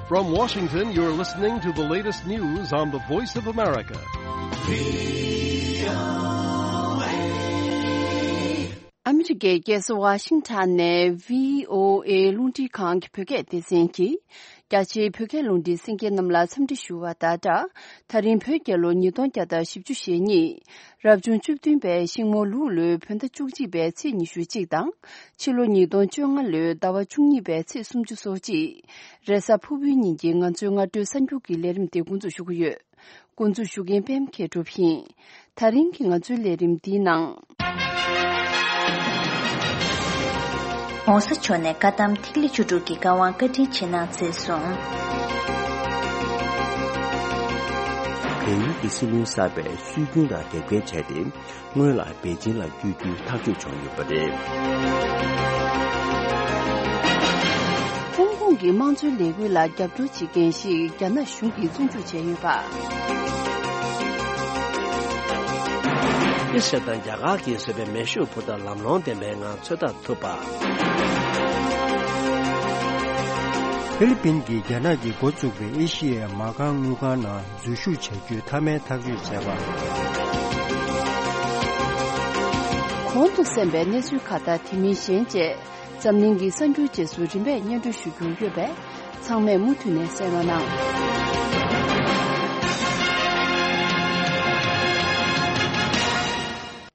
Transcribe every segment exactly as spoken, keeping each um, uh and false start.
From Washington, you're listening to the latest news on the Voice of America. ཨ་མི་རི་ཀའི་རྒྱལ་ས་ཝ་ཤིང་ཊོན་ནས་བྷི་ཨོ་ཨེ་རླུང་འཕྲིན་ཁང་གི་བོད་སྐད་སྡེ་ཚན་གྱིས། རྒྱ་ཆེའི་བོད་སྐད་རླུང་འཕྲིན་གསན་མཁན་རྣམས་ལ་འཚམས་འདྲི་ཞུ་བ་དང་སྦྲགས། ད་རིང་བོད་རྒྱལ་ལོ་ཉིས་སྟོང་བརྒྱ་དང་བཞི་བཅུ་ཞེ་གཉིས། རབ་བྱུང་བཅུ་བདུན་པའི་ཤིང་མོ་ལུག་ལོའི་བོད་ཟླ་བཅུ་གཅིག་པའི་ཚེས་ཉི་ཤུ་གཅིག་དང་། ཕྱི་ལོ་ཉིས་སྟོང་བཅོ་ལྔ་ལོའི་ཟླ་བ་བཅུ་གཉིས་པའི་ཚེས་སུམ་ཅུ་སོ་གཅིག་རེས་གཟའ་ཕུར་བུའི་ཉིན་གྱི་ང་ཚོའི་སྔ་དྲོའི་གསར་འགྱུར་གྱི་ལས་རིམ་དེ་འགོ་འཛུགས་ཞུ་གི་ཡོད། འགོ་འཛུགས་ཞུ་མཁན་པད་མ་མཁས་གྲུབ་ཡིན། ད་རིང་གི་ང་ཚོའི་ལས་རིམ་འདིའི་ནང་། ༸གོང་ས་མཆོག་ནས་བཀའ་གདམས་ཐིག་ལེ་བཅུ་དྲུག་གི་བཀའ་དབང་བཀའ་དྲིན་ཆེ་གནང་མཛད་སོང་། བལ་ཡུལ་གྱི་སྲིད་བློན་གསར་པས་སྲོལ་རྒྱུན་དང་དེབ་སྐྱེལ་བྱས་ཏེ། སྔོན་ལ་པེ་ཅིན་ལ་བསྐྱོད་རྒྱུའི་ཐག་གཅོད་བྱུང་ཡོད་པ་རེད། ཧོང་ཀོང་གི་དམངས་གཙོའི་ལས་འགུལ་ལ་རྒྱབ་སྐྱོར་བྱེད་མཁན་ཞིག་རྒྱ་ནག་གཞུང་གིས་བཙོན་འཇུག་བྱས་ཡོད་པ། ཨི་ཤ་དང་རྒྱ་གར་གྱིས་བཟོས་པའི་མེ་ཤུགས་འཕུར་མདའ་ལམ་ལྷོང་ལྡན་པའི་ངང་ཚོད་ལྟ་ཐུབ་པ། ཧྥི་ལི་པིན་གྱིས་རྒྱ་ནག་གིས་འགོ་བཙུགས་པའི་ཨེ་ཤི་ཡའི་མ་རྐང་དངུལ་ཁང་ནང་འཛུལ་ཞུགས་བྱ་རྒྱུའི་མཐའ་མའི་ཐག་གཅོད་བྱས་པ། གོང་དུ་གསན་པའི་གནས་ཚུལ་ཁག་དང་དེ་མིན་གཞན་བཅས། འཛམ་གླིང་གི་གསར་འགྱུར་རྗེས་སུ་རིམ་པས་སྙན་སྒྲོན་ཞུ་རྒྱུ་ཡོད་པས། ཚང་མས་མུ་མཐུད་ནས་གསན་རོགས་གནང་།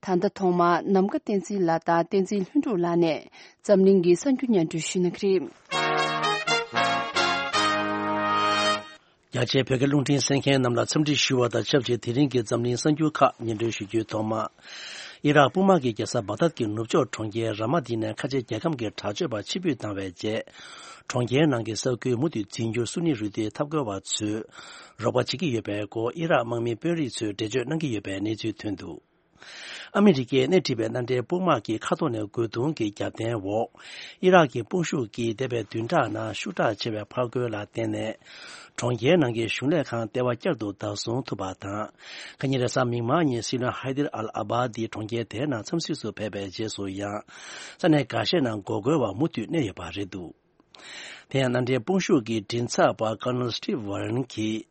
ད་ལྟ་ཐོག་མར་ནམ་མཁའ་བསྟན་འཛིན་ལགས་དང་བསྟན་འཛིན་ལྷུན་གྲུབ་ལགས་ནས་འཛམ་གླིང་གི་གསར་འགྱུར་སྙན་སྒྲོན་ཞུ་གནང་གི་རེད། རྒྱ་ཆེའི་བོད་སྐད་རླུང་འཕྲིན་གསན་མཁན་རྣམས་ལ་འཚམས་འདྲི་ཞུ་བ་དང་ཆབས་ཅིག་དེ་རིང་གི་འཛམ་གླིང་གསར་འགྱུར་ཁག་སྙན་སྒྲོན་ཞུ་རྒྱུའི་ཐོག་མ། ཨི་རག་དཔུང་དམག་གི་རྒྱལ་ས་བག་དྷད་ཀྱི་ནུབ་ཕྱོགས་གྲོང་ཁྱེར་ར་མ་ཏི་ནས་ཁ་ཆེ་རྒྱལ་ཁམས་ཀྱི་དྲག་སྤྱོད་པ་ཕྱིར་འབུད་བཏང་བའི་རྗེས། གྲོང་ཁྱེར་ནང་གི་ས་ཁུལ་མུ་མཐུད་འཛིན་རྒྱུར་སུ་ནི་རུ་སྡེའི་འཐབ་རྒོལ་བ་ཚོས་རོགས་པ་བྱེད་ཀྱི་ཡོད་པའི་སྐོར་ཨི་རག་དམག་མིའི་དཔོན་རིགས་ཚོས་འགྲེལ་བརྗོད་གནང་གི་ཡོད་པའི་གནས་ཚུལ་ཐོན་འདུག་ཨ་མི་རི་ཀས་སྣེ་ཁྲིད་པའི་མནའ་འབྲེལ་དཔུང་དམག་གིས་མཁའ་ཐོག་ནས་རྒོལ་རྡུང་གི་རྒྱབ་རྟེན་འོག་ཨི་རག་གི་དཔུང་ཤུགས་ཀྱིས་འདས་པའི་བདུན་ཕྲག་ནང་ཤུགས་དྲག་ཆེ་བའི་ཕར་རྒོལ་ལ་བརྟེན་ནས། གྲོང་ཁྱེར་ནང་གི་གཞུང་ལས་ཁང་ལྟེ་བ་བསྐྱར་དུ་བདག་བཟུང་ཐུབ་པ་དང་། ཁ་ཉིན་རེས་གཟའ་མིག་དམར་ཉིན་སྲིད་བློན་ཧའི་དིར་ཨལ་ཨ་བྷ་དི་གྲོང་ཁྱེར་དེའི་ནང་འཚམས་གཟིགས་སུ་ཕེབས་པའི་རྗེས་སུ་ཡང་། ས་གནས་འགའ་ཤས་ནང་འགོག་རྒོལ་བ་མུ་མཐུད་གནས་ཡོད་པ་རེད་འདུག་དེ་ཡང་མནའ་འབྲེལ་དཔུང་ཤུགས་ཀྱི་མགྲིན་ཚབ་པ་ཀར་ནལ་སི་ཊིབ་ཝོ་རན་གྱིས།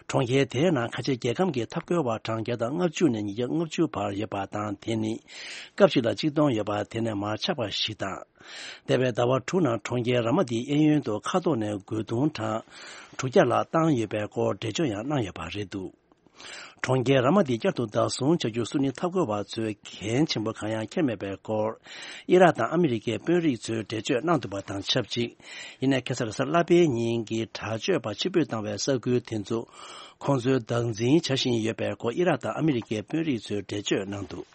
གྲོང་ཁྱེར་དེའི་ནང་ཁ་ཆེ་རྒྱལ་ཁམས་ཀྱི་འཐབ་རྒོལ་བ་གྲངས་བརྒྱ་དང་ལྔ་བཅུ་ནས་ཉིས་བརྒྱ་ལྔ་བཅུ་བར་ཡོད་པ་དང་། དེ་ནི་སྐབས་གཅིག་ལ་གཅིག་སྟོང་ཡོད་པ་དེ་ནས་མར་ཆག་པ་ཞིག་དང་། འདས་པའི་ཟླ་བ་དྲུག་ནང་གྲོང་ཁྱེར་ར་མ་ཏིའི་གཡས་གཡོན་དུ་མཁའ་ཐོག་ནས་རྒོལ་རྡུང་གྲངས་དྲུག་བརྒྱ་ལྷག་བཏང་ཡོད་པའི་སྐོར་འགྲེལ་བརྗོད་ཡང་གནང་ཡོད་པ་རེད་འདུག་གྲོང་ཁྱེར་ར་མ་ཏི་བསྐྱར་དུ་བདག་བཟུང་བྱ་རྒྱུ་སུ་ནི་འཐབ་རྒོལ་བ་ཚོས་འགན་ཆེན་པོ་གང་ཡང་འཁྱེར་མེད་པའི་སྐོར། ཨི་རག་དང་ཨ་མི་རི་ཀའི་དཔོན་རིགས་ཚོས་འགྲེལ་བརྗོད་གནང་འདུག་པ་དང་ཆབས་ཅིག་ཡིན་ནའི་ཁ་སང་རེས་གཟའ་ལྷག་པའི་ཉིན་གྱི་དྲག་སྤྱོད་པ་ཕྱིར་འབུད་བཏང་བའི་ས་ཁུལ་དེ་ཚོ་ཁོང་ཚོས་བདག་འཛིན་བྱ་བཞིན་ཡོད་པའི་སྐོར་ཨི་རག་དང་ཨ་མི་རི་ཀའི་དཔོན་རིགས་ཚོས་འགྲེལ་བརྗོད་གནང་འདུག་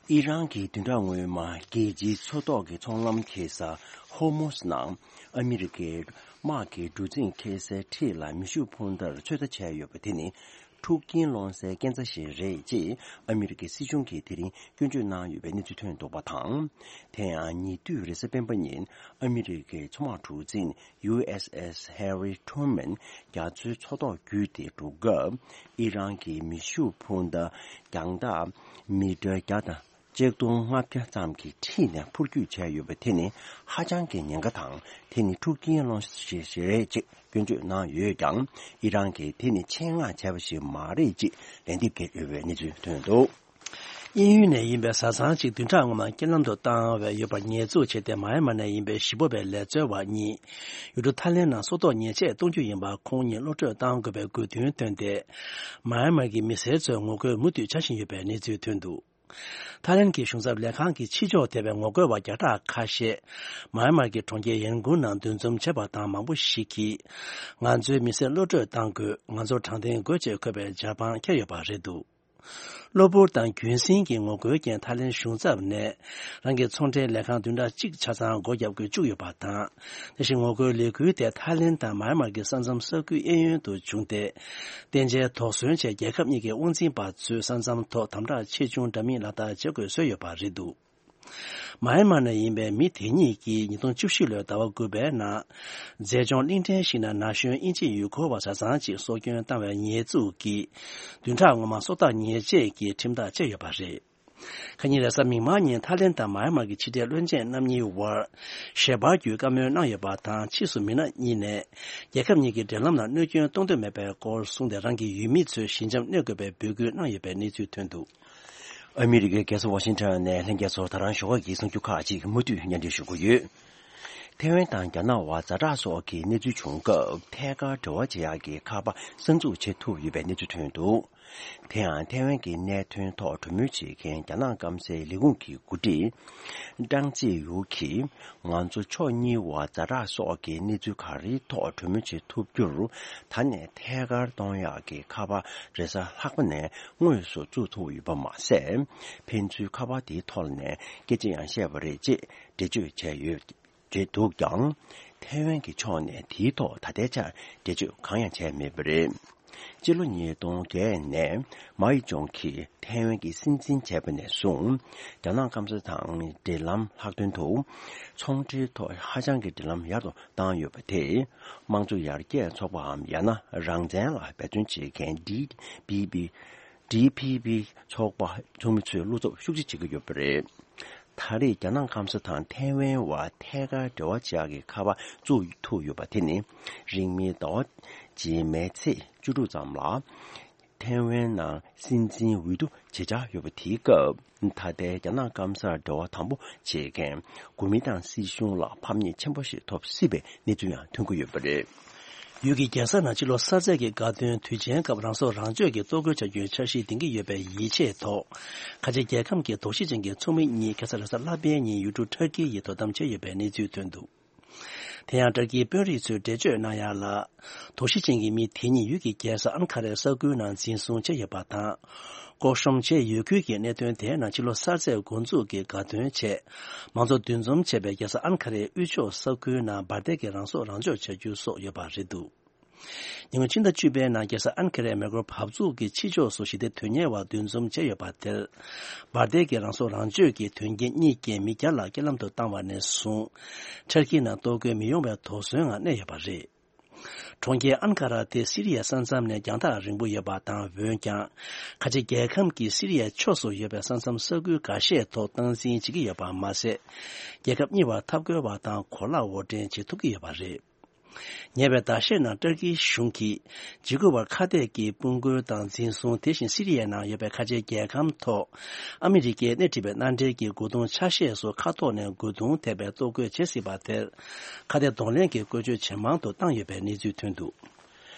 ཨི་རན་གྱི་བདུན་ཕྲག་སྔོན་མ་རྒྱལ་སྤྱིའི་མཚོ་ཐོག་གི་ཚོང་ལམ་འཁེལ་ས་ཧོར་མུ་སི་ནང་ཨ་མི་རི་ཀའི་དམག་གི་གྲུ་གཟིངས་འཁེལ་སའི་འཁྲིས་ལ་མེ་ཤུགས་འཕུར་མདའ་ཚོད་ལྟ་བྱས་ཡོད་པ་དེ་ནི་འཁྲུག་རྐྱེན་སློང་སའི་སྐས་འཛེག་ཞིག་རེད་ཅེས་ཨ་མི་རི་ཀའི་སྲིད་གཞུང་གིས་དེ་རིང་སྐྱོན་བརྗོད་གནང་ཡོད་པའི་གནས་ཚུལ་ཐོན་འདུག་པ་དང་། དེ་ཡང་ཉེ་དུས་རེས་གཟའ་སྤེན་པ་ཉིན་ཨ་མི་རི་ཀའི་མཚོ་དམག་གྲུ་གཟིངས་ཡུ་ཨེས་ཨེས་ཧེ་རི་ཊུ་མན་རྒྱ་མཚོའི་མཚོ་ཐོག་བརྒྱུད་དེ་འགྲོ་སྐབས་ཨི་རན་གྱི་མེ་ཤུགས་འཕུར་མདའ་རྒྱང་ཐག་མི་ཊར་བརྒྱ་དང་ཆིག་སྟོང་ལྔ་བརྒྱ་ཙམ་གྱི་འཁྲིས་ནས་འཕུར་སྐྱོད་བྱས་ཡོད་པ་དེ་ནི་ཧ་ཅང་གི་ཉེན་ཁ་དང་། དེ་ནི་འཁྲུག་རྐྱེན་སློང་ས་ཞིག་རེད་ཅེས་སྐྱོན་བརྗོད་གནང་ཡོད་ཀྱང་། ཨི་རན་གྱིས་དེ་ནི་ཆེད་མངགས་བྱས་པ་ཞིག་མ་རེད་ཅེས་ལན་འདེབས་བསྐྱལ་ཡོད་པའི་གནས་ཚུལ་ཐོན་འདུག་དབྱིན་ཡུལ་ནས་ཡིན་པའི་བཟའ་ཚང་གཅིག་བདུན་ཕྲག་སྔོན་མ་རྐྱེན་ལམ་དུ་བཏང་བའི་ཡོད་པ་ཉེས་འཛུགས་བྱས་ཏེ། མཱ་ཡན་མཱ་ནས་ཡིན་པའི་གཞིས་སྤོ་བའི་ལས་འཚོལ་བ་གཉིས་ཡུལ་གྲུ་ཐའི་ལེན་ནང་སྲོག་ཐོག་ཉེས་ཆད་གཏོང་རྒྱུ་ཡིན་པ་ཁོང་གཉིས་གློད་བཀྲོལ་གཏང་དགོས་པའི་དགོས་འདུན་བཏོན་ཏེ། མཱ་ཡན་མཱ་གི་མི་སེར་ཚོས་ངོ་རྒོལ་མུ་མཐུད་བྱ་བཞིན་ཡོད་པའི་གནས་ཚུལ་ཐོན་འདུག་ཐའི་ལེན་གྱི་གཞུང་ཚབ་ལས་ཁང་གིས་ཕྱི་ཕྱོགས་བསྡད་པའི་ངོ་རྒོལ་བ་བརྒྱ་ཕྲག་ཁ་ཤས་མཱ་ཡན་མཱ་གི་གྲོང་ཁྱེར་ཡན་ཀུན་ནང་འདུ་འཛོམས་བྱས་པ་དང་། མང་པོ་ཞིག་གིས་ང་ཚོའི་མི་སེར་གློད་བཀྲོལ་གཏང་དགོས། ང་ཚོར་དྲང་བདེན་དགོས་ཅེས་འཁོད་པའི་ཇ་པང་འཁྱེར་ཡོད་པ་རེད་འདུག་གློ་བུར་དང་རྒྱུན་སྲིང་གི་ངོ་རྒོལ་རྐྱེན་ཐའི་ལེན་གཞུང་ཚབ་ནས་རང་གི་ཚོང་འབྲེལ་ལས་ཁང་བདུན་ཕྲག་གཅིག་ཆ་ཚང་སྒོ་བརྒྱབ་དགོས་བཅུག་ཡོད་པ་དང་། དེ་བཞིན་ངོ་རྒོལ་ལས་འགུལ་དེ་ཐའི་ལེན་དང་མཱ་ཡན་མཱ་གི་ས་མཚམས་ས་ཁུལ་གཡས་གཡོན་དུ་བྱུང་སྟེ། བརྟན་ཆའི་དོགས་ཟོན་ཆེད་རྒྱལ་ཁབ་གཉིས་ཀྱི་དབང་འཛིན་པ་ཚོས་ས་མཚམས་ཐོག་དམ་དྲག་ཆེ་ཆུང་འདྲ་མིན་ལག་བསྟར་བྱེད་དགོས་བཟོས་ཡོད་པ་རེད་འདུག་མཱ་ཡན་མཱ་ནས་ཡིན་པའི་མི་དེ་གཉིས་ཀྱིས་ཉིས་སྟོང་བཅུ་བཞི་ལོའི་ཟླ་བ་དགུ་པའི་ནང་། མཛེས་ལྗོངས་གླིང་ཕྲན་ཞིག་ན་ན་གཞོན་དབྱིན་ཇི་ཡུལ་སྐོར་བ་བཟའ་ཚང་གཅིག་སྲོག་སྐྱོན་བཏང་བའི་ཉེས་འཛུགས་ཀྱིས། བདུན་ཕྲག་སྔོན་མ་སྲོག་ཐོག་ཉེས་ཆད་ཀྱི་ཁྲིམས་ཐག་བཅད་ཡོད་པ་རེད། ཁ་ཉིན་རེས་གཟའ་མིག་དམར་ཉིན་ཐའི་ལེན་དང་མཱ་ཡན་མར་གྱི་ཕྱི་འབྲེལ་བློན་ཆེན་རྣམ་གཉིས་དབར་ཞལ་པར་བརྒྱུད་བཀའ་མོལ་གནང་ཡོད་པ་དང་། ཕྱིས་སུ་མི་སྣ་གཉིས་ནས་རྒྱལ་ཁབ་གཉིས་ཀྱི་འབྲེལ་ལམ་ལ་གནོད་སྐྱོན་གཏོང་འདོད་མེད་པའི་སྐོར་གསུངས་ཏེ། རང་གི་ཡུལ་མི་ཚོས་ཞི་འཇམ་གནས་དགོས་པའི་འབོད་སྐུལ་གནང་ཡོད་པའི་གནས་ཚུལ་ཐོན་འདུག། ཨ་མི་རི་ཀའི་རྒྱལ་ས་ཝ་ཤིང་ཊོན་ནས་ལྷན་རྒྱས་ཚོར་ད་རང་ཞོགས་ཀྱི་གསར་འགྱུར་ཁག་ཅིག་མུ་མཐུད་སྙན་སྒྲོན་ཞུ་གི་ཡོད། ཐའེ་ཝན་དང་རྒྱ་ནག་དབར་ཛ་དྲག་སོགས་ཀྱི་གནས་ཚུལ་བྱུང་སྐབས། ཐད་ཀར་འབྲེལ་བ་བྱེད་ཡག་གི་ཁ་པར་གསར་འཛུགས་བྱེད་ཐུབ་ཡོད་པའི་གནས་ཚུལ་ཐོན་འདུག། དེ་ཡང་ཐའེ་ཝན་གྱི་གནད་དོན་ཐོག་གྲོས་མོལ་བྱེད་མཁན་རྒྱ་ནག་སྐམ་སའི་ལས་ཁུངས་ཀྱི་འགོ་ཁྲིད་ཀྲང་ཙེ་ཡུ་གིས། ང་ཚོ་ཕྱོགས་གཉིས་དབར་ཛ་དྲག་སོགས་ཀྱི་གནས་ཚུལ་ག་རེའི་ཐོག་གྲོས་མོལ་བྱེད་ཐུབ་རྒྱུར། ད་ནས་ཐད་ཀར་གཏོང་ཡག་གི་ཁ་པར་རེས་གཟའ་ལྷག་པ་ནས་དངོས་སུ་བཙུགས་ཐུབ་ཡོད་པ་མ་ཟད། ཕན་ཚུན་ཁ་པར་དེའི་ཐོག་ནས་སྐད་ཆ་ཡང་བཤད་པ་རེད་ཅེས་འགྲེལ་བརྗོད་བྱས་ཡོད། རེད་འདུག་ཀྱང་། ཐའེ་ཝན་གྱི་ཕྱོགས་ནས་དེའི་ཐོག་ད་ལྟའི་ཆར་འགྲེལ་བརྗོད་གང་ཡང་བྱས་མེད་པ་རེད། སྤྱི་ལོ་ཉིས་སྟོང་བརྒྱད་ནས་མའོ་ཙེ་ཏུང་གིས་ཐའེ་ཝན་གྱི་སྲིད་འཛིན་བྱས་པ་ནས་བཟུང་། རྒྱ་ནག་སྐམ་ས་དང་འབྲེལ་ལམ་ལྷག་དོན་དུ། ཚོང་འབྲེལ་ཐོག་ཧ་ཅང་གི་འབྲེལ་ལམ་ཡར་དུ་བཏང་ཡོད་པ་དེས། དམངས་གཙོ་ཡར་རྒྱས་ཚོགས་པའམ་ཡང་ན་རང་བཙན་ལ་འབད་བརྩོན་བྱེད་མཁན་ཌི་པི་པི། ཌི་པི་པི་ཚོགས་པ་ཚོགས་མི་ཚོས་བློ་འཚབ་ཤུགས་ཆེ་བྱེད་ཀྱི་ཡོད་པ་རེད། ད་རེས་རྒྱ་ནག་སྐམ་ས་དང་ཐའེ་ཝན་བར་ཐད་ཀར་འབྲེལ་བ་བྱེད་ཡག་གི་ཁ་པར་བཙུགས་ཐུབ་ཡོད་པ་དེ་ནི། རིང་མིན་ཟླ་བ་རྗེས་མའི་ཚེས་བཅུ་དྲུག་ཙམ་ལ། ཐའེ་ཝན་ནང་སྲིད་འཛིན་འོས་བསྡུ་བྱེད་འཆར་ཡོད་པ་དེའི་སྐབས། ད་ལྟའི་རྒྱ་ནག་སྐམ་སར་འབྲེལ་བ་དམ་པོ་བྱེད་མཁན་གོ་མིན་ཏང་སྲིད་གཞུང་ལ་ཕམ་ཉེས་ཆེན་པོ་ཞིག་ཐོབ་སྲིད་པའི་གནས་ཚུལ་ཡང་ཐོན་གྱི་ཡོད་པ་རེད། ཡུལ་གྱི་རྒྱལ་ས་ནང་ཕྱི་ལོ་གསར་ཚེས་ཀྱི་དགའ་སྟོན་དུས་ཆེན་སྐབས་རང་སྲོག་རང་གཅོད་ཀྱིས་གཏོར་རྒོལ་བྱ་རྒྱུའི་འཆར་གཞི་འདིང་གི་ཡོད་པའི་ཡིད་ཆེས་ཐོག། ཁ་ཆེ་རྒྱལ་ཁམས་ཀྱི་དོགས་གཞི་ཅན་གྱི་ཚོགས་མི་གཉིས་ཁ་སང་རེས་གཟའ་ལྷག་པའི་ཉིན་ཡུལ་གྲུ་ཊར་ཀིའི་ཡུལ་དུ་དོ་དམ་བྱས་ཡོད་པའི་གནས་ཚུལ་ཐོན་འདུག། དེ་ཡང་ཊར་ཀིའི་དཔོན་རིགས་ཚོས་འགྲེལ་བརྗོད་གནང་ཡག་ལ། དོགས་གཞི་ཅན་གྱི་མི་དེ་གཉིས་ཡུལ་གྱི་རྒྱལ་ས་ཨན་ཁ་རའི་ས་ཁུལ་ནང་འཛིན་བཟུང་བྱས་ཡོད་པ་དང་། ལྐོག་ཤོམ་བྱས་ཡོད་ཁུལ་གྱི་གནད་དོན་དེའི་ནང་ཕྱི་ལོ་གསར་ཚེས་འགོ་འཛུགས་ཀྱི་དགའ་སྟོན་ཆེད། མང་ཚོགས་འདུ་འཛོམས་བྱས་པའི་རྒྱལ་ས་ཨན་ཁ་རའི་དབུས་ཕྱོགས་ས་ཁུལ་ནང་འབར་མདེལ་གྱིས་རང་སྲོག་རང་སྐྱོབ་བྱ་རྒྱུ་སོགས་ཡོད་པ་རེད་འདུག། ཉིན་གུང་ཕྱི་ཟླ་བཅུ་པའི་ནང་རྒྱལ་ས་ཨན་ཁ་རའི་མེ་འཁོར་བབས་ཚུགས་ཀྱི་ཕྱི་ཕྱོགས་སུ་ཞི་བདེ་དོན་གཉེར་བ་འདུ་འཛོམས་བྱས་ཡོད་པ་དེར། འབར་མདེལ་གྱིས་རང་སྲོག་རང་གཅོད་ཀྱི་དོན་རྐྱེན་གཉིས་བརྒྱུད་མི་བརྒྱ་ལ་རྐྱེན་ལམ་དུ་བཏང་བ་ནས་བཟུང་། ཊར་ཀིའི་ནང་གཏོར་རྒོལ་མི་ཡོང་བའི་དོགས་ཟོན་ངང་གནས་ཡོད་པ་རེད། གྲོང་ཁྱེར་ཨན་ཁ་ར་དེ་སི་རི་ཡའི་ས་མཚམས་ནས་རྒྱང་ཐག་རིང་པོ་ཡོད་པ་དང་། འོན་ཀྱང་། ཁ་ཆེ་རྒྱལ་ཁམས་ཀྱི་སི་རི་ཡའི་ཕྱོགས་སུ་ཡོད་པའི་ས་མཚམས་ས་ཁུལ་འགའ་ཤས་ཐོག་སྟངས་འཛིན་བྱེད་ཀྱི་ཡོད་པ་མ་ཟད། རྒྱལ་ཁབ་གཉིས་བར་འཐབ་རྒོལ་བ་དང་གོ་ལག་དབོར་འདྲེན་བྱེད་ཐུབ་ཀྱི་ཡོད་པ་རེད། ཉེ་བའི་ཟླ་ཤས་ནང་ཏུར་ཀིའི་གཞུང་གིས་འཇིགས་སྐུལ་བར་ཁ་གཏད་ཀྱི་དཔུང་རྒོལ་དང་འཛིན་བཟུང་། དེ་བཞིན་སི་རི་ཡའི་ནང་ཡོད་པའི་ཁ་ཆེའི་རྒྱལ་ཁམས་ཐོག་ཨ་མི་རི་ཀས་སྣེ་ཁྲིད་པའི་མནའ་འབྲེལ་གྱི་རྒོལ་རྡུང་ཆ་ཤས་སུ་མཁའ་ཐོག་ནས་རྒོལ་རྡུང་ཐེབས་པའི་གཏོར་རྒོལ་བྱེད་སྲིད་པ་དེར། ཁ་གཏད་གདོང་ལེན་གྱི་བཀོལ་སྤྱོད་ཇེ་མང་དུ་བཏང་ཡོད་པའི་གནས་ཚུལ་ཐོན་འདུག།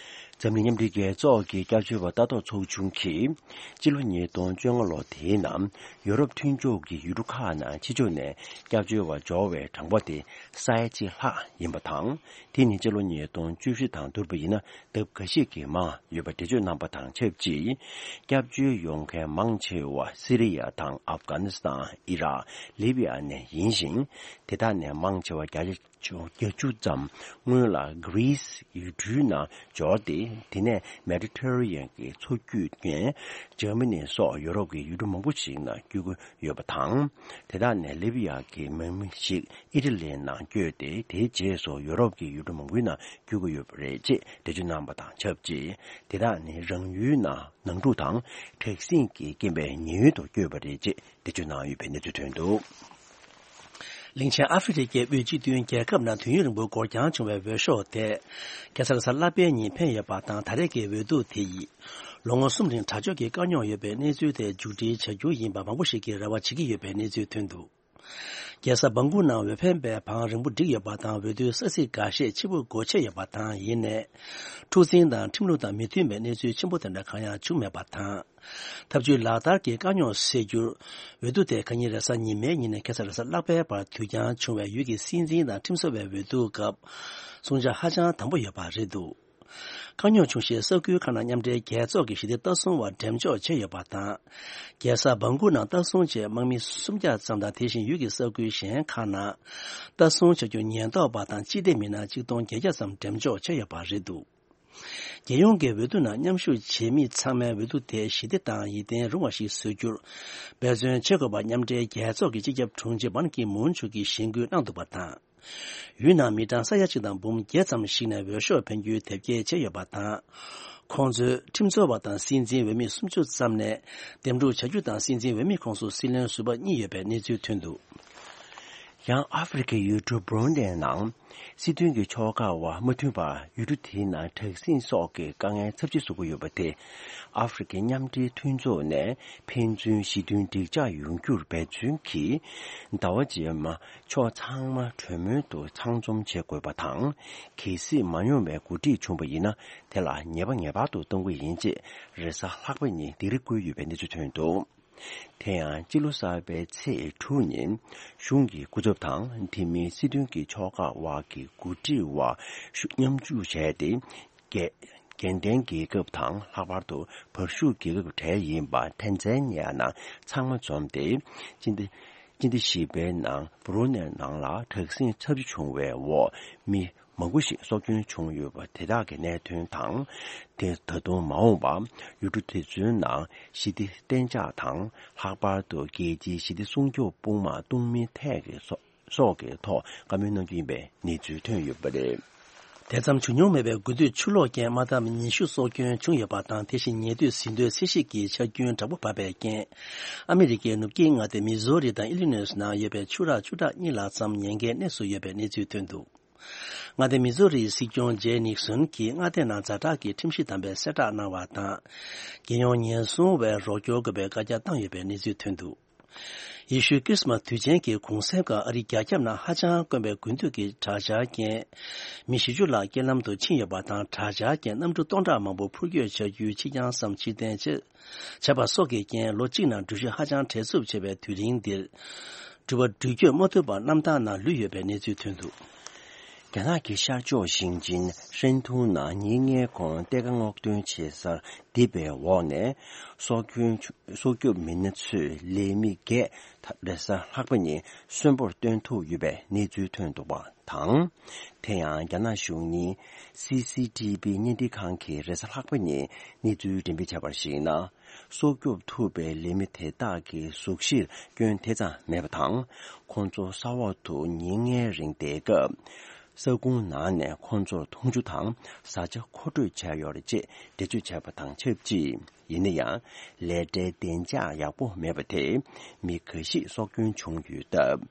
འཛམ་གླིང་མཉམ་འབྲེལ་རྒྱལ་ཚོགས་ཀྱི་སྐྱབས་བཅོལ་བ་ལྟ་རྟོག་ཚོགས་ཆུང་གིས། སྤྱི་ལོ་ཉིས་སྟོང་བཅོ་ལྔ་ལོ་དེའི་ནང་ཡུ་རོབ་མཐུན་ཕྱོགས་ཀྱི་ཡུལ་གྲུ་ཁག་ནང་ཕྱི་ཕྱོགས་ནས་སྐྱབས་བཅོལ་བ་འབྱོར་བའི་གྲངས་འབོར་དེ་ས་ཡ་གཅིག་ལྷག་ཡིན་པ་དང་། དེ་ནི་སྤྱི་ལོ་ཉིས་སྟོང་བཅུ་བཞི་དང་བསྡུར་བ་ཡིན་ན་ལྡབ་འགའ་ཤས་ཀྱིས་མང་ཡོད་པ་འགྲེལ་བརྗོད་གནང་པ་དང་ཆབས་ཅིག། སྐྱབས་བཅོལ་ཡོང་མཁན་མང་ཆེ་བ་སི་རི་ཡ་དང་ཨབ་གྷ་ནི་སི་ཐན། ཨི་རག་ལི་བི་ཡ་ནས་ཡིན་ཞིང་། དེ་དག་ནས་མང་ཆེ་བ་བརྒྱ་ཆ་བརྒྱད་ཅུ་ཙམ་སྔོན་ལ་གྷི་རི་སི་ཡུལ་གྲུའི་ནང་འབྱོར་ཏེ། དེ་ནས་མེ་ཌི་ཊེ་རི་ཡན་གྱི་མཚོ་བརྒྱུད་ནས་འཇར་མ་ནི་སོགས་ཡུ་རོབ་ཀྱི་ཡུལ་གྲུ་མང་པོ་ཞིག་ནང་བསྐྱོད་ཀྱི་ཡོད་པ་དང་། དེ་དག་ནས་ལི་བི་ཡ་གི་མི་མང་ཞིག་ཨི་ཊ་ལིའི་ནང་བསྐྱོད་དེ། དེའི་རྗེས་སུ་ཡུ་རོབ་ཀྱི་ཡུལ་གྲུ་མང་པོའི་ནང་བསྐྱོད་ཀྱི་ཡོད་པ་རེད་ཅེས་འགྲེལ་བརྗོད་གནང་པ་དང་ཆབས་ཅིག། དེ་དག་ནི་རང་ཡུལ་ནང་ནང་འཁྲུག་དང་དྲག་ཟིང་གི་རྐྱེན་པས་ཉེན་གཡོལ་དུ་བསྐྱོད་པ་རེད་ཅེས་འགྲེལ་བརྗོད་གནང་ཡོད་པའི་གནས་ཚུལ་ཐོན་འདུག། གླིང་ཆེན་ཨ་ཧྥེ་རི་ཁའི་དབུས་སྤྱི་མཐུན་རྒྱལ་ཁབ་ནང་དུས་ཡུན་རིང་པོ་འགོར་འགྱངས་བྱུང་བའི་འོས་ཤོག་དེ། ཁ་སང་རེས་གཟའ་ལྷག་པའི་ཉིན་འཕེན་ཡོད་པ་དང་། ད་རེས་ཀྱི་འོས་བསྡུ་དེ་ཡིས། ལོ་ངོ་གསུམ་རིང་དྲག་སྤྱོད་ཀྱི་དཀའ་རྙོག་ཡོད་པའི་གནས་ཚུལ་དེ་མཇུག་སྒྲིལ་བྱ་རྒྱུ་ཡིན་པ་མང་པོ་ཞིག་གིས་རེ་བ་བྱེད་ཀྱི་ཡོད་པའི་གནས་ཚུལ་ཐོན་འདུག། རྒྱལ་ས་བང་གུ་ནང་འོས་འཕེན་པའི་བང་རིང་པོ་བསྒྲིགས་ཡོད་པ་དང་། འོས་བསྡུའི་ས་ཚིགས་འགའ་ཤས་ཕྱིར་འབུད་སྒོ་ཕྱེ་ཡོད་པ་དང་། ཡིན་ནའི། འཁྲུག་འཛིང་དང་ཁྲིམས་ལུགས་དང་མི་མཐུན་པའི་གནས་ཚུལ་ཆེན་པོ་དེ་འདྲ་གང་ཡང་བྱུང་མེད་པ་དང་། ཐབས་ཇུས་ལག་བསྟར་གྱི་དཀའ་རྙོག་སེལ་རྒྱུར། འོས་བསྡུ་དེ་ཁ་ཉིན་རེས་གཟའ་ཉི་མའི་ཉིན་ནས་ཁ་སང་རེས་གཟའ་ལྷག་པའི་བར་དུས་འགྱངས་བྱུང་བས། ཡུལ་གྱི་སྲིད་འཛིན་དང་ཁྲིམས་བཟོ་བའི་འོས་བསྡུ་སྐབས། བསྲུང་བྱ་ཧ་ཅང་དམ་པོ་ཡོད་པ་རེད་འདུག། དཀའ་རྙོག་བྱུང་ཞེས་ས་ཁུལ་ཁག་ནང་མཉམ་འབྲེལ་རྒྱལ་ཚོགས་ཀྱི་ཞི་བདེ་ལྟ་སྲུང་བ་འགྲེམས་འཇོག་བྱས་ཡོད་པ་དང་། རྒྱལ་ས་བང་གུ་ནང་ལྟ་སྲུང་ཆེད་དམག་མི་སུམ་བརྒྱ་ཙམ་དང་། དེ་བཞིན་ཡུལ་གྱི་ས་ཁུལ་གཞན་ཁག་ནང་ལྟ་སྲུང་བྱ་རྒྱུར་ཉེན་རྟོག་པ་དང་སྤྱི་བདེ་མི་སྣ་ཆིག་སྟོང་བརྒྱད་བརྒྱ་ཙམ་འགྲེམས་འཇོག་བྱས་ཡོད་པ་རེད་འདུག། རྒྱལ་ཡོངས་ཀྱི་འོས་བསྡུ་ནང་མཉམ་ཞུགས་བྱེད་མི་ཚང་མས་འོས་བསྡུ་དེ་ཞི་བདེ་དང་ཡིད་བརྟན་རུང་བ་ཞིག་བཟོ་རྒྱུར་འབད་བརྩོན་བྱེད་དགོས་པ་མཉམ་འབྲེལ་རྒྱལ་ཚོགས་ཀྱི་སྤྱི་ཁྱབ་དྲུང་ཆེ་བན་ཀི་མུན་མཆོག་གིས་གཞེན་སྐུལ་གནང་འདུག་པ་དང་། ཡུལ་ནང་མི་གྲངས་ས་ཡ་གཅིག་དང་འབུམ་བརྒྱད་ཙམ་ཞིག་ནས་འོས་ཤོག་འཕེན་རྒྱུའི་དེབ་སྐྱེལ་བྱས་ཡོད་པ་དང་། ཁོང་ཚོས་ཁྲིམས་རྩོད་པ་དང་སྲིད་འཛིན་འོས་མི་སུམ་ཅུ་ཙམ་ནས་འདེམས་སྒྲུག་བྱ་རྒྱུ་དང་། སྲིད་འཛིན་འོས་མི་ཁོངས་སུ་སྲིད་བློན་ཟུར་པ་གཉིས་ཡོད་པའི་གནས་ཚུལ་ཐོན་འདུག། ཡང་ཨ་ཧྥེ་རི་ཁའི་ཡུལ་གྲུ་བྷུ་རུ་ནེ་ནང་སྲིད་དོན་གྱི་ཕྱོགས་འགལ་བ་མ་མཐུན་པར་ཡུལ་གྲུ་དེའི་ནང་དྲག་ཟིང་སོགས་ཀྱི་དཀའ་ངལ་ཚབས་ཆེ་བཟོ་གི་ཡོད་པ་དེ། ཨ་ཧྥེ་རི་ཁའི་མཉམ་འབྲེལ་མཐུན་ཚོགས་ནས་ཕན་ཚུན་ཞི་མཐུན་འགྲིག་འཇགས་ཡོང་རྒྱུར་འབད་བརྩོན་གྱིས། ཟླ་བ་རྗེས་མ་ཕྱོགས་ཚང་མ་གྲོས་མོལ་དུ་ཚང་འཛོམས་བྱེད་དགོས་པ་དང་། གལ་སྲིད་མ་ཡོང་བའི་འགོ་ཁྲིད་བྱུང་བ་ཡིན་ན། དེ་ལ་ངེས་པ་ངེས་པར་དུ་གཏོང་གི་ཡིན་ཅེས་རེས་གཟའ་ལྷག་པ་ཉིན་སྡིགས་ར་བསྐུལ་ཡོད་པའི་གནས་ཚུལ་ཐོན་འདུག། དེ་ཡང་སྤྱི་ལོ་གསར་པའི་ཚེས་དྲུག་ཉིན་གཞུང་གི་སྐུ་ཚབ་དང་དེ་མིན་སྲིད་དོན་གྱི་ཕྱོགས་འགལ་བ་གི་འགོ་ཁྲིད་བར་མཉམ་ཞུགས་བྱས་ཏེ། རྒྱལ་རྒྱལ་ལྡན་རྒྱལ་ཁབ་དང་ལྷག་པར་དུ་བར་ཤུག་རྒྱལ་ཁབ་གྲས་ཡིན་པ་ཐན་ཛན་ནི་ཡ་ནང་ཚང་མ་འཛོམས་ཏེ། སྤྱི་ཟླ་སྤྱི་ཟླ་བཞི་པའི་ནང་བྷུ་རུ་ནེ་ནང་ལ་དྲག་ཟིང་ཚབས་ཆེ་བྱུང་བའི་འོག་མི་མང་པོ་ཞིག་སྲོག་སྐྱོན་བྱུང་ཡོད་པ་དེ་དག་གི་གནད་དོན་དང་། དེ་ད་དུང་མ་འོངས་པར་ཡུལ་གྲུ་དེ་ཚོའི་ནང་ཞི་བདེ་གཏན་འཇགས་དང་། ལྷག་པར་དུ་རྒྱལ་སྤྱིའི་ཞི་བདེ་སྲུང་སྐྱོབ་དཔུང་དམག་གཏོང་མིན་ཐད་ཀྱི་སོ་སོགས་ཀྱི་ཐོག་བཀའ་མོལ་གནང་རྒྱུ་ཡིན་པའི་གནས་ཚུལ་ཐོན་ཡོད་པ་རེད། དེ་ཙམ་བྱུང་མྱོང་མེད་པའི་དགུན་དུས་ཆུ་ལོག་རྐྱེན་དམག་འཐབ་ཉི་ཤུ་སྲོག་སྐྱོན་བྱུང་ཡོད་པ་དང་། དེ་བཞིན་ཉེ་དུས་ཟིན་ཐོའི་ཚད་གཞི་གི་ཆ་རྒྱུན་དྲག་པོ་བབས་པའི་རྐྱེན། ཨ་མི་རི་ཀའི་ནུབ་དཀྱིལ་མངའ་སྡེ་མི་ཟོ་རི་དང་ཨི་ལི་ནོས་ནང་ཡོད་པའི་ཆུ་རགས་བཅུ་ཕྲག་གཉིས་ལྷག་ཙམ་ཉེན་ཁའི་གནས་སུ་ཡོད་པའི་གནས་ཚུལ་ཐོན་འདུག། མངའ་སྡེ་མི་ཟོ་རིའི་སྲིད་སྐྱོང་ཇེ་ནིག་སོན་གྱིས་མངའ་སྡེ་ནང་ཛ་དྲག་གི་ཁྲིམས་གཞི་དམ་པའི་གསལ་བསྒྲགས་གནང་བ་དང་། རྒྱལ་ཡོངས་ཉེན་སྲུང་བས་རོགས་སྐྱོར་དགོས་པའི་བཀའ་རྒྱ་བཏང་ཡོད་པའི་གནས་ཚུལ་ཐོན་འདུག། ཡེ་ཤུའི་ཁྲིས་མ་དུས་ཆེན་གྱི་གུང་སེང་སྐབས་ཨ་རིའི་རྒྱ་ཁྱབ་ནང་ཧ་ཅང་དཀོན་པའི་དགུན་དུས་ཀྱི་དྲག་ཆར་རྐྱེན། མི་བཞི་བཅུ་ལྷག་རྐྱེན་ལམ་དུ་ཕྱིན་ཡོད་པ་དང་། དྲག་ཆར་རྐྱེན་གནམ་གྲུ་སྟོང་ཕྲག་མང་པོ་འཕུར་སྐྱོད་བྱ་རྒྱུའི་ཕྱི་རྐྱང་སམ་ཕྱིར་འཐེན་བྱས། བྱས་པ་སོགས་ཀྱི་རྐྱེན་ལོ་གཅིག་ནང་འགྲུལ་བཞུད་ཧ་ཅང་བྲེལ་འཚུབ་ཆེ་བའི་དུས་རིང་འདིར། འགྲུལ་པ་འགྲུལ་སྐྱོད་མ་ཐུབ་པར་གནམ་ཐང་ནང་ལུས་ཡོད་པའི་གནས་ཚུལ་ཐོན་འདུག། རྒྱ་ནག་གི་ཤར་ཕྱོགས་ཞིང་ཆེན་ཧྲན་ཏུང་ནང་ཉིན་ལྔའི་གོང་གཏེར་ཁ་སྔོག་འདོན་བྱེད་སར་རྡིབ་པའི་འོག་ནས་སྲོག་སྐྱོན་སྲོག་སྐྱོབ་མི་སྣ་ཚོས་ལས་མི་བརྒྱད་རེས་གཟའ་ལྷག་པ་ཉིན་གསོན་པོར་བཏོན་ཐུབ་ཡོད་པའི་གནས་ཚུལ་ཐོན་འདུག་པ་དང་། དེ་ཡང་རྒྱ་ནག་གཞུང་གཉིས་སི་སི་ཊི་བི་བརྙན་འཕྲིན་ཁང་གིས་རེས་གཟའ་ལྷག་པ་ཉིན་གནས་ཚུལ་འགྲེམས་སྤེལ་བྱས་པར་གཞིགས་ན། སྲོག་སྐྱོབ་ཐུབ་པའི་ལས་མི་དེ་དག་གི་གཟུགས་གཞིར་སྐྱོན་དེ་ཙམ་མེད་པ་དང་། ཁོང་ཚོ་ས་འོག་ཏུ་ཉིན་ལྔའི་རིང་བསྡད་སྐབས། ས་ཁུང་ནང་ནས་ཁོང་ཚོར་འཐུང་ཆུ་དང་བཟའ་བཅའ་མཁོ་སྤྲོད་བྱས་ཡོད་རེད་ཅེས་འགྲེལ་བརྗོད་བྱས་པ་དང་ཆབས་ཅིག། ཡིན་ན་ཡང་། ལས་གྲྭའི་བདེ་འཇགས་ཡག་པོ་མེད་པ་དེས་མི་འགའ་ཞིག་སྲོག་སྐྱོན་བྱུང་ཡོད་སྟབས།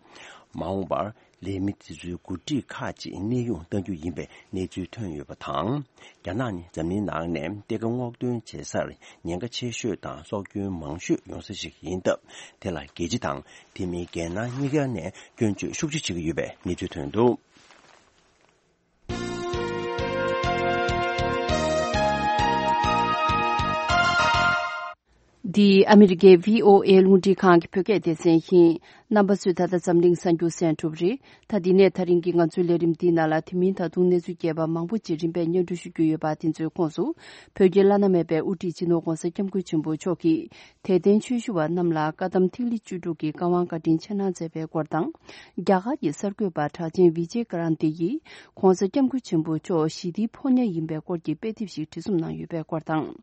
མ་འོངས་པར། ལས་མི་དེ་ཚོའི་འགོ་ཁྲིད་ཁག་ཅིག་གནས་དབྱུང་གཏང་རྒྱུ་ཡིན་པའི་གནས་ཚུལ་ཐོན་ཡོད་པ་དང་། རྒྱ་ནག་ནི་འཛམ་གླིང་ནང་ནས་གཏེར་ཁ་སྔོག་འདོན་བྱེད་སར་ཉེན་ཁ་ཆེ་ཤོས་དང་སྲོག་སྐྱོན་མང་ཤོས་ཡོང་ས་ཞིག་ཡིན་སྟབས། དེ་ལ་རྒྱལ་སྤྱི་དང་དེ་མིན་རྒྱལ་ནང་གཉིས་ཀ་ནས་སྐྱོན་བརྗོད་ཤུགས་ཆེ་བྱེད་ཀྱི་ཡོད་པའི་གནས་ཚུལ་ཐོན་འདུག། འདི་ཨ་མི་རི་ཀའི་བྷི་ཨོ་ཨེ་རླུང་འཕྲིན་ཁང་གི་བོད་སྐད་སྡེ་ཚན་ཡིན། རྣམ་པ་ཚོས་ད་ལྟ་འཛམ་གླིང་གསར་འགྱུར་གསན་གྲུབ་རེད། ད་འདི་ནས་ད་རིང་གི་ང་ཚོའི་ལས་རིམ་འདིའི་ནང་ལ་དེ་མིན་ད་དུང་གནས་ཚུལ་རྒྱས་པ་མང་པོ་ཅིག་རིམ་པས་སྙན་སྒྲོན་ཞུ་རྒྱུ་ཡོད་པ་དེ་ཚོའི་ཁོངས་སུ། བོད་ཀྱི་བླ་ན་མེད་པའི་དབུ་ཁྲིད་སྤྱི་ནོར་༧གོང་ས་༧སྐྱབས་མགོན་ཆེན་པོ་མཆོག་གིས་དད་ལྡན་ཆོས་ཞུ་བ་རྣམས་ལ་བཀའ་གདམས་ཐིག་ལེ་བཅུ་དྲུག་གི་བཀའ་དབང་བཀའ་དྲིན་ཆེ་གནང་མཛད་པའི་སྐོར་དང་། རྒྱ་གར་གྱི་གསར་འགོད་པ་གྲགས་ཅན་བི་ཇེ་ཀ་རན་ཏི་ཡིས་༧གོང་ས་༧སྐྱབས་མགོན་ཆེན་པོ་མཆོག་ཞི་བདེའི་ཕོ་ཉ་ཡིན་པའི་སྐོར་གྱི་དཔེ་དེབ་ཞིག་བྲིས་རྩོམ་གནང་ཡོད་པའི་སྐོར་དང་།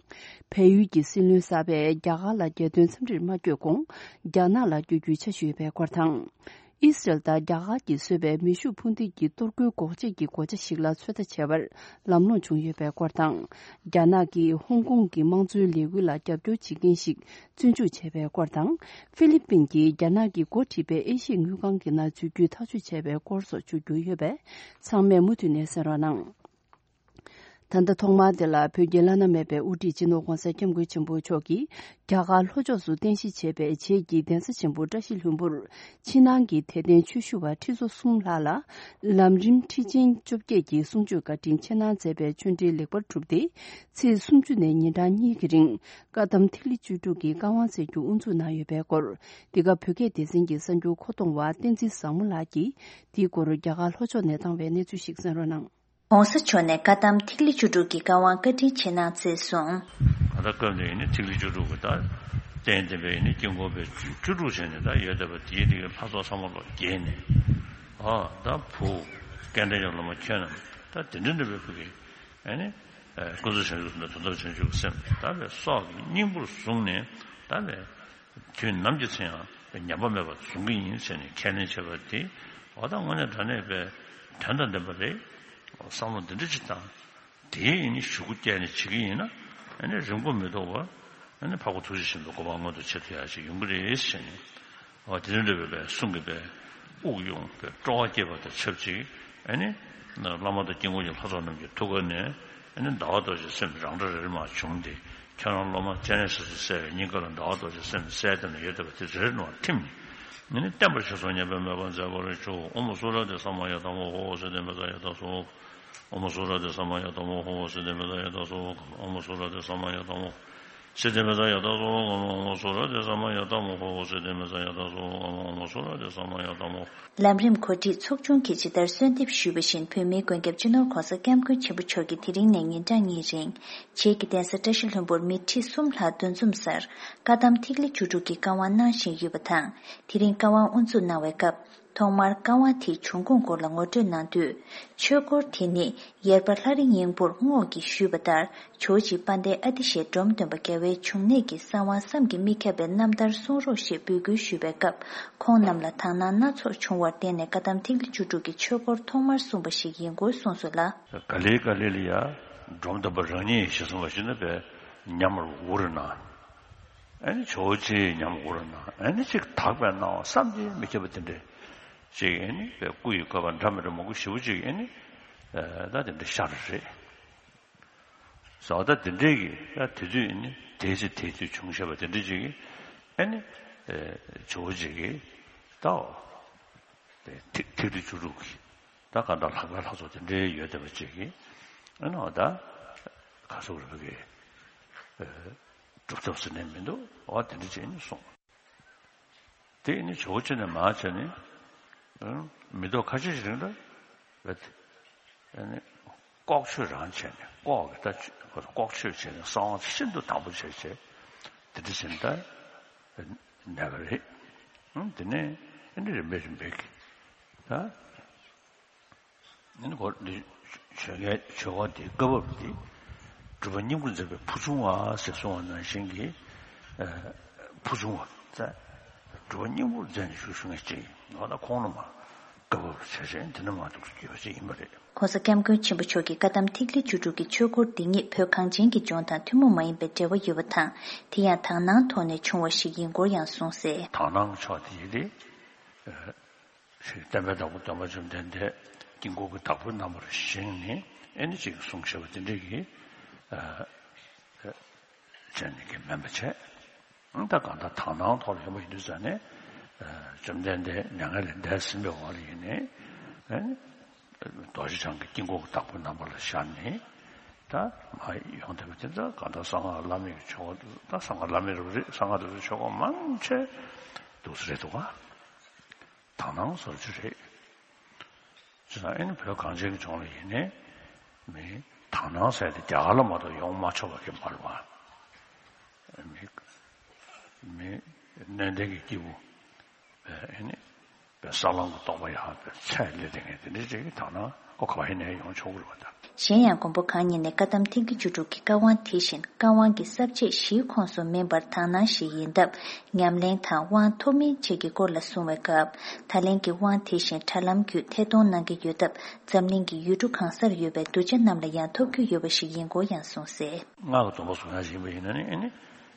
བལ་ཡུལ་གྱི་སྲིད་བློན་གསར་པས་རྒྱ་གར་ལ་རྒྱལ་དོན་འཚམས་འདྲིར་མ་བསྐྱོད་གོང་། རྒྱ་ནག་ལ་བསྐྱོད་རྒྱུའི་འཆར་གཞི་ཡོད་པའི་སྐོར་དང་། ཨི་སི་རལ་དང་རྒྱ་གར་གྱིས་བཟོས་པའི་མེ་ཤུགས་འཕུར་མདེལ་གྱི་གཏོར་རྒོལ་འགོག་བྱེད་ཀྱི་སྒོ་ཆ་ཞིག་ལ་ཚོད་ལྟ་བྱས་པར་ལམ་ལྷོང་བྱུང་ཡོད་པའི་སྐོར་དང་། རྒྱ་ནག་གིས་ཧོང་ཀོང་གི་དམངས་གཙོའི་ལས་འགུལ་ལ་རྒྱབ་སྐྱོར་བྱེད་མཁན་ཞིག་བཙོན་འཇུག་བྱས་པའི་སྐོར་དང་། ཧྥི་ལི་པིན་གྱིས་རྒྱ་ནག་གིས་འགོ་ཁྲིད་པའི་ཨེ་ཤི་ཡའི་དངུལ་ཁང་གི་ནང་འཛུལ་རྒྱུའི་ཐག་གཅོད་བྱས་པའི་སྐོར་སོགས་བརྗོད་རྒྱུ་ཡོད་པས། ཚང་མས་མུ་མཐུད་ནས་གསན་རོགས་གནང་། ད་ལྟ་ཐོག་མར་དེ་ལ་བོད་ཀྱི་བླ་ན་མེད་པའི་དབུ་ཁྲིད་སྤྱི་ནོར་༧གོང་ས་༧སྐྱབས་མགོན་ཆེན་པོ་མཆོག་གིས་རྒྱ་གར་ལྷོ་ཕྱོགས་སུ་རྟེན་གཞི་བྱས་པའི་བྱེས་ཀྱི་གདན་ས་ཆེན་པོ་བཀྲ་ཤིས་ལྷུན་པོར་ཕྱི་ནང་གི་དད་ལྡན་ཆོས་ཞུ་བ་ཁྲི་ཚོ་གསུམ་ལྷག་ལ་ལམ་རིམ་ཁྲིད་ཆེན་བཅོ་བརྒྱད་ཀྱི་གསུང་ཆོས་བཀའ་དྲིན་ཆེ་གནང་མཛད་པའི་ཆོས་འབྲེལ་ལེགས་པར་གྲུབ་སྟེ། ཚེས་སུམ་ཅུ་ནས་ཉིན་གྲངས་གཉིས་ཀྱི་རིང་བཀའ་གདམས་ཐིག་ལེ་བཅུ་དྲུག་གི་བཀའ་དབང་སྩལ་རྒྱུ་དབུ་འཛུགས་གནང་ཡོད་པའི་སྐོར། འདི་ག་བོད་སྐད་སྡེ་ཚན་གྱི་གསར་འགྱུར་མཁོ་གཏོང་བ་བསྟན་འཛིན་བཟང་མོ་ལགས་ཀྱིས་འདིའི་སྐོར་རྒྱ་གར་ལྷོ་ཕྱོགས་ནས་བཏང་བའི་གནས་ཚུལ་ཞིག་གསན་རོགས་གནང་། ༸གོང་ས་མཆོག་ནས་བཀའ་གདམས་ཐིག་ལེ་བཅུ་དྲུག་གི་བཀའ་དབང་བཀའ་དྲིན་ཆེ་གནང་མཛད་གསུངས། ད་ལྟ་སྐབས་འདིར་ཡིན་ན་ཐིག་ལེ་བཅུ་དྲུག་གི་ད་རྟེན་བསྟན་པའི་ཡིན་ན་དཀྱིལ་འཁོར་པའི་བཅུ་དྲུག་བྱས་ནས་ད་ཡོད་བསྡད་པ་དེའི་དེ་གའི་ལྷ་ཚོགས་ཚང་མ་ལོག་རྒྱས་ནས། ཨ་ད་བུ་སྐལ་ལྡན་གྱི་སློབ་མ་ཁྱོད་རྣམས་ད་དེ་འདྲ་འདྲ་བའི་ཕུགས་ཀྱི་ཨ་ནི་ཀུན་རྫོབ་བྱང་ཆུབ་སེམས་དང་དོན་དམ་བྱང་ཆུབ་སེམས་ད་བའི་སྲོག་གི་སྙིང་པོར་བཟུང་ནས་ད་བའི། དུས་ནམ་གྱི་ཚེ་ཡང་ཉམས་པ་མེད་པར་བཟུང་གི་ཡིན་ཟེར་ནས་ཁས་ལེན་བྱས་པ་དེ་ འོ་ད་དངོས་གནས་དྲང་གནས་པའི་དོན་དང་ལྡན་པ་རེད། བསམ་བློ་འདི་འདྲ་ཅིག་བཏང་། དེའི་ཡིན་ནི་གཞུག་གུ་བསྐྱལ་ནས་བྱེད་ཀྱི་ཡིན་ན། ཨ་ནི་རིང་པོ་མི་ཐོགས་པར། ཨ་ནི་འཕགས་པ་ཐུགས་རྗེ་ཆེན་པོའི་གོ་འཕང་མངོན་དུ་བྱེད་ཐུབ་ཡག་ཅིག་ཡོང་གི་རེད་ཟེར་ནས། འོ་དེ་འདྲ་འདྲ་བའི་པའི་གསུང་གི་པའི་དབུགས་དབྱུང་པའི་སྤྲོ་བ་སྐྱེས་པ་དང་ཆབས་ཅིག་ཨ་ནི་བླ་མ་དང་དཀྱིལ་འཁོར་གྱི་ལྷ་ཚོགས་རྣམས་ཀྱི་ཐུགས་ཀ་ནས། ཨ་ནི་ཟླ་བ་རྡོ་རྗེ་སེམས་རང་སྒྲ་རེ་རེ་མར་བྱུང་སྟེ། ཁྱོད་རང་སློབ་མ་སྤྱན་རས་གཟིགས་སུ་གསལ་བའི་སྙིང་ག་ལ་ཟླ་བ་རྡོ་རྗེ་སེམས་གསལ་དེ་ན་ཡོད་བསྡད་པ་དེ་རེ་རེ་ནང་ཐིམ་ནས། ཨ་ནི་བརྟན་པར་ཤེས་སོ་ཉེས་པའི་དམིགས་པ་མཛད་པར་ཤོག་ཨོཾ་སུ་ར་དྷ་ས་མ་ཡ་དྷ་མ་ཧོ། སིདྡྷི་མི་ཙ་ཡ་དྷ་སྭཱ་ཧཱ། ཨོཾ་སུ་ར་དྷ་ས་མ་ཡ་དྷ་མ་ཧོ། སིདྡྷི་མི་ཙ་ཡ་དྷ་སྭཱ་ཧཱ། ཨོཾ་སུ་ར་དྷ་ས་མ་ཡ་དྷ་མ་ཧོ། སིདྡྷི་མི་ཙ་ཡ་དྷ་སྭཱ་ཧཱ། ཨོཾ་སུ་ར་དྷ་ས་མ་ཡ་དྷ་མ་ཧོ། སིདྡྷི་མི་ཙ་ཡ་དྷ་སྭཱ་ཧཱ། ཨོཾ་སུ་ར་དྷ་ས་མ་ཡ་དྷ་མ་ཧོ། ལམ་རིམ་གོ་སྒྲིག་ཚོགས་ཆུང་གིས་ཇི་ལྟར་གསོལ་འདེབས་ཞུས་པ་བཞིན། བོད་མིའི་མགོན་སྐྱབས་སྤྱི་ནོར་༸གོང་ས་༸སྐྱབས་མགོན་ཆེན་པོ་མཆོག་གིས་དེ་རིང་ནས་ཉིན་གྲངས་གཉིས་རིང་། བྱེས་ཀྱི་གདན་ས་བཀྲ་ཤིས་ལྷུན་པོར་མི་ཁྲི་གསུམ་ལྷག་འདུ་འཛོམས་སར་བཀའ་གདམས་ཐིག་ལེ་བཅུ་དྲུག་གི་བཀའ་དབང་གནང་བཞིན་ཡོད་པ་དང་། དེ་རིང་བཀའ་དབང་དབུ་འཛུགས་གནང་བའི་སྐབས། ཐོག་མར་བཀའ་དབང་དེའི་བྱུང་ཁུངས་སྐོར་ལ་ངོ་སྤྲོད་གནང་དུས། ཆོས་འཁོར་དེ་ནི་ཡེར་པ་ལྷ་རི་སྙིང་པོར་རྔོག་གིས་ཞུས་པ་ལྟར། ཇོ་བོ་རྗེ་དཔལ་ལྡན་ཨ་ཏི་ཤའི་འབྲོམ་སྟོན་པ་རྒྱལ་བའི་འབྱུང་གནས་ཀྱི་གསང་བ་བསམ་གྱིས་མི་ཁྱབ་པའི་རྣམ་ཐར་གསུང་རོགས་ཞེས་འབོད་སྐུལ་ཞུས་པའི་སྐབས། ཁོང་རྣམས་ལ་དག་སྣང་སྣ་ཚོགས་བྱུང་བར་བརྟེན་ནས། བཀའ་གདམས་ཐིག་ལེ་བཅུ་དྲུག་གི་ཆོས་སྐོར་ཐོག་མར་གསུངས་པ་ཞིག་ཡིན་སྐོར་གསུངས་སོ་ལ། ག་ལེ་ག་ལེ་ལ་ཡ། འབྲོམ་སྟོན་པ་རང་ཉིད་ཞེས་གསུངས་པ་ཞིག་ནི་པའི་ཉམས་ལ་འུར་ན། ཨ་ནི་ཇོ་བོ་རྗེའི་ཉམས་འུར་ན། ཨ་ནི་ཅིག་དག་པའི་སྣང་བ་བསམ་གྱིས་མི་ཁྱབ་པ་དེ་འདྲ་ཅིག་ཨ་ནི་པའི་སྐུ་ཡི་བཀོད་པ་འདྲ་མི་འདྲ་མང་པོ་ཞེ་པོ་ཅིག་ཨ་ནི་ད་དེ་འདྲ་ཤར་རེད། བཟོ་ལྟ་དེ་འདྲས་ཀྱི་ད་དེ་དུས་ནི་དེའི་ཚེ་དེའི་དུས་བྱུང་བཞག་པ་དེ་འདྲས་ཅིག་གིས་ཨ་ནི་ཇོ་བོ་རྗེ་གིས་ད་ཐིག་ཐིག་ལེ་བཅུ་དྲུག་གི་ད་གང་ལྟར་ལྷག་པའི་ལྷ་ཚོགས་དེ་འདྲས་ཡོད་བསྡད་པ་ཅིག་གིས་ཨ་ནི་ད་ག་སོགས་རེད་པ་གི་སྒྲུབ་ཐབས་ཟེར་ནས་མི་འདུག་འོ་དེ་འདྲས་ཅིག་ནི་གསུངས། དེ་ནི་ཇོ་བོ་རྗེ་ནས་མར་བྱས་ནས་མི་ཐོག་ཁ་ཤས་ཤིག་རིང་ལ་བས་ཏེ་ནི་ལྐོག་ཆོས་རང་བྱས་ནས་ལྐོག་གི་ད་ལྐོག་ཆོས་བྱས་ནས་གསང་བ་ཤིན་ཏུ་དམ་པོ་བྱས་བྱས་དེ་འདྲ་བྱས་ནས་ད་གནས་པ་རེད། དེ་ནས་ཨ་ནི་རིམ་པས་རིམ་པས་ཀྱི་ད། ཨ་ནི་གོ་འདི་ཆོས་རྒྱལ་ཆོས་འཁོར་འདིའི་བཀའ་བབས་འདི་སྒྲུབ་པ་སྙིང་པོར་མཛད་པའི་ཕུར་ཆུང་བ་ཟེར་གསུངས་པ་ནང་བཞིན་གྱི་ཕུར་ཆུང་བ་ཟེར་སྒྲུབ་པ་སྙིང་པོར་མཛད་ནས་བཞུགས་བཞུགས་མཁན་ཅིག་ཡིན། འོ་ན་ཁོང་རྣམས་བཀའ་བབས་བྱས་བྱས་འདི་ནས་མར་འདུག་སེ་བརྒྱུད་པ་ཅིག་ཡིན་པ་རེད། ༸གོང་ས་༸སྐྱབས་མགོན་ཆེན་པོ་མཆོག་གི་བཀའ་གདམས་ཐིག་ལེ་བཅུ་དྲུག་གི་ཆོས་སྐོར་འདི་ཉིད་བོད་གངས་ཅན་གྱི་ལྗོངས་དང་ཐུན་མོང་མ་ཡིན་པའི་འབྲེལ་བ་ཡོད་པ་དང་། དེ་ཡང་དག་སྣང་ཐོག་ནས་བྱུང་བ་ཞིག་ཡིན་སྐོར་ཡང་གསུངས་གསལ། དག་སྣང་ཕྱོགས་དེ་ཡི་རེད། ཞེས་བསྟན་པའི་བདག་པོ་སྟོན་པ་བཅོམ་ལྡན་འདས་དཀྱིལ་འཁོར་གྱི་བདག་པོའི་རྣམ་པར་བཞེངས་ནས་ཨེ་ནི་ཅིག་གསུང་བཤད་པ་དེ་འདྲས་ཀྱི་བྱས་ནས་ཀྱི་མེད་པ་བྱས། ད་གང་ལྟར་དག་སྣང་ཐོག་ལ་ཡོང་བ་ཡིན་དུས་ཙང་ནས་བཅོམ་ལྡན་འདས་མྱ་ངན་ལས་འདས་ཟིན་པའི་འོག་ལ་ཡིན་ནས་རྡོ་རྗེ་འཆང་གི་དཀྱིལ་འཁོར་གྱི་བདག་པོའི་རྣམ་པ་ལ་ཤར་ནས་ད་མ་ཡོང་བསྡད་པ་དེ་ད་གང་ལྟར་གསང་སྔགས་བླ་མེད་ཀྱི་ཆོ་ག་ད་གསང་སྔགས་བླ་མེད་རུ་རེད། གསང་སྔགས་དེ་ཚོ་ཆོ་ག་མང་ཆེ་འདུག་སེ་རེད་འདུག་ག་དག་སྣང་ཟེར་རྒྱུ་རེད། བྱས་ཙང་ཨེ་ནི་བོད་གངས་ཅན་གྱི་ལྗོངས་ལ་ཡིན་ནའི་མི་དག་སྣང་ཟེར་དེ་རྒྱ་གར་ལ་མ་གཏོགས་ཡོང་མ་ཆོག་པ་གི་མ་རེད་པ། མི་མི་སྣོད་ལྡན་གྱི་སྐྱེས་བུ་ཨེ་ནི་བས་ས་ལམ་གྱི་རྟོགས་པ་ཡག་པའི་ཚད་ལས་དེ་ངས་དེ་འདྲའི་ཅིག་གི་དག་སྣང་ཁོ་ག་པ་ཡིན་ནའི་ཡོང་ཆོག་གི་རེད་པ་ད། གཞན་ཡང་མགོན་པོ་གང་ཉིད་ནས་བཀའ་གདམས་ཐིག་ལེ་བཅུ་དྲུག་གི་བཀའ་དབང་དེ་བཞིན་བཀའ་དབང་གི་ས་བཅད་བཞིའི་ཁོངས་སུ་མིན་པར་དག་སྣང་ཞིག་ཡིན་སྟབས། ཉམས་ལེན་དང་དབང་ཐོབ་མིན་བཅས་ཀྱི་སྐོར་ལ་གསུང་བའི་སྐབས། ད་ལན་གྱི་དབང་དེ་བཞིན་དྲ་ལམ་བརྒྱུད་ཐད་གཏོང་གནང་གི་ཡོད་སྟབས། འཛམ་གླིང་གི་ཡུལ་གྲུ་གང་སར་ཡོད་པའི་གདུལ་བྱ་རྣམས་ལ་ཡང་ཐོབ་རྒྱུ་ཡོད་པ་ཞིག་ཡིན་སྐོར་ཡང་གསུངས་གསལ། སྔགས་ཀྱི་སྡོམ་པ་སྲུང་ཡག་ཞིག་ཡིན་པ་ཡིན་ན་ནི་ཨེ་ནི་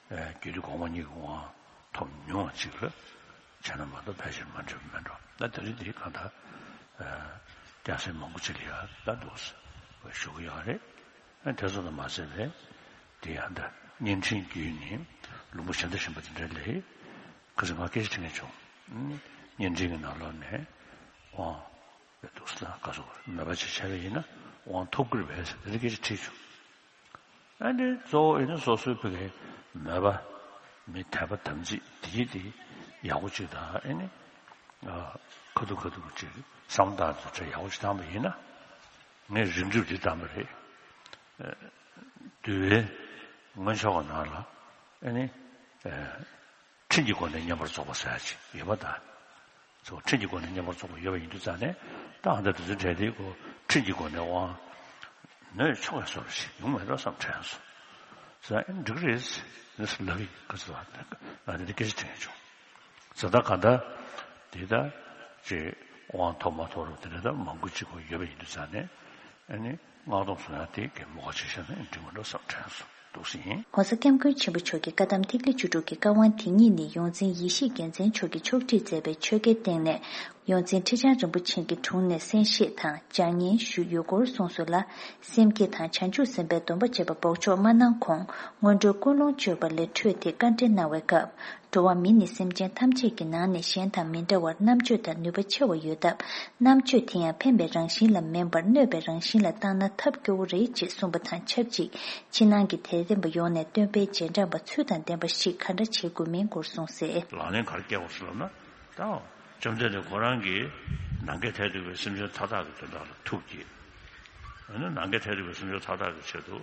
རྒྱུད་སྡེ་གོང་མ་གཉིས་ཀྱི་དབང་ཐོབ་མྱོང་བ་ཅིག་ལ་བྱས་ན་མ་གཏོགས་ཕལ་ཆེར་མ་འགྲིག་པ་མེད་འགྲོ། ད་དེ་རིང་འདི་གང་ལྟར་སྐྱ་སེར་མང་པོ་ཅིག་ལ་ཡང་ད་འདུག་ཟེར་བ་ཞུ་གི་ཡོད་རེད། ཨ་དེ་ཚོ་དང་མ་ཟད་པའི་དེ་ཡང་ད་བརྙན་འཕྲིན་བརྒྱུད་ནས་ལུང་པ་གཞན་དུ་ཕྱིན་པ་དེ་འདྲ་ལས་ཁ་སང་ང་སྐད་ཆ་དྲི་མཁན་བྱུང་། བརྙན་འཕྲིན་གྱི་ནང་ལོགས་ནས་དབང་འདུག་ཟེར་ན་ག་ཚོད་མོས་པ་ཅིག་བྱས་པ་ཡིན་ན་དབང་ཐོབ་ཀྱི་རེད་པས་ཟེར་དེ་འདྲ་སྐད་ཆ་དྲིས་བྱུང་། ཨ་ནི་གཙོ་བོ་ཨེ་ནི་སོ་སོའི་ཕ་གིའི་མོས་པ་མི་དད་པ་དམ་ཚིག་དེ་ཡིད་དེ་ཡག་པོ་ཅིག་དང་ཨེ་ནི་ཁ་ཐུག་ཁ་ཐུག་ཅིག་བསམ་སྟངས་དེ་ཚོ་ཡག་པོ་ཅིག་བཏང་པ་ཡིན་ན་ངས་རིམ་གྲོ་འདི་བཏང་པ་རེད། འདུལ་བའི་སྔོན་ཆད་ཀྱི་ནང་ལ་ཨེ་ནི་ཁྲིམས་ཀྱི་སྒོ་ནས་བསྙེན་པར་རྫོགས་པ་ཟེར་ཡག་ཅིག་ཡོད་པ་དང་། ཚོ་ཁྲིམས་ཀྱི་སྒོ་ནས་བསྙེན་པར་རྫོགས་པ་ཡོད་པ་ཡིན་དུས་ཙང་ནས་ད་ཨ་ད་དེ་ཚོའི་གྲས་དེའི་སྒོ་ཁྲིམས་ཀྱི་སྒོ་ནས་དབང་ནོད་ཆོག་པའི་བཟོ་འདྲ་ཞིག་ཡོང་མེད་འགྲོ་བསམ་དྲན་སོང་། ཟེར་ཨེ་འགྲིག་གི་རེད་ཟེར་ལབ་ཀྱི་ག་ཚོད་ང་དེ་འདྲ་སྐད་ཆ་དྲན་བྱུང་། ཟེར་ད་ག་ད་དེ་ད་ཅེ་ དབང་ཐོབ་མ་ཐོབ་རུ་དེ་འདྲ་ད་མང་པོ་ཅིག་གོ་ཡོད་པ་ཡིན་དུས་ཙང་ནས། ཨ་ནི་སྔགས་སྡོམ་སྲུང་ཡ་དེ་གི་མོ་ཁ་ཆེ་ཤོས་ནི་འགྲིག་མི་འགྲོ་བསམ་དྲན་སོང་འདུག་སེ་ཡིན། ༸གོང་ས་༸སྐྱབས་མགོན་ཆེན་པོ་མཆོག་གི་བཀའ་གདམས་ཐིག་ལེ་བཅུ་དྲུག་གི་བཀའ་དབང་དེ་ཉིད་ནི་ཡོངས་འཛིན་ཡེ་ཤེས་རྒྱལ་མཚན་མཆོག་གིས་ཕྱོགས་སྒྲིག་མཛད་པའི་ཆོ་གའི་སྟེང་ནས། ཡོངས་འཛིན་ཁྲི་བྱང་རིན་པོ་ཆེ་གི་དྲུང་ནས་གསན་བཞེས་དང་སྦྱར་སྙན་ཞུས་ཡོད་སྐོར་གསུངས་སོང་ལ། སེམས་བསྐྱེད་དང་བྱང་ཆུབ་སེམས་དཔའི་སྡོམ་པ་བཅས་པ་འབོགས་ཆོག་མ་གནང་གོང་སྔོན་འགྲོའི་ཀུན་སློང་བཅོས་པ་ལས་འཕྲོས་ཏེ་བཀའ་འདྲི་གནང་བའི་སྐབས། འགྲོ་བ་མི་ནི་སེམས་ཅན་ཐམས་ཅད་ཀྱི་ནང་ནས་གཞན་དང་མི་འདྲ་བར་རྣམ་དཔྱོད་དང་ནུས་པ་ཆེ་བ་ཡོད་སྟབས། རྣམ་དཔྱོད་དེ་ཡང་འཕེན་པའི་རང་བཞིན་ལ་མིན་པར་གནོད་པའི་རང་བཞིན་ལ་བཏང་ན་ཐབས་སྐྱོ་བོ་རེད་ཅེས་གསུངས་པ་དང་ཆབས་ཅིག་ཕྱི་ནང་གི་དད་ལྡན་པ་ཡོངས་ནས་སྟོན་པའི་རྗེས་འབྲང་པ་ཚུལ་དང་ལྡན་པ་ཞིག་ག་འདྲ་བྱེད་དགོས་མིན་སྐོར་གསུངས་གསལ། ལག་ལེན་ག་རེ་བཀལ་དགོས་ཟེར་ལབ་ན། ད་བཅོམ་ལྡན་འདས་ཁོ་རང་གིས་ནམ་མཁའི་མཐས་གཏུགས་པའི་སེམས་ཅན་མཐའ་དག་གི་དོན་དག་ལ་ཐུགས་བསྐྱེད། ཨ་ནི་ནམ་མཁའི་མཐས་གཏུགས་པའི་སེམས་ཅན་མཐའ་དག་གི་ཆེད་དུ།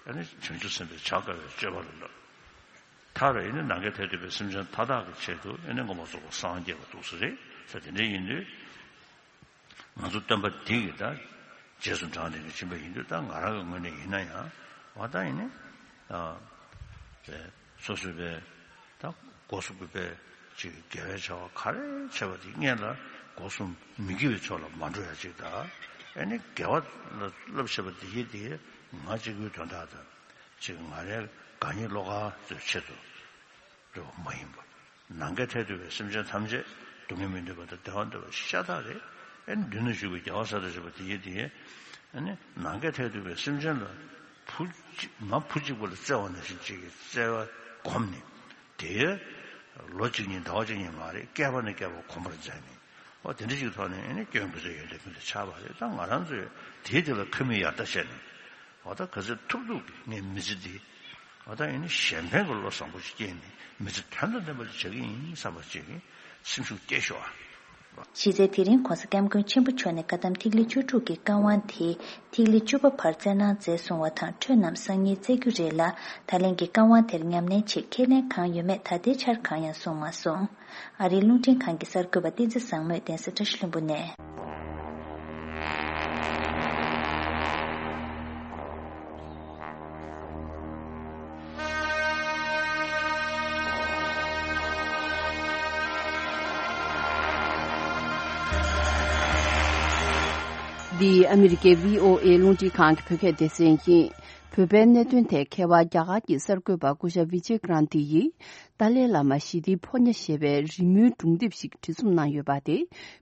ཨ་ནི་བྱང་ཆུབ་སེམས་དཔའི་བྱ་དཀའ་བའི་སྤྱོད་པ་ལ་བསླབ། མཐར་ཨ་ནི་ནམ་མཁའི་མཐས་གཏུགས་པའི་སེམས་ཅན་མཐའ་དག་གི་ཆེད་དུ་ཨ་ནི་མངོན་པར་རྫོགས་པར་སངས་རྒྱས་པ་འདུག་སེ་རེད་ཟེར། དེ་འདྲ་ཡིན་དུས། ང་ཚོ་སྟོན་པ་འདི་གི་ད་རྗེས་སུ་འབྲངས་ཏེ་ཕྱིན་པ་ཡིན་དུས། ད་ང་རང་གི་ངོས་ནས་ཡིན་ན་ཡང་། འོ་ད་ཡིན་ནི། ཨ། དེ་སོ་སོའི་པའི་ད་སྒོ་གསུམ་གྱི་པའི་ཅིག་དགེ་བའི་བྱ་བ་ག་རེ་བྱས་པ་དེ་སྔོན་ལ་སྒོ་གསུམ་མི་དགེ་བའི་ཕྱོགས་ལ་མ་འགྲོ་ཡ་ཅིག་དང་། ཨ་ནི་དགེ་བ་ལ་བསླབ་བྱས་པ་དེ་ཡིན་དེ་ང་གཅིག་པུའི་དོན་དག་དང་། ཅིག་ང་རའི་དགའ་ཉེ་བློ་དགའ་ཚོའི་ཆེད་དུ་རེད་བ་མ་ཡིན་པ། ནམ་མཁའི་མཐས་གཏུགས་པའི་སེམས་ཅན་ཐམས་ཅད་སྡུག་བསྔལ་མི་འདོད་པ་དང་བདེ་བ་འདོད་པ་ཤ་སྟག་རེད། ཨ་ནི་མདུན་ན་བཞུགས་པའི་རྒྱལ་བ་སྲས་དང་བཅས་པ་དེ་ཡིན་དེ། ཨ་ནི་ནམ་མཁའི་མཐས་གཏུགས་པའི་སེམས་ཅན་ལ་བུ་གཅིག་མ་བུ་གཅིག་པུ་ལ་བརྩེ་བ་ནང་བཞིན་གཅིག་གིས་བརྩེ་བ་བསྒོམས་ནས། དེ་ལོ་གཅིག་གཉིས་ཟླ་བ་གཅིག་གཉིས་མ་རེད། བསྐལ་པ་ནས་བསྐལ་པ་གོམས་པར་མཛད་ནས། འོ་དེ་འདྲ་ཞིག་ཐོག་ནས་ཨ་ནི་སྐྱོན་ཀུན་ཟད་ཡོན་ཏན་ཀུན་ཏུ་ཁྱབ་པ་རེད། ད་ང་རང་ཚོས་དེའི་དེ་ལ་ཁ་མིག་ཡར་ལྟ་བྱས་ནས། འོ་ད་ག་ཚོད་ཐུབ་ཐུབ་ཀྱིས་ངས་མི་ཚེ་འདི། འོ་ད་ཨ་ནི་གཞན་ཕན་གྱི་བློ་བཟང་པོ་ཞིག་སྐྱེས་ནས་མི་ཚེ་དོན་དང་ལྡན་པ་ཞིག་བྱ་གི་ཡིན་བསམ་པ་ཅིག་གིས་སེམས་ཤུགས་སྐྱེད་ཤོག་ཨ། གཞི་རྩའི་དེ་རིང་༸གོང་ས་༸སྐྱབས་མགོན་ཆེན་པོ་མཆོག་ནས་བཀའ་གདམས་ཐིག་ལེ་བཅུ་དྲུག་གི་བཀའ་དབང་དེ་ཐིག་ལེ་བཅུ་པ་བར་བསྩལ་གནང་མཛད་སོང་བ་དང་། འཕྲོས་རྣམས་སང་ཉིན་བསྩལ་རྒྱུ་རེད་ལ། ད་ལན་གྱི་བཀའ་དབང་དེར་ཉམས་ལེན་ཆེད་ཁས་ལེན་གང་ཡོད་མེད་ད་ལྟའི་ཆར་གང་ཡང་གསུངས་མ་སོང་། ཨ་རིའི་རླུང་འཕྲིན་ཁང་གི་གསར་འགོད་པ་བསྟན་འཛིན་བཟང་མོས་གདན་ས་བཀྲ་ཤིས་ལྷུན་པོ་ནས། འདི་ཨ་མི་རི་ཀའི་བྷི་ཨོ་ཨེ་རླུང་འཕྲིན་ཁང་གི་བོད་སྐད་སྡེ་ཚན་ཡིན། བོད་པའི་གནད་དོན་ཐད་མཁས་པ་རྒྱ་གར་གྱི་གསར་འགོད་པ་སྐུ་ཞབས་བི་ཇེ་ཀྲན་ཏི་ཡིས། ཏཱ་ལའི་བླ་མ་ཞི་བདེའི་ཕོ་ཉ་ཞེས་པའི་རི་མོའི་སྒྲུང་དེབ་ཞིག་བྲིས་རྩོམ་གནང་ཡོད་པ་དེ་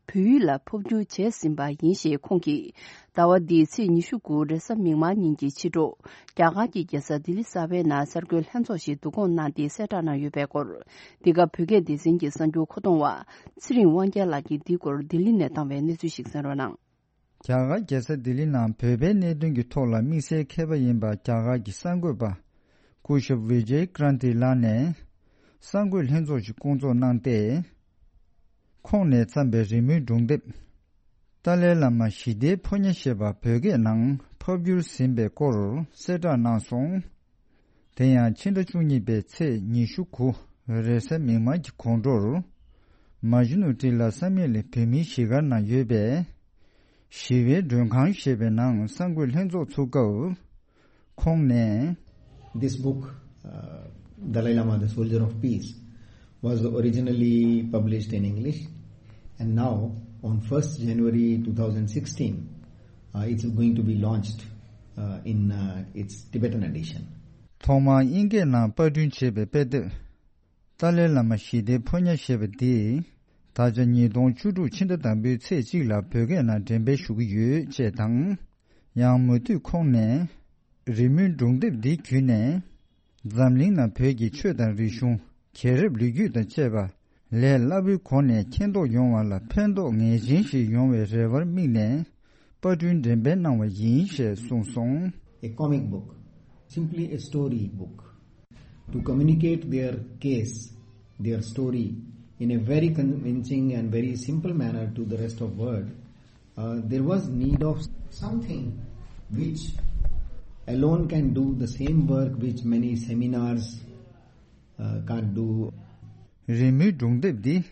བོད་ཡིག་ལ་ཕབ་བསྒྱུར་བྱས་ཟིན་པ་ཡིན་ཞེས་ཁོང་གིས། ཟླ་བ་འདིའི་ཚེས་ཉི་ཤུ་དགུ་རེས་གཟའ་མིག་དམར་ཉིན་གྱི་ཕྱི་དྲོ། རྒྱ་གར་གྱི་རྒྱལ་ས་ལྡི་ལི་གསར་པའི་ནང་གསར་འགོད་ལྷན་ཚོགས་ཤིག་བསྡུ་སྐོང་གནང་སྟེ་གསལ་བསྒྲགས་གནང་ཡོད་པའི་སྐོར། འདི་ག་བོད་སྐད་སྡེ་ཚན་གྱི་གསར་འགྱུར་མཁོ་གཏོང་བ་ཚེ་རིང་དབང་རྒྱལ་ལགས་ཀྱིས་འདིའི་སྐོར་ལྡི་ལི་ནས་བཏང་བའི་གནས་ཚུལ་ཞིག་གསན་རོགས་གནང་། རྒྱ་གར་རྒྱལ་ས་ལྡི་ལི་ནང་བོད་པའི་གནད་དོན་གྱི་ཐོག་ལ་དམིགས་བསལ་མཁས་པ་ཡིན་པ་རྒྱ་གར་གྱི་གསར་འགོད་པ་སྐུ་ཞབས་བི་ཇེ་ཀྲན་ཏི་ལགས་ནས་གསར་འགོད་ལྷན་ཚོགས་ཤིག་བསྐོང་ཚོགས་གནང་སྟེ། ཁོང་ནས་བརྩམས་པའི་རི་མོའི་སྒྲུང་དེབ། ཏཱ་ལའི་བླ་མ་ཞི་བདེའི་ཕོ་ཉ་ཞེས་པ་བོད་སྐད་ནང་ཕབ་བསྒྱུར་ཟིན་པའི་སྐོར་གསལ་བསྒྲགས་གནང་སོང་། དེ་ཡང་ཕྱི་ཟླ་བཅུ་གཉིས་པའི་ཚེས་ཉི་ཤུ་དགུ་རེས་གཟའ་མིག་དམར་གྱི་དགོང་དྲོར། མ་ཇུ་ནུ་ཏི་ལ་བསམ་ཡས་གླིང་བོད་མིའི་གཞིས་སྒར་ནང་ཡོད་པའི་ཞི་བའི་མགྲོན་ཁང་ཞེས་པའི་ནང་གསར་འགོད་ལྷན་ཚོགས་ཚུགས་སྐབས། ཁོང་ནས། This book, uh, Dalai Lama, the Soldier of Peace, was originally published in English, and now on first January two thousand sixteen, uh, it's going to be launched, uh, in, uh, its Tibetan edition. ཐོག་མར་དབྱིན་སྐད་ནང་པར་སྐྲུན་བྱས་པའི་དཔེ་དེབ། ཏཱ་ལའི་བླ་མ་ཞི་བདེའི་ཕོ་ཉ་ཞེས་པ་འདི། ད་ཆ་ཉིས་སྟོང་བཅུ་དྲུག་ཕྱི་ཟླ་དང་པོའི་ཚེས་གཅིག་ལ་བོད་སྐད་ནང་འགྲེམས་སྤེལ་ཞུ་གི་ཡོད་ཅེས་དང་། ཡང་མུ་མཐུད་ཁོང་ནས། རི་མོའི་སྒྲུང་དེབ་འདི་བརྒྱུད་ནས། འཛམ་གླིང་ནང་བོད་ཀྱི་ཆོས་དང་རིག་གཞུང་། རྒྱལ་རབས་ལོ་རྒྱུས་དང་བཅས་པ། ལས་སླ་པོའི་སྒོ་ནས་མཁྱེན་རྟོགས་ཡོང་བ་ལ་ཕན་ཐོགས་ངེས་ཅན་ཞིག་ཡོང་བའི་རེ་བར་དམིགས་ནས། པར་སྐྲུན་འགྲེམས་སྤེལ་གནང་བ་ཡིན་ཞེས་གསུངས་སོང་། A comic book, simply a story book, to communicate their case, their story, in a very convincing and very simple manner to the rest of world. Uh, there was need of something which alone can do the same work which many seminars, uh, can't do. རི་མོའི་སྒྲུང་དེབ་འདི།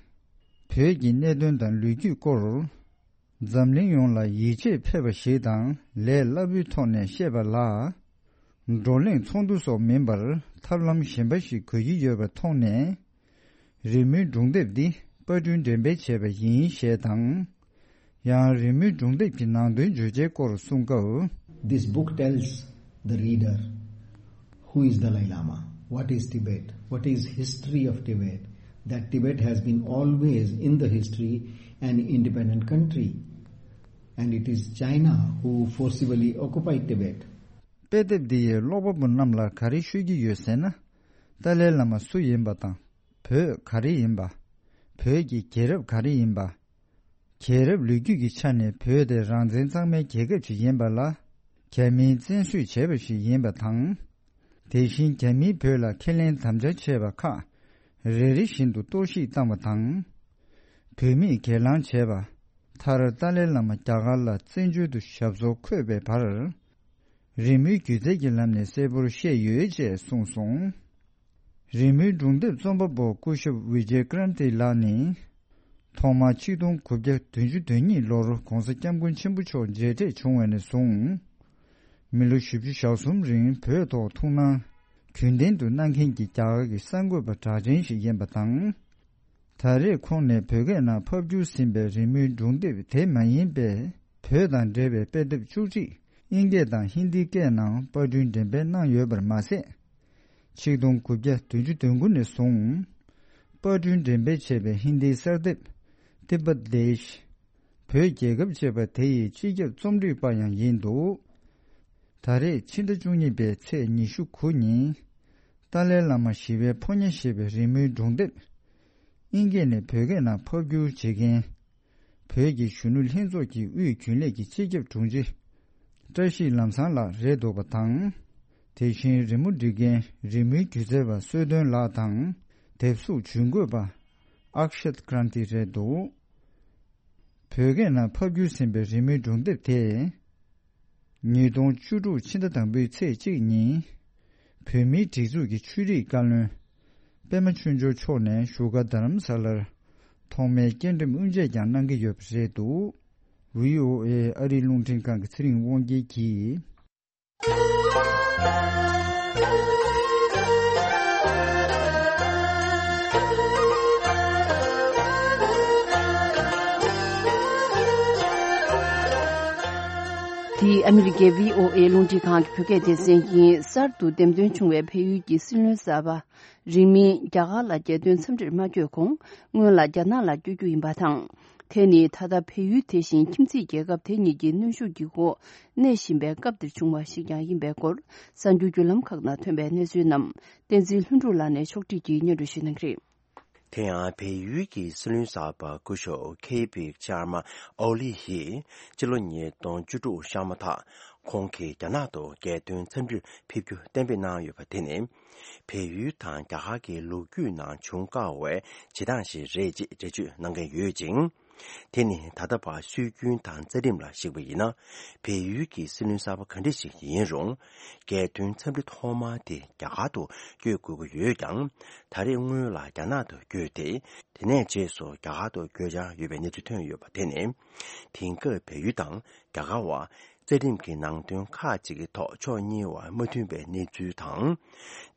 བོད་ཀྱི་གནད་དོན་དང་ལོ་རྒྱུས་སྐོར། འཛམ་གླིང་ཡོངས་ལ་ཡིད་ཆེས་ཕེབས་པ་ཞིག་དང་ལས་སླ་པོའི་ཐོག་ནས་བཤད་པ་ལ། བགྲོ་གླེང་ཚོགས་འདུ་སོགས་མིན་པར་ཐབས་ལམ་གཞན་པ་ཞིག་དགོས་ཀྱི་ཡོད་པ་མཐོང་ནས། རི་མོའི་སྒྲུང་དེབ་འདི་པར་སྐྲུན་འགྲེམས་སྤེལ་བྱས་པ་ཡིན་ཞེས་དང་། ཡང་རི་མོའི་སྒྲུང་དེབ་ཀྱི་ནང་དོན་བརྗོད་བྱའི་སྐོར་གསུང་སྐབས། This book tells the reader who is Dalai Lama, what is Tibet, what is history of Tibet, that Tibet has been always in the history an independent country, and it is China who forcibly occupied Tibet. དཔེ་དེབ་འདི་ཡིས་ཀློག་པ་པོ་རྣམས་ལ་ག་རེ་ཤོད་ཀྱི་ཡོད་ཟེར་ན། ཏཱ་ལའི་བླ་མ་སུ་ཡིན་པ་དང་། བོད་ག་རེ་ཡིན་པ། བོད་ཀྱི་རྒྱལ་རབས་ག་རེ་ཡིན་པ། རྒྱལ་རབས་ལོ་རྒྱུས་ཀྱི་ཆ་ནས་བོད་དེ་རང་བཙན་གཙང་མའི་རྒྱལ་ཁབ་ཅིག་ཡིན་པ་ལ། རྒྱ་མིས་བཙན་བཟུང་བྱས་པ་ཞིག་ཡིན་པ་དང་། དེ་བཞིན་རྒྱ་མིས་བོད་ལ་ཁས་ལེན་དམ་བཅའ་བྱས་པ་ཁག་རེ་རེ་བཞིན་དུ་གཏོར་བཤིག་བཏང་བ་དང་། བོད་མིས་སྒེར་ལངས་བྱས་པ། མཐར་ཏཱ་ལའི་བླ་མ་རྒྱ་གར་ལ་བཙན་བྱོལ་དུ་ཞབས་སོར་འཁོད་པའི་བར། རི་མོའི་སྒྱུ་རྩལ་གྱི་ལམ་ནས་གསལ་པོར་བཤད་ཡོད་ཅེས་གསུངས་སོང་། རི་མོའི་སྒྲུང་དེབ་རྩོམ་པ་པོ་སྐུ་ཞབས་ཝི་ཇེ་ཀྲན་ཏི་ལགས་ནི། ཐོག་མར་ཆིག་སྟོང་དགུ་བརྒྱ་བདུན་ཅུ་དོན་གཉིས་ལོར་༧གོང་ས་༧སྐྱབས་མགོན་ཆེན་པོ་མཆོག་མཇལ་འཕྲད་བྱུང་བ་ནས་བཟུང་། མི་ལོ་བཞི་བཅུ་ཞེ་གསུམ་རིང་བོད་ཐོག་ཐུགས་སྣང་རྒྱུན་ལྡན་དུ་གནང་མཁན་གྱི་རྒྱ་གར་གྱི་གསར་འགོད་པ་གྲགས་ཅན་ཞིག་ཡིན་པ་དང་། ད་རེས་ཁོང་ནས་བོད་སྐད་ནང་ཕབ་བསྒྱུར་ཟིན་པའི་རི་མོའི་སྒྲུང་དེབ་དེ་མ་ཡིན་པའི་བོད་དང་འབྲེལ་བའི་དཔེ་དེབ་བཅུ་གཅིག་དབྱིན་སྐད་དང་ཧིན་དིའི་སྐད་ནང་པར་སྐྲུན་འགྲེམས་སྤེལ་གནང་ཡོད་པར་མ་ཟད། ཆིག་སྟོང་དགུ་བརྒྱ་བདུན་ཅུ་དོན་དགུ་ནས་བཟུང་། པར་སྐྲུན་འགྲེམས་སྤེལ་བྱས་པའི་ཧིན་དིའི་གསར་དེབ་Tibet Desh། བོད་རྒྱལ་ཁབ་ཅེས་པ་དེ་ཡི་སྤྱི་ཁྱབ་རྩོམ་སྒྲིག་པ་ཡང་ཡིན་འདུག་ད་རེས་ཕྱི་ཟླ་བཅུ་གཉིས་པའི་ཚེས་ཉི་ཤུ་དགུ་ཉིན། ཏཱ་ལའི་བླ་མ་ཞི་བའི་ཕོ་ཉ་ཞེས་པའི་རི་མོའི་སྒྲུང་དེབ། དབྱིན་སྐད་ནས་བོད་སྐད་ནང་ཕབ་བསྒྱུར་བྱེད་མཁན། བོད་ཀྱི་གཞོན་ནུ་ལྷན་ཚོགས་ཀྱི་དབུས་རྒྱུན་ལས་ཀྱི་སྤྱི་ཁྱབ་དྲུང་ཆེ། བཀྲ་ཤིས་ལམ་བཟང་ལགས་རེད་འདུག་པ་དང་། དེ་བཞིན་རི་མོ་འབྲི་མཁན་རི་མོའི་སྒྱུ་རྩལ་བ་གསོལ་སྟོན་ལགས་དང་། དེབ་གཟུགས་ཇུས་འགོད་པ་Akshat Kranti རེད་འདུག་བོད་སྐད་ནང་ཕབ་བསྒྱུར་ཟིན་པའི་རི་མོའི་སྒྲུང་དེབ་དེ། ཉིས་སྟོང་བཅུ་དྲུག་ཕྱི་ཟླ་དང་པོའི་ཚེས་གཅིག་ཉིན། བོད་མིའི་སྒྲིག་འཛུགས་ཀྱི་ཆོས་རིག་བཀའ་བློན། པད་མ་ཆོས་འབྱོར་མཆོག་ནས་བཞུགས་སྒར་རྡ་རམ་ས་ལར། ཐོག་མའི་སྐྱེལ་འགྲེམས་དབུ་འབྱེད་ཀྱང་གནང་གི་ཡོད་པ་རེད་འདུག་བྷི་ཨོ་ཨེ་ཨ་རིའི་རླུང་འཕྲིན་ཁང་གི་ཚེ་རིང་དབང་རྒྱལ་གྱིས། དེ་ཨ་མི་རི་ཀའི་བྷི་ཨོ་ཨེ་རླུང་འཕྲིན་ཁང་གི་བོད་སྐད་སྡེ་ཚན་ཡིན། གསར་དུ་འདེམས་ཐོན་བྱུང་བའི་བལ་ཡུལ་གྱི་སྲིད་བློན་གསར་པ། རིང་མིན་རྒྱ་གར་ལ་རྒྱལ་དོན་འཚམས་འདྲིར་མ་བསྐྱོད་གོང་། སྔོན་ལ་རྒྱ་ནག་ལ་བསྐྱོད་རྒྱུ་ཡིན་པ་དང་། དེ་ནི་ད་ལྟ་བལ་ཡུལ་དེ་བཞིན་ཁྱིམ་མཚེས་རྒྱལ་ཁབ་དེ་གཉིས་ཀྱི་གནོན་ཤུགས་ཀྱི་འོག་གནས་བཞིན་པའི་སྐབས་འདིར་བྱུང་བ་ཞིག་ཀྱང་ཡིན་པའི་སྐོར། གསར་འགྱུར་བརྒྱུད་ལམ་ཁག་ནང་ཐོན་པའི་གནས་ཚུལ་རྣམས་བསྟན་འཛིན་ལྷུན་གྲུབ་ལགས་ནས་ཕྱོགས་སྒྲིག་གིས་སྙན་སྒྲོན་ཞུ་གནང་གི་རེད། དེ་ཡང་བལ་ཡུལ་གྱི་སྲིད་བློན་གསར་པ་སྐུ་ཞབས་ཁེ་པི་ཤར་མ་ཨོ་ལི་ཡིས་སྤྱི་ལོ་ཉིས་སྟོང་བཅུ་དྲུག་ཤར་མ་ཐག་ཁོང་གིས་རྒྱ་ནག་ཏུ་རྒྱལ་དོན་འཚམས་འདྲིར་ཕེབས་རྒྱུ་གཏན་འབེབས་གནང་ཡོད་པ་དེ་ནི། བལ་ཡུལ་དང་རྒྱ་གར་གྱི་ལོ་རྒྱུས་ནང་བྱུང་དཀའ་བའི་བྱེད་སྟངས་ཤིག་རེད་ཅེས་འགྲེལ་བརྗོད་གནང་གི་ཡོད་ཅིང་། དེ་ནི་ད་ལྟ་བར་སྲོལ་རྒྱུན་དང་རྩ་ཁྲིམས་ལ་གཞིགས་པ་ཡིན་ན། བལ་ཡུལ་གྱི་སྲིད་བློན་གསར་པ་ག་འདྲ་ཞིག་ཡིན་རུང་། རྒྱལ་དོན་འཚམས་འདྲི་ཐོག་མ་དེ་རྒྱ་གར་དུ་བསྐྱོད་དགོས་ཀྱི་ཡོད་ཀྱང་། ད་རེས་སྔོན་ལ་རྒྱ་ནག་ཏུ་བསྐྱོད་དེ། དེ་ནས་རྗེས་སུ་རྒྱ་གར་དུ་བསྐྱོད་འཆར་ཡོད་པའི་གནས་ཚུལ་ཐོན་ཡོད་པ་དེ་ནི། དེང་སྐབས་བལ་ཡུལ་དང་རྒྱ་གར་བར། རྩ་ཁྲིམས་ཀྱི་ནང་དོན་ཁག་ཅིག་གི་ཐོག་ཕྱོགས་གཉིས་བར་མ་མཐུན་པའི་གནས་ཚུལ་དང་།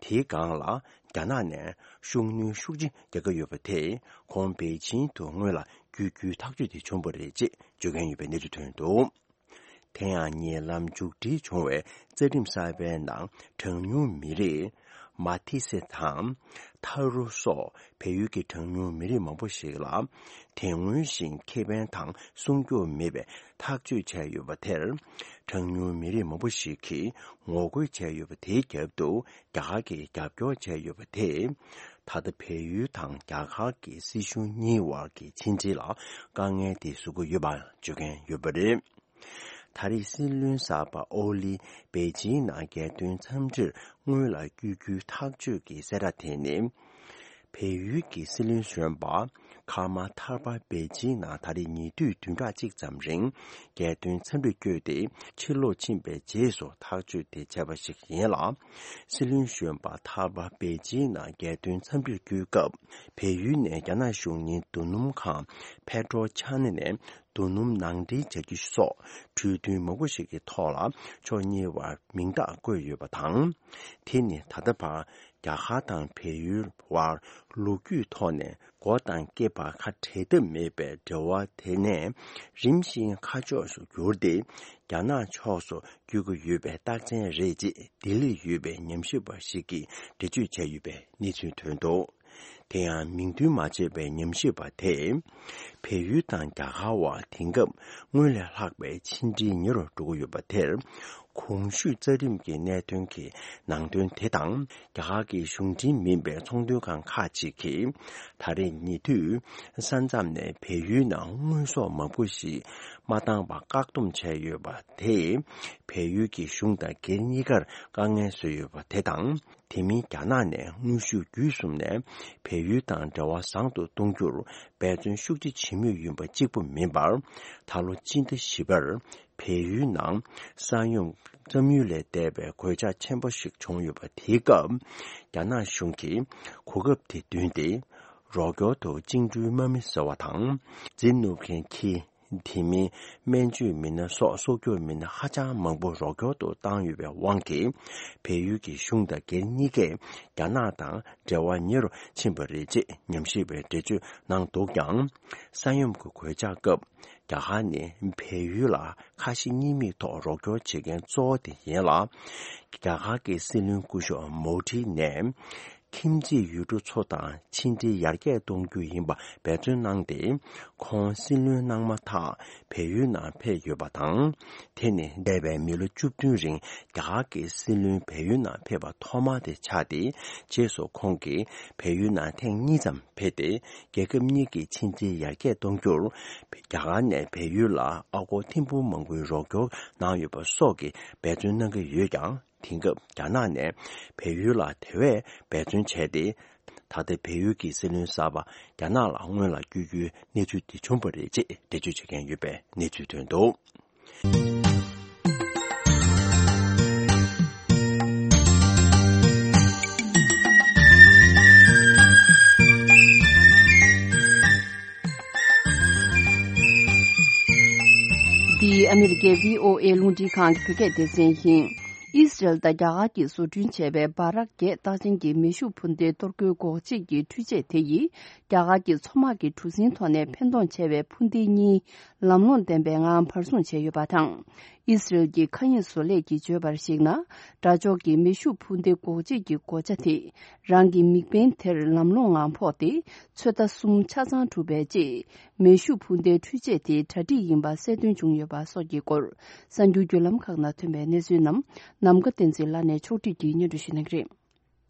དེའི་སྒང་ལ་རྒྱ་ནག་ནས་ཤུགས་སྣོན་ཤུགས་ཆེ་རྒྱག་གི་ཡོད་པ་དེས་ཁོང་པེ་ཅིང་དུ་སྔོན་ལ་བསྐྱོད་རྒྱུའི་ཐག་གཅོད་དེ་བྱུང་བ་རེད་ཅེས་བརྗོད་མཁན་ཡོད་པའི་གནས་ཚུལ་ཐོན་འདུག་དེ་ཡང་ཉེ་ལམ་མཇུག་སྒྲིལ་བྱུང་བའི་རྩ་ཁྲིམས་གསར་པའི་ནང་གྲངས་ཉུང་མི་རིགས་མ་ཏི་སེ་དང་ཐ་རུ་སོགས་བལ་ཡུལ་གྱི་གྲངས་ཉུང་མི་རིགས་མང་པོ་ཞིག་ལ་དེ་སྔོན་བཞིན་ཁེ་ཕན་དང་སྲུང་སྐྱོབ་མེད་པའི་ཐག་གཅོད་བྱས་ཡོད་པ་དེར། གྲངས་ཉུང་མི་རིགས་མང་པོ་ཞིག་གིས་ངོ་རྒོལ་བྱས་ཡོད་པ་དེའི་རྒྱབ་ཏུ་རྒྱ་གར་གྱིས་རྒྱབ་སྐྱོར་བྱས་ཡོད་པ་དེས། ད་ལྟ་བལ་ཡུལ་དང་རྒྱ་གར་གྱི་སྲིད་གཞུང་གཉིས་བར་གྱི་ཕྱི་འབྲེལ་ལ་དཀའ་ངལ་དེ་བཟོ་གི་ཡོད་པ་བརྗོད་མཁན་ཡོད་པ་རེད། ད་རེས་སྲིད་བློན་གསར་པ་ཨོ་ལི་པེ་ཅིང་ནང་རྒྱལ་དོན་འཚམས་འདྲིར་སྔོན་ལ་བསྐྱོད་རྒྱུའི་ཐག་གཅོད་ཀྱི་གསལ་བསྒྲགས་དེ་ནི། བལ་ཡུལ་གྱི་སྲིད་བློན་གཞོན་པ་ཁ་མ་ཐར་པ་པེ་ཅིང་ནང་ད་རེས་ཉེ་དུས་བདུན་ཕྲག་གཅིག་ཙམ་རིང་རྒྱལ་དོན་འཚམས་འདྲིར་བསྐྱོད་དེ་ཕྱིར་ལོག་ཕྱིན་པའི་རྗེས་སུ་ཐག་གཅོད་དེ་བྱས་པ་ཞིག་ཡིན་ལ། སྲིད་བློན་གཞོན་པ་ཐར་པ་པེ་ཅིང་ནང་རྒྱལ་དོན་འཚམས་འདྲིར་བསྐྱོད་སྐབས་བལ་ཡུལ་ནས་རྒྱ་ནག་གཞུང་གཉེར་རྡོ་སྣུམ་ཁང་ཕེ་ཏྲོ་ཆ་ནེ་ནས། རྡོ་སྣུམ་ནང་འདྲེན་བྱ་རྒྱུ་སོགས་གྲོས་མཐུན་མང་པོ་ཞིག་གི་ཐོག་ལ་ཕྱོགས་གཉིས་བར་མིང་རྟགས་བཀོད་ཡོད་པ་དང་། དེ་ནི་ད་ལྟ་བར་རྒྱ་གར་དང་བལ་ཡུལ་བར་ལོ་རྒྱུས་ཐོག་ནས་མགོ་དང་སྐེད་བར་ཁ་བྲལ་ཐབས་མེད་པའི་འབྲེལ་བ་དེ་ནས་རིམ་བཞིན་ཁ་ཕྱོགས་སུ་གྱུར་ཏེ། རྒྱ་ནག་ཕྱོགས་སུ་བསྐྱོད་ཀྱི་ཡོད་པའི་རྟགས་མཚན་རེད་ཅེས་ལྡི་ལིར་ཡོད་པའི་ཉམས་ཞིབ་པ་ཞིག་གིས་འགྲེལ་བརྗོད་བྱས་ཡོད་པའི་གནས་ཚུལ་ཐོན་འདུག་དེ་ཡང་མིང་འདོན་མ་བྱས་པའི་ཉམས་ཞིབ་པ་དེས། བལ་ཡུལ་དང་རྒྱ་གར་བར་དེང་སྐབས་སྔོན་ལས་ལྷག་པའི་ཕྱི་འབྲེལ་ཉེ་རུ་འགྲོ་གི་ཡོད་པ་དེར། གོང་ཞུས་རྩ་ཁྲིམས་ཀྱི་གནད་དོན་གྱི་ནང་དོན་དེ་དང་། རྒྱ་གར་གྱི་གཞུང་འབྲེལ་མིན་པའི་ཚོང་དོན་ཁང་ཁག་ཅིག་གིས། ད་རེས་ཉེ་དུས་ས་མཚམས་ནས་བལ་ཡུལ་ནང་དངོས་ཟོག་མང་པོ་ཞིག་མ་བཏང་བར་བཀག་སྡོམ་བྱས་ཡོད་པ་དེས། བལ་ཡུལ་གྱི་གཞུང་དང་སྒེར་གཉིས་ཀར་དཀའ་ངལ་བཟོས་ཡོད་པ་དེ་དང་། དེ་མིན་རྒྱ་ནག་ནས་དངོས་ཤུགས་བརྒྱུད་གསུམ་ནས་བལ་ཡུལ་དང་འབྲེལ་བ་བཟང་དུ་གཏོང་རྒྱུར་འབད་བརྩོན་ཤུགས་ཆེ་བྱེད་མུས་ཡིན་པ་གཅིག་པུ་མིན་པར། ད་ལོ་སྤྱི་ཟླ་བཞི་པར་བལ་ཡུལ་ནང་ས་ཡོམ་བརྩམས་ཡུལ་ལས་འདས་པའི་གོད་ཆག་ཆེན་པོ་ཞིག་བྱུང་ཡོད་པ་དེའི་སྐབས། རྒྱ་ནག་གཞུང་གིས་གོ་སྐབས་དེ་བསྟུན་ཏེ། རོགས་སྐྱོར་དུ་བཅིངས་འགྲོལ་དམག་མི་ཟེར་བ་དང་། རྫས་བསྣུབ་མཁན་ཁྱི། དེ་མིན་སྨན་བཅོས་མི་སྣ་སོགས་སྲོག་སྐྱོབ་མི་སྣ་ཧ་ཅང་མང་པོ་རོགས་སྐྱོར་དུ་བཏང་ཡོད་པའི་དབང་གིས། བལ་ཡུལ་གྱི་གཞུང་དང་སྒེར་གཉིས་ཀས་རྒྱ་ནག་དང་འབྲེལ་བ་ཉེ་རུ་ཕྱིན་པ་རེད་ཅེས་ཉམས་ཞིབ་པས་འགྲེལ་བརྗོད་གནང་འདུག་ཀྱང་། ས་ཡོམ་གྱི་གོད་ཆག་སྐབས་རྒྱ་གར་ནི་བལ་ཡུལ་ལ་ཁ་ཞེ་གཉིས་མེད་ཐོག་རོགས་སྐྱོར་བྱེད་མཁན་གཙོ་བོ་དེ་ཡིན་ལ། རྒྱ་གར་གྱི་སྲིད་བློན་སྐུ་ཞབས་མོ་དྷི་ནས། ཁྱིམ་མཚེས་ཡུལ་གྲུ་ཚོ་དང་ཕྱི་འབྲེལ་ཡར་རྒྱས་གཏོང་རྒྱུ་ཡིན་པ་འབད་བརྩོན་གནང་སྟེ། ཁོང་སྲིད་བློན་གནང་མ་ཐག་བལ་ཡུལ་ནང་ཕེབས་ཡོད་པ་དང་། དེ་ནི་འདས་པའི་མི་ལོ་བཅུ་བདུན་རིང་རྒྱ་གར་གྱི་སྲིད་བློན་བལ་ཡུལ་ནང་ཕེབས་པ་ཐོག་མ་དེ་ཆགས་ཏེ། རྗེས་སུ་ཁོང་གིས་བལ་ཡུལ་ནང་ཐེངས་གཉིས་ཙམ་ཕེབས་ཏེ། རྒྱལ་ཁབ་གཉིས་ཀྱི་ཕྱི་འབྲེལ་ཡར་རྒྱས་གཏོང་རྒྱུར་རྒྱ་གར་ནས་བལ་ཡུལ་ལ་ཨ་སྒོར་ཐེར་འབུམ་མང་པོའི་རོགས་སྐྱོར་གནང་ཡོད་པ་སོགས་ཀྱི་འབད་བརྩོན་གནང་གི་ཡོད་ཀྱང་། དེང་སྐབས་རྒྱ་ནག་ནས་བལ་ཡུལ་ལ་དེ་བས་འབད་བརྩོན་བྱས་ཏེ། ད་ལྟ་བལ་ཡུལ་གྱི་སྲིད་བློན་གསར་པ་རྒྱ་ནག་ལ་སྔོན་ལ་བསྐྱོད་རྒྱུའི་གནས་ཚུལ་དེ་བྱུང་བ་རེད་ཅེས་འགྲེལ་བརྗོད་བྱེད་མཁན་ཡོད་པའི་གནས་ཚུལ་ཐོན་འདུག་འདི་ཨ་མི་རི་ཀའི་བྷི་ཨོ་ཨེ་རླུང་འཕྲིན་ཁང་གི་བོད་སྐད་སྡེ་ཚན་ཡིན། ཨི་སི་རལ་དང་རྒྱ་གར་གྱིས་བཟོ་སྐྲུན་བྱས་པའི་འབར་རགས་བརྒྱད་རྟགས་ཅན་གྱི་མེ་ཤུགས་འཕུར་མདའི་གཏོར་རྒོལ་འགོག་ཆེད་ཀྱི་འཕྲུལ་ཆས་དེ་ཡིས་རྒྱ་གར་གྱི་མཚོ་དམག་གི་གྲུ་གཟིངས་ཐོག་ནས་འཕེན་གཏོང་བྱས་པའི་འཕུར་མདེལ་གཉིས་ལམ་ལྷོང་ལྡན་པའི་ངང་བར་སྲུང་བྱས་ཡོད་པ་དང་། ཨི་སི་རལ་གྱི་མཁའ་དབྱིངས་བཟོ་ལས་ཀྱིས་བརྗོད་པར་གཞིགས་ན། དགྲ་ཕྱོགས་ཀྱི་མེ་ཤུགས་འཕུར་མདའི་འགོག་བྱེད་ཀྱི་གོ་ཆ་དེ་རང་གི་མིག་དཔེ་དེར་ལམ་ལྷོང་ངང་ཕོག་སྟེ། ཚོད་ལྟ་གསུམ་ཆ་ཚང་གྲུབ་པའི་རྗེས། མེ་ཤུགས་འཕུར་མདའི་འཕྲུལ་ཆས་དེ་གྲ་སྒྲིག་ཡིན་པ་གསལ་སྟོན་བྱུང་ཡོད་པ་སོགས་ཀྱི་སྐོར། གསར་འགྱུར་བརྒྱུད་ལམ་ཁག་ནང་ཐོན་པའི་གནས་ཚུལ་རྣམས་ནམ་མཁའ་བསྟན་འཛིན་ལགས་ནས་ཕྱོགས་སྒྲིག་གིས་སྙན་སྒྲོན་ཞུ་གནང་གི་རེད།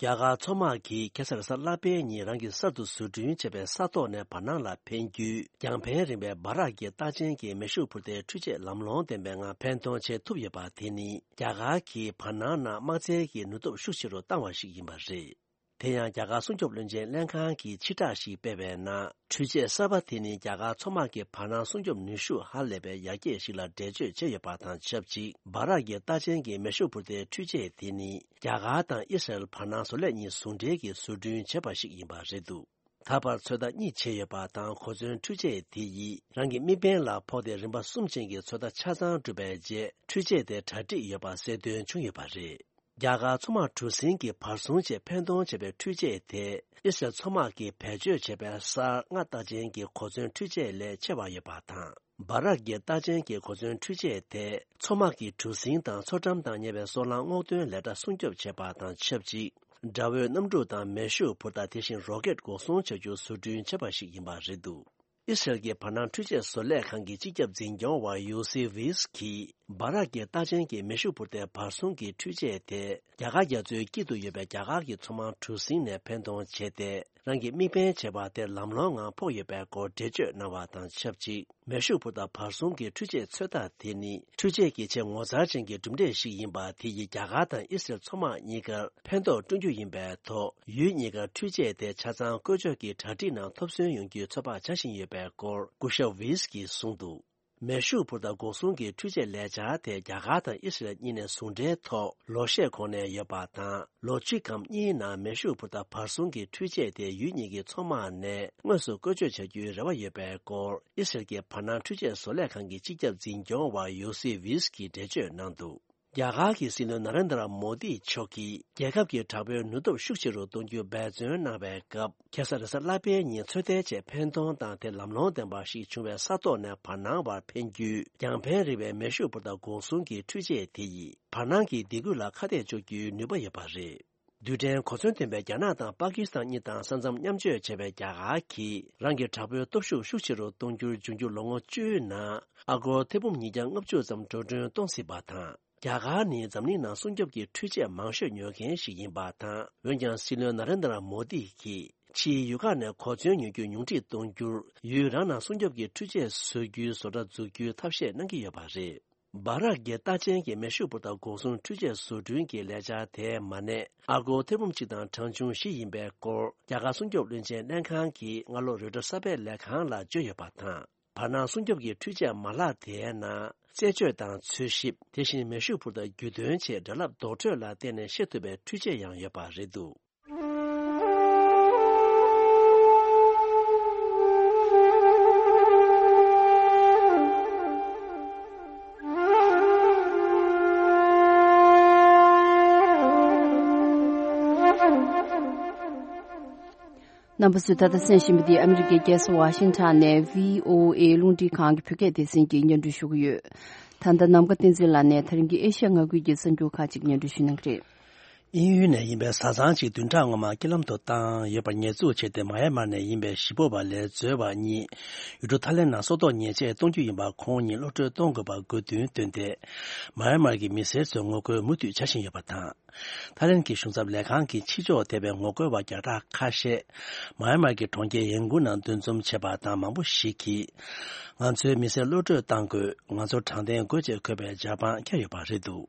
རྒྱ་གར་མཚོ་དམག་གིས་ཁ་སང་གཟའ་ལྷག་པའི་ཉིན་རང་གིས་གསར་དུ་བཟོ་སྐྲུན་བྱས་པའི་ས་ཐོག་ནས་བར་སྣང་ལ་འཕེན་རྒྱུའི་རྒྱང་འཕེན་རིང་བའི་འབར་རགས་ཀྱི་རྟགས་ཅན་གྱི་མེ་ཤུགས་འཕུར་མདའི་འཕྲུལ་ཆས་ལམ་ལྷོང་ལྡན་པའི་ངང་འཕེན་གཏོང་བྱེད་ཐུབ་ཡོད་པ་དེ་ནི། རྒྱ་གར་གྱིས་བར་སྣང་ནང་དམག་རྩལ་གྱི་ནུས་སྟོབས་ཤུགས་ཆེ་རུ་བཏང་བ་ཞིག་ཡིན་པ་རེད། དེ་ཡང་རྒྱ་གར་སྲུང་སྐྱོབ་བློན་ཆེན་ལྷན་ཁང་གིས་ཕྱིར་བསྒྲགས་ཤིག་སྤེལ་བའི་ནང་། འཕྲུལ་ཆས་གསར་པ་དེ་ནི་རྒྱ་གར་མཚོ་དམག་གི་བར་སྣང་སྲུང་སྐྱོབ་ནུས་ཤུགས་ཧ་ལས་པའི་ཡར་རྒྱས་ཤིག་ལ་འགྲེལ་བརྗོད་བྱས་ཡོད་པ་དང་ཆབས་ཅིག་འབར་རགས་ཀྱི་རྟགས་ཅན་གྱི་མེ་ཤུགས་འཕུར་མདའི་འཕྲུལ་ཆས་དེ་ནི་རྒྱ་གར་དང་ཨི་སི་རལ་བར་སྣང་བཟོ་ལས་གཉིས་ཟུང་འབྲེལ་གྱིས་བཟོ་སྐྲུན་བྱས་པ་ཞིག་ཡིན་པ་རེད་འདུག་ད་བར་ཚོད་ལྟ་གཉིས་བྱས་ཡོད་པ་དང་། གོ་མཚོན་འཕྲུལ་ཆས་དེ་ཡིས་རང་གི་མིག་དཔེ་ལ་ཕོག་སྟེ་རིམ་པ་གསུམ་ཅན་གྱི་ཚོད་ལྟ་ཆ་ཚང་གྲུབ་པའི་རྗེས། འཕྲུལ་ཆས་དེ་གྲ་སྒྲིག་ཡོད་པ་གསལ་སྟོན་བྱུང་ཡོད་པ་རེད། རྒྱ་གར་མཚོ་དམག་གྲུ་གཟིངས་ཀྱི་བར་སྲུང་ཆེད་འཕེན་གཏོང་བྱས་པའི་འཕྲུལ་ཆས་དེ། ཨི་སི་རལ་མཚོ་དམག་གིས་བེད་སྤྱོད་བྱས་པའི་སར་ལྔ་རྟགས་ཅན་གྱི་གོ་མཚོན་འཕྲུལ་ཆས་ལས་ཆེ་བ་ཡོད་པ་དང་། འབར་རགས་ཀྱི་རྟགས་ཅན་གྱི་གོ་མཚོན་འཕྲུལ་ཆས་དེ། མཚོ་དམག་གི་གྲུ་གཟིངས་དང་མཚོ་འགྲམ་དང་ཉེ་བའི་སོལ་རླངས་སྔོག་འདོན་ལས་གྲྭ་སྲུང་སྐྱོབ་བྱེད་པ་དང་ཆབས་ཅིག་དགྲ་བོའི་གནམ་གྲུ་དང་མེ་ཤུགས་འཕུར་མདའ། དེ་བཞིན་རོ་ཀེད་འགོག་སྲུང་བྱ་རྒྱུ་བཟོ་སྐྲུན་བྱས་པ་ཞིག་ཡིན་པ་རེད་འདུག་ཨི་སི་རལ་གྱི་བར་སྣང་འཕྲུལ་ཆས་བཟོ་ལས་ཁང་གི་སྤྱི་ཁྱབ་འཛིན་སྐྱོང་བ་ཡུ་སི་ཝིས་ཀྱིས། འབར་རགས་ཀྱི་རྟགས་ཅན་གྱི་མེ་ཤུགས་འཕུར་མདའི་བར་སྲུང་གི་འཕྲུལ་ཆས་དེ། རྒྱ་གར་རྒྱ་མཚོའི་དཀྱིལ་དུ་ཡོད་པའི་རྒྱ་གར་གྱི་མཚོ་དམག་གྲུ་གཟིངས་ནས་འཕེན་གཏོང་བྱས་ཏེ། རང་གི་དམིགས་འབེན་བྱས་པ་དེ་ལམ་ལྷོང་ངང་ཕོག་ཡོད་པའི་སྐོར་འགྲེལ་བརྗོད་གནང་བ་དང་ཆབས་ཅིག་མེ་ཤུགས་འཕུར་མདའ་བར་སྲུང་གི་འཕྲུལ་ཆས་ཚོད་ལྟ་དེ་ནི། འཕྲུལ་ཆས་ཀྱི་ཆེས་ངོ་མཚར་ཅན་གྱི་གྲུབ་འབྲས་ཤིག་ཡིན་པ། དེ་ཡིས་རྒྱ་གར་དང་ཨི་སི་རལ་མཚོ་དམག་གཉིས་ཀར་ཕན་ཐོགས་བསྐྲུན་རྒྱུ་ཡིན་པའི་ཐོག་ཡུལ་གཉིས་ཀར་འཕྲུལ་ཆས་དེ་ཆ་ཚང་བཀོལ་སྤྱོད་ཀྱི་གྲ་སྒྲིག་ནང་ཐོབ་སོན་ཡོང་རྒྱུའི་ཚོད་དཔག་བྱ་བཞིན་ཡོད་པའི་སྐོར་སྐུ་ཞབས་ཝིས་ཀྱིས་གསུངས་འདུག་མེ་ཤུགས་འཕུར་མདའ་འགོག་སྲུང་གི་འཕྲུལ་ཆས་ལས་འཆར་དེ་རྒྱ་གར་དང་ཨི་སི་རལ་གཉིས་ནས་ཟུང་འབྲེལ་ཐོག་ལོ་ཤས་གོང་ནས་ཡོད་པ་དང་། ལོ་གཅིག་གམ་གཉིས་ནང་མེ་ཤུགས་འཕུར་མདའ་བར་གསུམ་གྱི་འཕྲུལ་ཆས་དེ་ཡུལ་གཉིས་ཀྱི་མཚོ་དམག་ནས་དངོས་སུ་བཀོལ་སྤྱོད་བྱ་རྒྱུའི་རེ་བ་ཡོད་པའི་སྐོར་ཨི་སི་རལ་གྱི་བར་སྣང་འཕྲུལ་ཆས་བཟོ་ལས་ཁང་གི་སྤྱི་ཁྱབ་འཛིན་སྐྱོང་བ་ཡོ་སི་ཝིས་ཀྱིས་འགྲེལ་བརྗོད་གནང་འདུག་རྒྱ་གར་གྱི་སྲིད་བློན་ན་རེན་དྲ་མོ་དི་མཆོག་གིས་རྒྱལ་ཁབ་ཀྱི་དྲག་པོའི་ནུས་སྟོབས་ཤུགས་ཆེ་རུ་གཏོང་རྒྱུ་འབད་བརྩོན་གནང་བའི་སྐབས། ཁ་སང་རེས་གཟའ་ལྷག་པའི་ཉིན་ཚོད་ལྟའི་ཆེད་འཕེན་གཏོང་དང་དེ་ལམ་ལྷོང་ལྡན་པ་ཞིག་བྱུང་བའི་ས་ཐོག་ནས་བར་སྣང་བར་འཕེན་རྒྱུའི་རྒྱང་འཕེན་རིང་བའི་མེ་ཤུགས་འཕུར་མདའ་འགོག་སྲུང་གི་འཕྲུལ་ཆས་དེ་ཡིས་བར་སྣང་གི་སྡེ་ཁུལ་ལ་ཁ་གཏད་གཅོག་རྒྱུའི་ནུས་པ་ཡོད་པ་རེད། རྡུལ་ཕྲན་གོ་མཚོན་ལྡན་པའི་རྒྱ་ནག་དང་པ་ཀི་སི་ཐན་གཉིས་དང་ས་མཚམས་མཉམ་སྤྱོད་བྱས་པའི་རྒྱ་གར་གྱིས་རང་གི་དྲག་པོའི་སྟོབས་ཤུགས་ཤུགས་ཆེ་རུ་གཏོང་རྒྱུར་འབྱུང་འགྱུར་ལོ་ངོ་བཅུའི་ནང་ཨ་སྒོར་ཐེར་འབུམ་ཉིས་བརྒྱ་ལྔ་བཅུ་ཙམ་འགྲོ་གྲོན་གཏོང་སྲིད་པ་དང་། རྒྱ་གར་ནི་འཛམ་གླིང་ནང་སྲུང་སྐྱོབ་ཀྱི་འཕྲུལ་ཆས་མང་ཤོས་ཉོ་མཁན་ཞིག་ཡིན་པ་དང་། འོན་ཀྱང་སྲིད་བློན་ན་རེན་དྲ་མོ་དི་གིས་ཕྱིའི་ཡུལ་ཁག་ནས་གོ་མཚོན་ཉོ་རྒྱུ་ཉུང་འཕྲི་གཏོང་རྒྱུར། ཡུལ་རང་ནང་སྲུང་སྐྱོབ་ཀྱི་འཕྲུལ་ཆས་བཟོ་རྒྱུའི་བཟོ་གྲྭ་འཛུགས་རྒྱུའི་ཐབས་ཤེས་གནང་གི་ཡོད་པ་རེད། སྦ་རག་གི་རྟགས་ཅན་གྱི་མེ་ཤུགས་འཕུར་མདའ་འགོག་སྲུང་འཕྲུལ་ཆས་བཟོ་སྐྲུན་གྱི་ལས་འཆར་དེའི་མ་གནས་ཨ་སྒོར་ཐེར་འབུམ་གཅིག་དང་གྲངས་ཆུང་བཞི་ཡིན་པའི་སྐོར། རྒྱ་གར་སྲུང་སྐྱོབ་བློན་ཆེན་ལྷན་ཁང་གིས་སྔ་ལོ་རོའི་ཊར་གསར་སྤེལ་ལས་ཁང་ལ་བརྗོད་ཡོད་པ་དང་། བར་སྣང་སྲུང་སྐྱོབ་ཀྱི་འཕྲུལ་ཆས་མ་ལག་དེའི་ནང་རྩད་གཅོད་དང་འཚོལ་ཞིབ། དེ་བཞིན་མེ་ཤུགས་འཕུར་མདའ་རྒྱུད་འདོན་ཆེད་སྒྲ་རླབས་རྡོག་ཁྲོད་ལ་བརྟེན་ནས་ཤེས་ཐུབ་པའི་འཕྲུལ་ཆས་ཡང་ཡོད་པ་རེད་འདུག་རྣམ་པ་ཚོས་ད་ལྟ་གསན་བཞིན་པ་འདི་ཨ་མི་རི་ཀའི་རྒྱལ་ས་ཝ་ཤིང་ཊོན་ནས་བྷི་ཨོ་ཨེ་རླུང་འཕྲིན་ཁང་གི་བོད་སྐད་སྡེ་ཚན་གྱིས་སྙན་སྒྲོན་ཞུ་གི་ཡོད། ད་ལྟ་ནམ་མཁའ་བསྟན་འཛིན་ལགས་ནས་ད་རིང་གི་ཨེ་ཤ་ཡ་མངའ་ཁུལ་གྱི་གསར་འགྱུར་ཁག་ཅིག་སྙན་སྒྲོན་ཞུ་གནང་གི་རེད། དབྱིན་ཡུལ་ནས་ཡིན་པའི་བཟའ་ཚང་གཅིག་བདུན་ཕྲག་སྔོན་མ་རྐྱེན་ལམ་དུ་བཏང་ཡོད་པར་ཉེས་འཛུགས་བྱས་ཏེ། མ་ཡན་མར་ནས་ཡིན་པའི་གཞིས་སྤོ་བ་ལས་འཛོལ་བ་གཉིས་ཡུལ་གྲུ་ཐའི་ལེན་ནང་སྲོག་ཐོག་ཉེས་ཆད་གཏོང་རྒྱུ་ཡིན་པ་ཁོང་ཉིད་གློད་བཀྲོལ་གཏོང་དགོས་པར་དགོས་འདུན་བཏོན་ཏེ། མ་ཡན་མར་གྱི་མི་སེར་ཚོས་ངོ་རྒོལ་མུ་མཐུད་བྱ་བཞིན་ཡོད་པ་དང་། ཐའི་ལེན་གྱི་གཞུང་ཚབ་ལས་ཁང་གིས་ཕྱི་ཕྱོགས་ཐེ་བའི་ངོ་རྒོལ་བ་བརྒྱ་ཕྲག་ཁ་ཤས་མ་ཡན་མར་གྱི་གྲོང་ཁྱེར་ཡན་ཀུན་ནང་འདུ་འཛོམས་བྱས་པ་དང་། མང་པོ་ཞིག་གིས་ང་ཚོའི་མི་སེར་གློད་བཀྲོལ་གཏང་དགོས། ང་ཚོ་དྲང་བདེན་དགོས་ཅེས་འཁོད་པའི་ཇ་པང་བཀལ་ཡོད་པ་རེད་འདུག་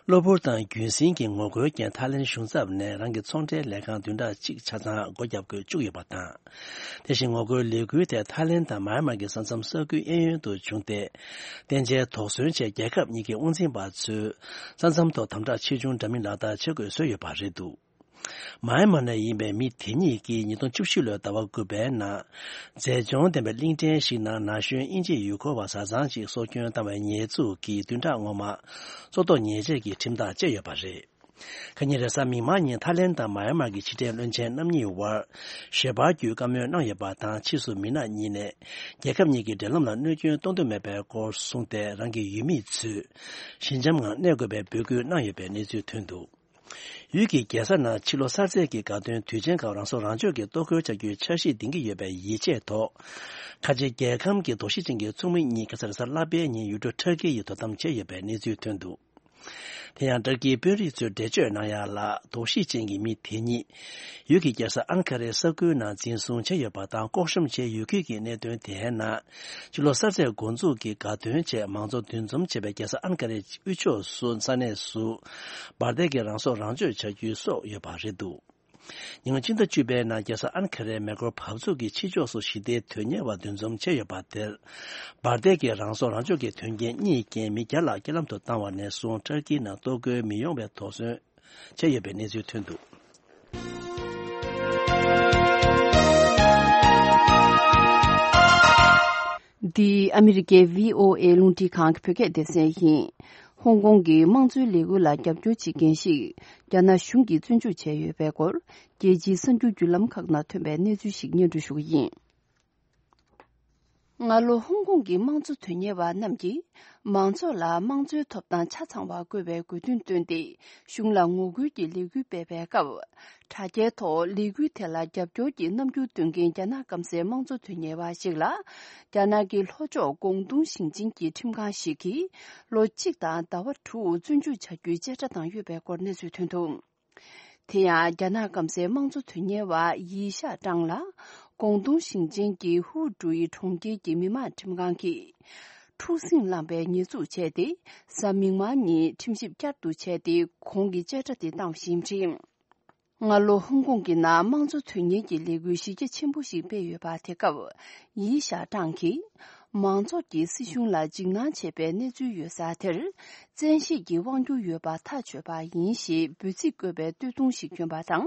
གློ་བུར་དང་རྒྱུན་སྲིང་གི་ངོ་རྒོལ་རྐྱེན་ཐའི་ལེན་གཞུང་ཚབ་ནས་རང་གི་ཚོང་འབྲེལ་ལས་ཁང་བདུན་ཕྲག་གཅིག་ཆ་ཚང་སྒོ་བརྒྱབ་དགོས་བཅུག་ཡོད་པ་དང་། དེ་བཞིན་ངོ་རྒོལ་ལས་འགུལ་དེ་ཐའི་ལེན་དང་མ་ཡན་མར་གྱི་ས་མཚམས་ས་ཁུལ་གཡས་གཡོན་དུ་བྱུང་སྟེ། བརྟན་འཇགས་དོགས་ཟོན་ཆེད་རྒྱལ་ཁབ་གཉིས་ཀྱི་དབང་འཛིན་པ་ཚོས་ས་མཚམས་ཐོག་དམ་དྲག་ཆེ་ཆུང་འདྲ་མིན་ལག་བསྟར་བྱེད་དགོས་བཟོས་ཡོད་པ་རེད་འདུག་མ་ཡན་མར་ནས་ཡིན་པའི་མི་དེ་གཉིས་ཀྱིས་ཉིས་སྟོང་བཅུ་བཞི་ལོའི་ཟླ་བ་དགུ་པའི་ནང་། མཛེས་ལྗོངས་ལྡན་པའི་གླིང་ཕྲན་ཞིག་ནང་ན་གཞོན་དབྱིན་ཇིའི་ཡུལ་སྐོར་བ་བཟའ་ཚང་ཅིག་སྲོག་སྐྱོན་བཏང་བའི་ཉེས་འཛུགས་ཀྱིས་བདུན་ཕྲག་སྔོན་མ་སྲོག་ཐོག་ཉེས་ཆད་ཀྱི་ཁྲིམས་ཐག་བཅད་ཡོད་པ་རེད། ཁ་ཉིན་རེས་གཟའ་མིག་དམར་ཉིན་ཐའི་ལེན་དང་མ་ཡན་མར་གྱི་ཕྱི་འབྲེལ་བློན་ཆེན་རྣམ་གཉིས་དབར་ཞལ་པར་བརྒྱུད་བཀའ་མོལ་གནང་ཡོད་པ་དང་། ཕྱིས་སུ་མི་སྣ་གཉིས་ནས་རྒྱལ་ཁབ་གཉིས་ཀྱི་འབྲེལ་ལམ་ལ་གནོད་སྐྱོན་གཏོང་འདོད་མེད་པའི་སྐོར་གསུངས་ཏེ། རང་གི་ཡུལ་མི་ཚོས་ཞི་འཇམ་ངང་གནས་དགོས་པའི་འབོད་སྐུལ་གནང་ཡོད་པའི་གནས་ཚུལ་ཐོན་འདུག་ཡུལ་གྱི་རྒྱལ་ས་ནང་ཕྱི་ལོ་གསར་ཚེས་ཀྱི་དགའ་སྟོན་དུས་ཆེན་སྐབས་རང་སྲོག་རང་གཅོད་ཀྱི་གཏོར་རྒོལ་བྱ་རྒྱུའི་འཆར་གཞི་འདིང་གི་ཡོད་པའི་ཡིད་ཆེས་ཐོག་ཁ་ཆེ་རྒྱལ་ཁམས་ཀྱི་དོགས་གཞི་ཅན་གྱི་ཚོགས་མི་གཉིས་ཁ་སང་རེས་གཟའ་ལྷག་པའི་ཉིན་ཡུལ་གྲུ་ཊར་ཀི་ཡི་དོ་དམ་བྱས་ཡོད་པའི་གནས་ཚུལ་ཐོན་འདུག་དེ་ཡང་ཊར་ཀིའི་དཔོན་རིགས་ཚོས་འགྲེལ་བརྗོད་གནང་ཡ་ལ། དོགས་གཞི་ཅན་གྱི་མི་དེ་གཉིས་ཡུལ་གྱི་རྒྱལ་ས་ཨན་ཁ་རའི་ས་ཁུལ་ནང་འཛིན་བཟུང་བྱས་ཡོད་པ་དང་། ལྐོག་ཤོམ་བྱས་ཡོད་ཁུལ་གྱི་གནད་དོན་དེའི་ནང་། ཕྱི་ལོ་གསར་ཚེས་འགོ་འཛུགས་ཀྱི་དགའ་སྟོན་ཆེད་མང་ཚོགས་འདུ་འཛོམས་བྱས་པའི་རྒྱལ་ས་ཨན་ཁ་རའི་དབུས་ཕྱོགས་སུ་ས་གནས་སུ་འབར་མདེལ་གྱི་རང་སྲོག་རང་གཅོད་བྱ་རྒྱུའི་སྲོལ་ཡོད་པ་རེད་འདུག་ཉིན་གཅིག་ཟླ་བཅུ་པའི་ནང་རྒྱལ་ས་ཨན་ཁ་རའི་མེ་འཁོར་བབས་ཚུགས་ཀྱི་ཕྱི་ཕྱོགས་སུ་ཞི་བདེའི་དོན་གཉེར་བ་འདུ་འཛོམས་བྱས་ཡོད་པ་དེར། འབར་མདེལ་གྱི་རང་སྲོག་རང་གཅོད་ཀྱི་དོན་རྐྱེན་གཉིས་རྐྱེན་མི་བརྒྱ་ལྷག་རྐྱེན་ལམ་དུ་བཏང་བ་ནས་བཟུང་། ཊར་ཀིའི་ནང་གཏོར་རྒོལ་མི་ཡོང་བའི་དོགས་ཟོན་བྱས་ཡོད་པའི་གནས་ཚུལ་ཐོན་འདུག་འདི་ཨ་མི་རི་ཀའི་བྷི་ཨོ་ཨེ་རླུང་འཕྲིན་ཁང་གི་བོད་སྐད་སྡེ་ཚན་ཡིན། ཧོང་ཀོང་གི་དམངས་གཙོའི་ལས་འགུལ་ལ་རྒྱབ་སྐྱོར་བྱེད་མཁན་ཞིག་རྒྱ་ནག་གཞུང་གིས་བཙོན་འཇུག་བྱས་ཡོད་པའི་སྐོར། རྒྱལ་སྤྱིའི་གསར་འགྱུར་བརྒྱུད་ལམ་ཁག་ནང་ཐོན་པའི་གནས་ཚུལ་ཞིག་སྙན་སྒྲོན་ཞུ་གི་ཡིན། སྔ་ལོ་ཧོང་ཀོང་གི་དམངས་གཙོ་དོན་གཉེར་བ་རྣམས་ཀྱིས་མང་ཚོགས་ལ་དམངས་གཙོའི་ཐོབ་ཐང་ཆ་ཚང་བ་དགོས་པའི་དགོས་འདུན་བཏོན་ཏེ། གཞུང་ལ་ངོ་རྒོལ་གྱི་ལས་འགུལ་སྤེལ་བའི་སྐབས། དྲ་རྒྱའི་ཐོག་ལས་འགུལ་དེ་ལ་རྒྱབ་སྐྱོར་གྱི་རྣམ་འགྱུར་སྟོན་མཁན་རྒྱ་ནག་སྐམ་སའི་དམངས་གཙོ་དོན་གཉེར་བ་ཞིག་ལ། རྒྱ་ནག་གི་ལྷོ་ཕྱོགས་ཀོང་ཏུང་ཞིང་ཆེན་གྱི་ཁྲིམས་ཁང་ཞིག་གིས་ལོ་གཅིག་དང་ཟླ་བ་དྲུག་བཙོན་འཇུག་བྱ་རྒྱུའི་བཅད་ཁྲ་བཏང་ཡོད་པའི་སྐོར་གནས་ཚུལ་ཐོན་འདུག་དེ་ཡང་རྒྱ་ནག་སྐམ་སའི་དམངས་གཙོ་དོན་གཉེར་བ་ཡི་ཤ་ཀྲང་ལ། ཀོང་ཏུང་ཞིང་ཆེན་གྱི་ཧུའུ་ཀྲུའུ་ཡི་གྲོང་ཁྱེར་གྱི་མི་དམངས་ཁྲིམས་ཁང་གིས། འཁྲུག་ཟིང་བསླངས་པའི་ཉེས་འཛུགས་བྱས་ཏེ། གཟའ་མིག་དམར་ཉིན་ཁྲིམས་ཞིབ་བསྐྱར་དུ་བྱས་ཏེ། ཁོང་གིས་བཅད་ཁྲ་དེ་བཏང་བཞིན་བྲིས། སྔ་ལོ་ཧོང་ཀོང་གི་ནང་དམངས་གཙོ་དོན་གཉེར་གྱི་ལས་འགུལ་གཞི་རྒྱ་ཆེན་པོ་ཞིག་སྤེལ་ཡོད་པ་དེ་སྐབས། ཡི་ཤ་ཀྲང་གིས། མང་ཚོགས་ཀྱིས་སྲིད་གཞུང་ལ་འཇིགས་སྣང་བྱེད་པའི་གནས་ཚུལ་ཡོད་ས་དེར། བཙན་ཤེད་ཀྱིས་དབང་སྒྱུར་ཡོད་པ་ཐག་ཆོད་པ་ཡིན་ཞེས་འབོད་ཚིག་བཀོད་པའི་སྟོད་ཐུང་ཞིག་གྱོན་པ་དང་།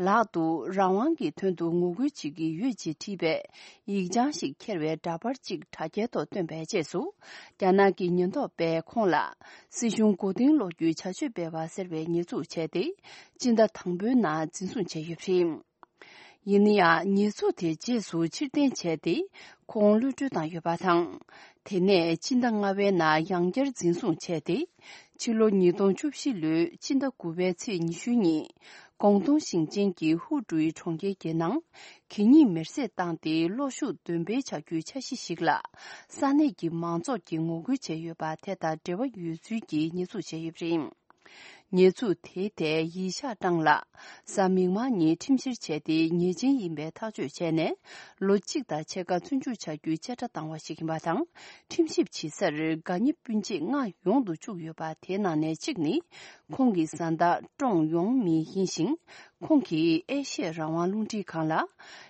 ལག་ཏུ་རང་དབང་གི་དོན་དུ་ངོ་རྒོལ་བྱེད་ཀྱི་ཡོད་ཅེས་བྲིས་པའི་ཡིག་བྱང་ཞིག་འཁྱེར་བའི་འདྲ་པར་གཅིག་དྲ་རྒྱའི་ཐོག་བཏོན་པའི་རྗེས་སུ། རྒྱ་ནག་གི་ཉེན་རྟོག་པས་ཁོང་ལ་སྲིད་གཞུང་མགོ་རྟིང་སློག་རྒྱུའི་བྱ་སྤྱོད་སྤེལ་བ་ཟེར་བའི་ཉེས་འཛུགས་བྱས་ཏེ། སྤྱི་ཟླ་དང་པོའི་ནང་འཛིན་བཟུང་བྱས་ཡོད་པ་རེད། ཡིན་ན་ཡང་། ཉེས་འཛུགས་དེ་རྗེས་སུ་ཕྱིར་འཐེན་བྱས་ཏེ། ཁོང་གློད་གྲོལ་བཏང་ཡོད་པ་དང་། དེ་ནས་ཕྱི་ཟླ་ལྔ་པའི་ནང་ཡང་བསྐྱར་འཛིན་བཟུང་བྱས་ཏེ། ཕྱི་ལོ་ཉིས་སྟོང་བཅུ་བཞི་ལོའི་ཕྱི་ཟླ་དགུ་པའི་ཚེས་ཉི་ཤུ་ཉིན། ཀོང་ཏུང་ཞིང་ཆེན་གྱི་ཧུའུ་ཀྲུའི་གྲོང་ཁྱེར་གྱི་ནང་། གད་སྙིགས་མེར་སྲེག་བཏང་སྟེ་གློག་ཤུགས་འདོན་སྤེལ་བྱ་རྒྱུའི་འཆར་གཞི་ཞིག་ལ། ས་གནས་ཀྱི་མང་ཚོགས་ཀྱིས་ངོ་རྒོལ་བྱས་ཡོད་པ་དེ་དང་འབྲེལ་བ་ཡོད་ཚུལ་གྱི་ཉེས་འཛུགས་བྱས་ཡོད་པ་རེད། ཉེས་འཛུགས་དེའི་ཐད་ཡི་ཤ་ཀྲང་ལགས་གཟའ་མིག་དམར་ཉིན་ཁྲིམས་བཤེར་བྱས་ཏེ། ཉེས་ཅན་ཡིན་པའི་ཐག་གཅོད་བྱས་ནས། ལོ་གཅིག་དང་ཕྱེད་ཀ་བཙོན་འཇུག་བྱ་རྒྱུའི་བཅད་ཁྲ་བཏང་བ་ཞིག་ཡིན་པ་དང་། ཁྲིམས་ཞིབ་བྱེད་སར་དགའ་ཉེ་སྤུན་མཆེད་ལྔ་ཡོང་དུ་བཅུག་ཡོད་པ། དེའི་ནང་ནས་གཅིག་ནི། ཁོང་གི་བཟའ་ཟླ་ཀྲོང་ཡོང་མི་ཡིན་ཞིང་། ཁོང་གིས་ཨེ་ཤི་ཡའི་རང་དབང་རླུང་འཕྲིན་ཁང་ལ།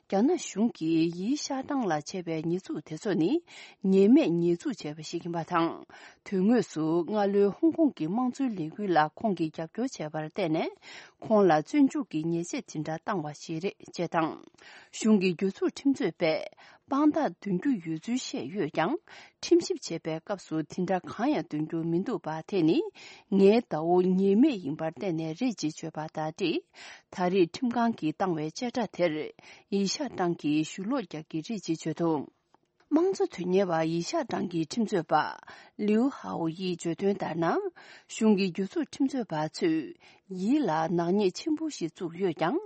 རྒྱ་ནག་གཞུང་གིས་ཡི་ཤ་ཀྲང་ལ་བྱས་པའི་ཉེས་འཛུགས་དེ་ཚོ་ནི། ཉེས་མེད་ཉེས་འཛུགས་བྱས་པ་ཞིག་ཡིན་པ་དང་། དོན་དངོས་སུ་སྔ་ལོའི་ཧོང་ཀོང་གི་དམངས་གཙོའི་ལས་འགུལ་ལ་ཁོང་གིས་རྒྱབ་སྐྱོར་བྱས་པར་བརྟེན་ནས། ཁོང་ལ་བཙོན་འཇུག་གི་ཉེས་ཆད་དེ་འདྲ་བཏང་བ་ཞིག་རེད་ཅེས་དང་། གཞུང་གི་རྒྱུ་ཚོགས་ཁྲིམས་རྩོད་པས་དཔང་རྟགས་འདོན་རྒྱུ་ཡོད་ཚུལ་བཤད་ཡོད་ཀྱང་། ཁྲིམས་ཞིབ་བྱེད་པའི་སྐབས་སུ་དེ་འདྲ་གང་ཡང་འདོན་རྒྱུ་མི་འདུག་པ། དེ་ནི་ངའི་ཟླ་བོ་ཉེས་མེད་ཡིན་པར་བརྟེན་ནས་རེད་ཅེས་བརྗོད་པ་དང་འབྲེལ། ད་རེས་ཁྲིམས་ཁང་གིས་བཏང་བའི་བཅད་ཁྲ་དེར། ཡི་ཤ་ཀྲང་གིས་ཞུ་ལོག་རྒྱག་གི་རེད་ཅེས་བརྗོད་འདུག་དམངས་གཙོ་དོན་གཉེར་བ་ཡི་ཤ་ཀྲང་གི་ཁྲིམས་རྩོད་པ་ལིའུ་ཧའོ་ཡིས་བརྗོད་དོན་ལྟར་ན། གཞུང་གི་རྒྱུ་ཚོགས་ཁྲིམས་རྩོད་པ་ཚོས་ཡི་ལ་ནག་ཉེས་ཆེན་པོ་ཞིག་བཙུགས་ཡོད་ཀྱང་།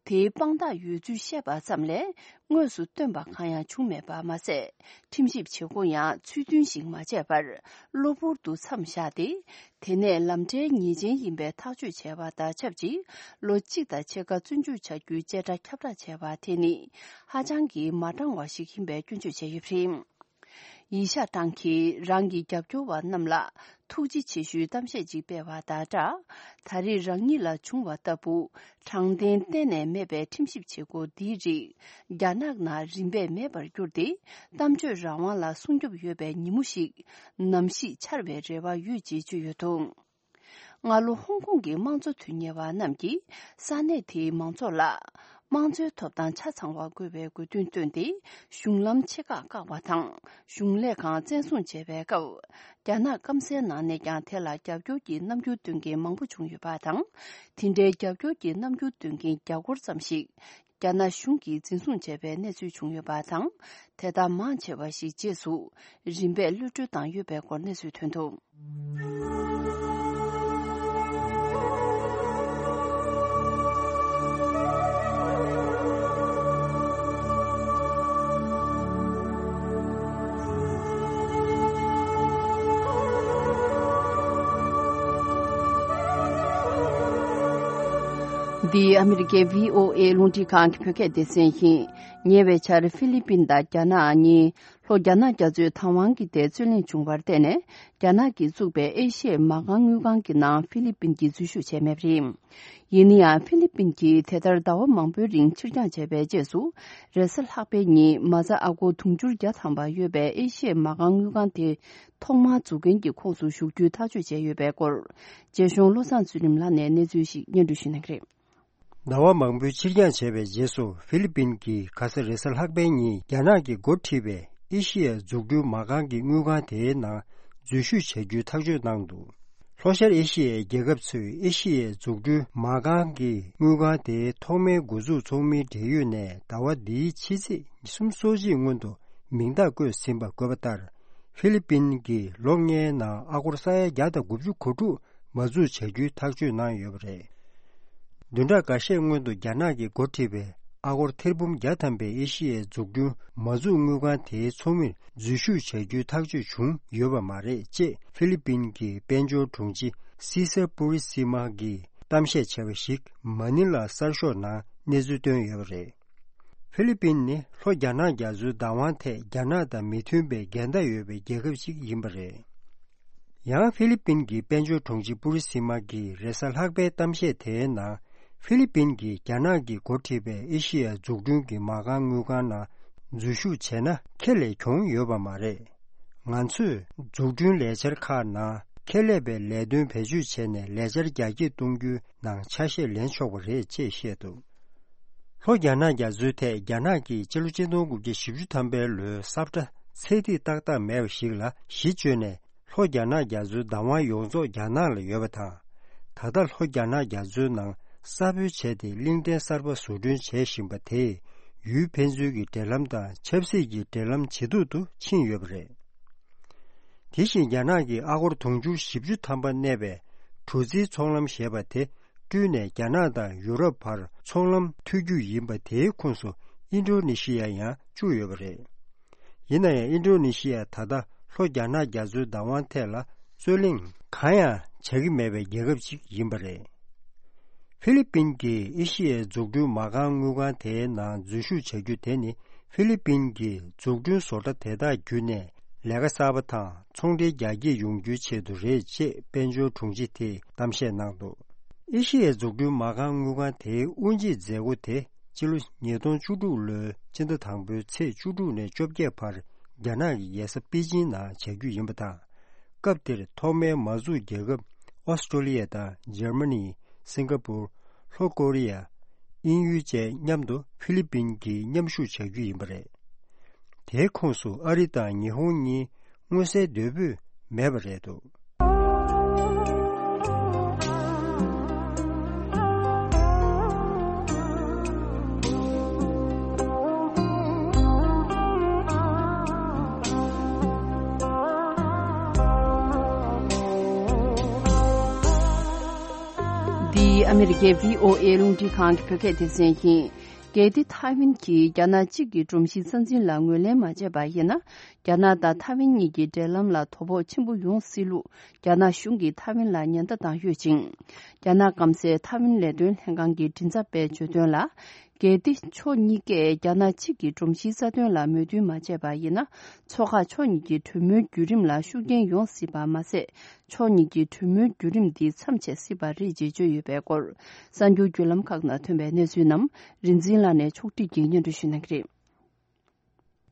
དེའི་དཔང་རྟགས་ཡོད་ཚུལ་བཤད་པ་ཙམ་ལས་དངོས་སུ་བཏོན་པ་གང་ཡང་བྱུང་མེད་པ་མ་ཟད། ཁྲིམས་ཞིབ་བྱེད་སྒོ་ཡང་ཚུལ་མཐུན་ཞིག་མ་བྱས་པར་གློ་བུར་དུ་མཚམས་བཞག་སྟེ། དེ་ནས་ལམ་འབྲས་ཉེས་ཅན་ཡིན་པའི་ཐག་གཅོད་བྱས་པ་དང་ཆབས་ཅིག་ལོ་གཅིག་དང་ཕྱེད་ཀ་བཙོན་འཇུག་བྱ་རྒྱུའི་བཅད་ཁྲ་ཁྱབ་བསྒྲགས་བྱས་པ་དེ་ནི་ཧ་ཅང་གི་མ་དྲང་བ་ཞིག་ཡིན་པའི་སྐྱོན་བརྗོད་བྱས་ཡོད་པ་རེད། ཡི་ཤ་ཀྲང་གིས་རང་གི་རྒྱབ་སྐྱོར་བ་རྣམས་ལ་ཐུགས་རྗེ་ཆེ་ཞུའི་གཏམ་བཤད་ཅིག་སྤེལ་བ་དང་སྦྲགས། ད་རེས་རང་ཉིད་ལ་བྱུང་བ་ལྟ་བུ་དྲང་བདེན་གཏན་ནས་མེད་པའི་ཁྲིམས་ཞིབ་བྱེད་སྒོ་འདིའི་རིགས་རྒྱ་ནག་ནང་རིམ་པས་མེད་པར་གྱུར་ཏེ། གཏམ་བརྗོད་རང་དབང་ལ་སྲུང་སྐྱོབ་ཡོད་པའི་ཉིན་མོ་ཞིག་ནམ་ཞིག་འཆར་བའི་རེ་བ་ཡོད་ཅེས་བརྗོད་ཡོད་འདུག་སྔ་ལོ་ཧོང་ཀོང་གི་དམངས་གཙོ་དོན་གཉེར་བ་རྣམས་ཀྱིས་ས་གནས་དེའི་མང་ཚོགས་ལ་དམངས་གཙོའི་ཐོབ་ཐང་ཆ་ཚང་བ་དགོས་པའི་དགོས་འདུན་བཏོན་ཏེ། གཞུང་ལམ་ཆེ་ཁག་བཀག་པ་དང་གཞུང་ལས་ཁང་བཙན་བཟུང་བྱས་པའི་སྐབས། རྒྱ་ནག་སྐམ་སའི་ནང་ནས་ཀྱང་དེ་ལ་རྒྱབ་སྐྱོར་གྱི་རྣམ་འགྱུར་སྟོན་མཁན་མང་པོ་བྱུང་ཡོད་པ་དང་། དེ་འདྲའི་རྒྱབ་སྐྱོར་གྱི་རྣམ་འགྱུར་སྟོན་མཁན་བརྒྱ་སྐོར་ཙམ་ཞིག་རྒྱ་ནག་གཞུང་གིས་འཛིན་བཟུང་བྱས་པའི་གནས་ཚུལ་བྱུང་ཡོད་པ་དང་། དེ་དག་མང་ཆེ་བ་ཞིག་རྗེས་སུ་རིམ་པས་གློད་གྲོལ་བཏང་ཡོད་པའི་སྐོར་གནས་ཚུལ་ཐོན་འདུག་འདི་ཨ་མི་རི་ཀའི་བྷི་ཨོ་ཨེ་རླུང་འཕྲིན་ཁང་གི་བོད་སྐད་སྡེ་ཚན་ཡིན། ཉེ་བའི་ཆར་ཧྥི་ལི་པིན་དང་རྒྱ་ནག་གཉིས། ལྷོ་རྒྱ་ནག་རྒྱ་མཚོའི་བདག་དབང་གི་ཐད་རྩོད་གླེང་བྱུང་བར་བརྟེན་ནས། རྒྱ་ནག་གིས་བཙུགས་པའི་ཨེ་ཤི་ཡའི་མ་རྐང་དངུལ་ཁང་གི་ནང་ཧྥི་ལི་པིན་གྱིས་འཛུལ་ཞུགས་བྱས་མེད་པ་རེད། ཡིན་ན་ཡང་། ཧྥི་ལི་པིན་གྱིས་དེ་ལྟར་ཟླ་བ་མང་པོའི་རིང་ཕྱིར་འགྱངས་བྱས་པའི་རྗེས་སུ། རེས་གཟའ་ལྷག་པའི་ཉིན་མ་རྩ་ཨ་སྒོར་དུང་ཕྱུར་བརྒྱ་ཐམ་པ་ཡོད་པའི་ཨེ་ཤི་ཡའི་མ་རྐང་དངུལ་ཁང་དེ་ཐོག་མར་འཛུགས་མཁན་གྱི་ཁོངས་སུ་ཞུགས་རྒྱུའི་ཐག་གཅོད་བྱས་ཡོད་པའི་སྐོར། རྒྱལ་གཞུང་བློ་བཟང་ཚུལ་ཁྲིམས་ལགས་ནས་གནས་ཚུལ་ཞིག་སྙན་སྒྲོན་ཞུ་གནང་གི་རེད། ཟླ་བ་མང་པོའི་ཕྱིར་འགྱངས་བྱས་པའི་རྗེས་སུ། ཧྥི་ལི་པིན་གྱིས་ཁ་ས་རེས་གཟའ་ལྷག་པའི་ཉིན་རྒྱ་ནག་གིས་འགོ་ཁྲིད་པའི་ཨེ་ཤི་ཡའི་འཛུགས་སྐྲུན་མ་རྐང་གི་དངུལ་ཁང་དེའི་ནང་འཛུལ་ཞུགས་བྱ་རྒྱུའི་ཐག་གཅོད་གནང་འདུག་ལྷོ་ཤར་ཨེ་ཤི་ཡའི་རྒྱལ་ཁབ་ཚོས་ཨེ་ཤི་ཡའི་འཛུགས་སྐྲུན་མ་རྐང་གི་དངུལ་ཁང་དེའི་ཐོག་མའི་འགོ་འཛུགས་ཚོགས་མིའི་འབྲེལ་ཡོད་ནས་ཟླ་བ་འདིའི་ཕྱི་ཚེས་ཉི་ཤུ་རྩ་གཅིག་སྔོན་དུ་མིང་རྟགས་བཀོད་ཟིན་པ་འགོད་པ་ལྟར། ཧྥི་ལི་པིན་གྱིས་ལོ་ལྔའི་ནང་ཨ་སྒོར་ས་ཡ་བརྒྱ་དང་དགུ་བཅུ་གོ་དྲུག་མ་འཛུགས་བྱ་རྒྱུའི་ཐག་གཅོད་གནང་ཡོད་པ་རེད། བདུན་ཕྲག་འགའ་ཤས་སྔོན་དུ་རྒྱ་ནག་གིས་འགོ་ཁྲིད་པའི་ཨ་སྒོར་ཐེར་འབུམ་བརྒྱ་ཐམ་པའི་ཨེ་ཤི་ཡའི་འཛུགས་སྐྲུན་མ་འཛུགས་དངུལ་ཁང་དེའི་ཚོགས་མིར་འཛུལ་ཞུགས་བྱ་རྒྱུའི་ཐག་གཅོད་བྱུང་ཡོད་པ་མ་རེད་ཅེས་ཧྥི་ལི་པིན་གྱི་དཔལ་འབྱོར་དྲུང་ཆེ་སི་སར་པུ་རི་སི་མ་གིས་གཏམ་བཤད་བྱས་པ་ཞིག་མ་ནི་ལ་གསར་ཤོག་ནང་གནས་ཚུལ་བཏོན་ཡོད་པ་རེད། ཧྥི་ལི་པིན་ནི་ལྷོ་རྒྱ་ནག་རྒྱ་མཚོའི་བདག་དབང་ཐད་རྒྱ་ནག་དང་མི་མཐུན་པའི་འགལ་ཟླ་ཡོད་པའི་རྒྱལ་ཁབ་ཅིག་ཡིན་པ་རེད། ཡང་ཧྥི་ལི་པིན་གྱི་དཔལ་འབྱོར་དྲུང་ཆེ་པུ་རི་སི་མ་གིས་རེས་གཟའ་ལྷག་པའི་གཏམ་བཤད་དེའི་ནང་། ཧྥི་ལི་པིན་གྱིས་རྒྱ་ནག་གིས་འགོ་ཁྲིད་པའི་ཨེ་ཤི་ཡའི་འཛུགས་སྐྲུན་གྱི་མ་རྐང་དངུལ་ཁང་ནང་ འཛུལ་ཞུགས་བྱས་ན་ཁེ་ལས་གྱོང་ཡོད་པ་མ་རེད། ང་ཚོས་འཛུགས་སྐྲུན་ལས་འཆར་ཁག་ནང་ཁེ་ལས་པའི་ལས་དོན་བེད་སྤྱོད་བྱས་ནས་ལས་འཆར་རྒྱ་སྐྱེད་གཏོང་རྒྱུའི་ནང་ཆ་ཤས་ལེན་ཆོག་པ་རེད་ཅེས་བཤད་འདུག་ལྷོ་རྒྱ་ནག་རྒྱ་མཚོའི་ཐད་རྒྱ་ནག་གིས་སྤྱི་ལོ་ཆིག་སྟོང་དགུ་བརྒྱ་བཞི་བཅུ་ཐམ་པའི་ལོའི་ས་བཀྲ་ཚད་ཐིག་ཏག་ཏག་མེད་པ་ཞིག་ལ་གཞི་བཅོལ་ནས། ལྷོ་རྒྱ་ནག་རྒྱ་མཚོའི་བདག་དབང་ཡོངས་རྫོགས་རྒྱ་ནག་ལ་ཡོད་པ་དང་། ད་ལྟ་ལྷོ་རྒྱ་ནག་རྒྱ་མཚོའི་ནང་གསར་སྦོལ་བྱས་ཏེ་གླིང་ཕྲན་གསར་པ་བཟོ་སྐྲུན་བྱེད་བཞིན་པ་དེས་ཡུལ་ཕན་ཚུན་གྱི་འབྲེལ་ལམ་དང་ཆབ་སྲིད་ཀྱི་འབྲེལ་ལམ་ཇེ་སྡུག་ཏུ་ཕྱིན་ཡོད་པ་རེད། དེ་བཞིན་རྒྱ་ནག་གིས་ཨ་སྒོར་དུང་ཕྱུར་བཞི་བཅུ་ཐམ་པ་གནས་པའི་གྲུ་རྩིའི་ཚོང་ལམ་ཞེས་པ་དེ་བསྐྲུན་ནས་རྒྱ་ནག་དང་ཡུ་རོབ་བར་ཚོང་ལམ་མཐུད་རྒྱུ་ཡིན་པ་དེའི་ཁོངས་སུ་ཨིན་ཌོ་ནེ་ཤི་ཡ་ཡང་བཅུག་ཡོད་པ་རེད། ཡིན་ན་ཡང་ཨིན་ཌོ་ནེ་ཤི་ཡ་ད་ལྟ་ལྷོ་རྒྱ་ནག་རྒྱ་མཚོའི་བདག་དབང་ཐད་ལ་རྩོད་གླེང་གང་ཡང་བྱ་གི་མེད་པའི་རྒྱལ་ཁབ་ཅིག་ཡིན་པ་རེད། ཧྥི་ལི་པིན་གྱིས་ཨེ་ཤི་ཡའི་འཛུགས་སྐྲུན་མ་རྐང་དངུལ་ཁང་དེའི་ནང་འཛུལ་ཞུགས་བྱ་རྒྱུ་དེ་ནི་ཧྥི་ལི་པིན་གྱི་འཛུགས་སྐྲུན་བཟོ་གྲྭ་དེ་དག་བརྒྱུད་ནས་ལས་ཀ་གསར་པ་དང་ཚོང་འབྲེལ་རྒྱ་སྐྱེད་ཡོང་རྒྱུའི་ཆེད་དུ་རེད་ཅེས་དཔལ་འབྱོར་དྲུང་ཆེ་དེས་གཏམ་བཤད་གནང་འདུག་ཨེ་ཤི་ཡའི་འཛུགས་སྐྲུན་མ་རྐང་དངུལ་ཁང་དེའི་དབུ་འབྱེད་མཛད་སྒོ་དེ་སྤྱི་ལོ་ཉིས་སྟོང་བཅུ་དྲུག་ལོའི་ཕྱི་ཟླ་དང་པོའི་ཚེས་བཅུ་དྲུག་ནས་བཅོ་བརྒྱད་བར་རྒྱ་ནག་གི་རྒྱལ་ས་པེ་ཅིང་ནང་བྱ་རྒྱུ་ཡིན་པ་དང་། སྐབས་དེར་ཐོག་མའི་མ་འཛུགས་རྒྱལ་ཁབ་ཨོ་སི་ཀྲོ་ལི་ཡ་དང་འཇར་མ་ནི། སིང་ག་པུར། ལྷོ་ཀོ་རི་ཡ། དབྱིན་ཡུལ་བཅས་མཉམ་དུ་ཧྥི་ལི་པིན་གྱིས་མཉམ་ཞུགས་བྱ་རྒྱུ་ཡིན་པ་རེད། དེའི་ཁོངས་སུ་ཨ་རི་དང་ཉི་ཧོང་གཉིས་མངོན་གསལ་དོད་པོས་མེད་པ་རེད་འདུག་འདི་ཨ་མི་རི་ཀའི་བྷི་ཨོ་ཨེ་རླུང་འཕྲིན་ཁང་གི་བོད་སྐད་སྡེ་ཚན་ཡིན། གལ་ཏེ་ཐའེ་ཝན་གྱིས་རྒྱ་ནག་གཅིག་གི་སྒྲོམ་གཞིའི་རྩ་འཛིན་ལ་ངོས་ལེན་མ་བྱས་པ་ཡིན་ན། རྒྱ་ནག་དང་ཐའེ་ཝན་གཉིས་ཀྱི་འབྲེལ་ལམ་ལ་དོ་ཕོག་ཆེན་པོ་ཡོང་སྲིད་ལུགས་རྒྱ་ནག་གཞུང་གིས་ཐའེ་ཝན་ལ་ཉེན་བརྡ་བཏང་ཡོད་ཅིང་། རྒྱ་ནག་སྐམ་སའི་ཐའེ་ཝན་ལས་དོན་ལྷན་ཁང་གི་མགྲིན་ཚབ་པས་བརྗོད་དོན་ལ། གལ་ཏེ་ཕྱོགས་གཉིས་ཀས་རྒྱ་ནག་གཅིག་གི་སྒྲོམ་གཞིའི་རྩ་དོན་ལ་མོས་མཐུན་མ་བྱས་པ་ཡིན་ན། མཚོ་ཁག་ཕྱོགས་གཉིས་ཀྱི་གྲོས་མོལ་བརྒྱུད་རིམ་ལ་ཤུགས་རྐྱེན་ཡོང་སྲིད་པ་མ་ཟད། ཕྱོགས་གཉིས་ཀྱི་གྲོས་མོལ་བརྒྱུད་རིམ་འདི་མཚམས་ཆད་སྲིད་པ་རེད་ཅེས་བརྗོད་ཡོད་པའི་སྐོར། གསར་འགྱུར་བརྒྱུད་ལམ་ཁག་ནང་ཐོན་པའི་གནས་ཚུལ་རྣམས་རིན་འཛིན་ལགས་ནས་ཕྱོགས་སྒྲིག་གིས་སྙན་སྒྲོན་ཞུ་གནང་གི་རེད།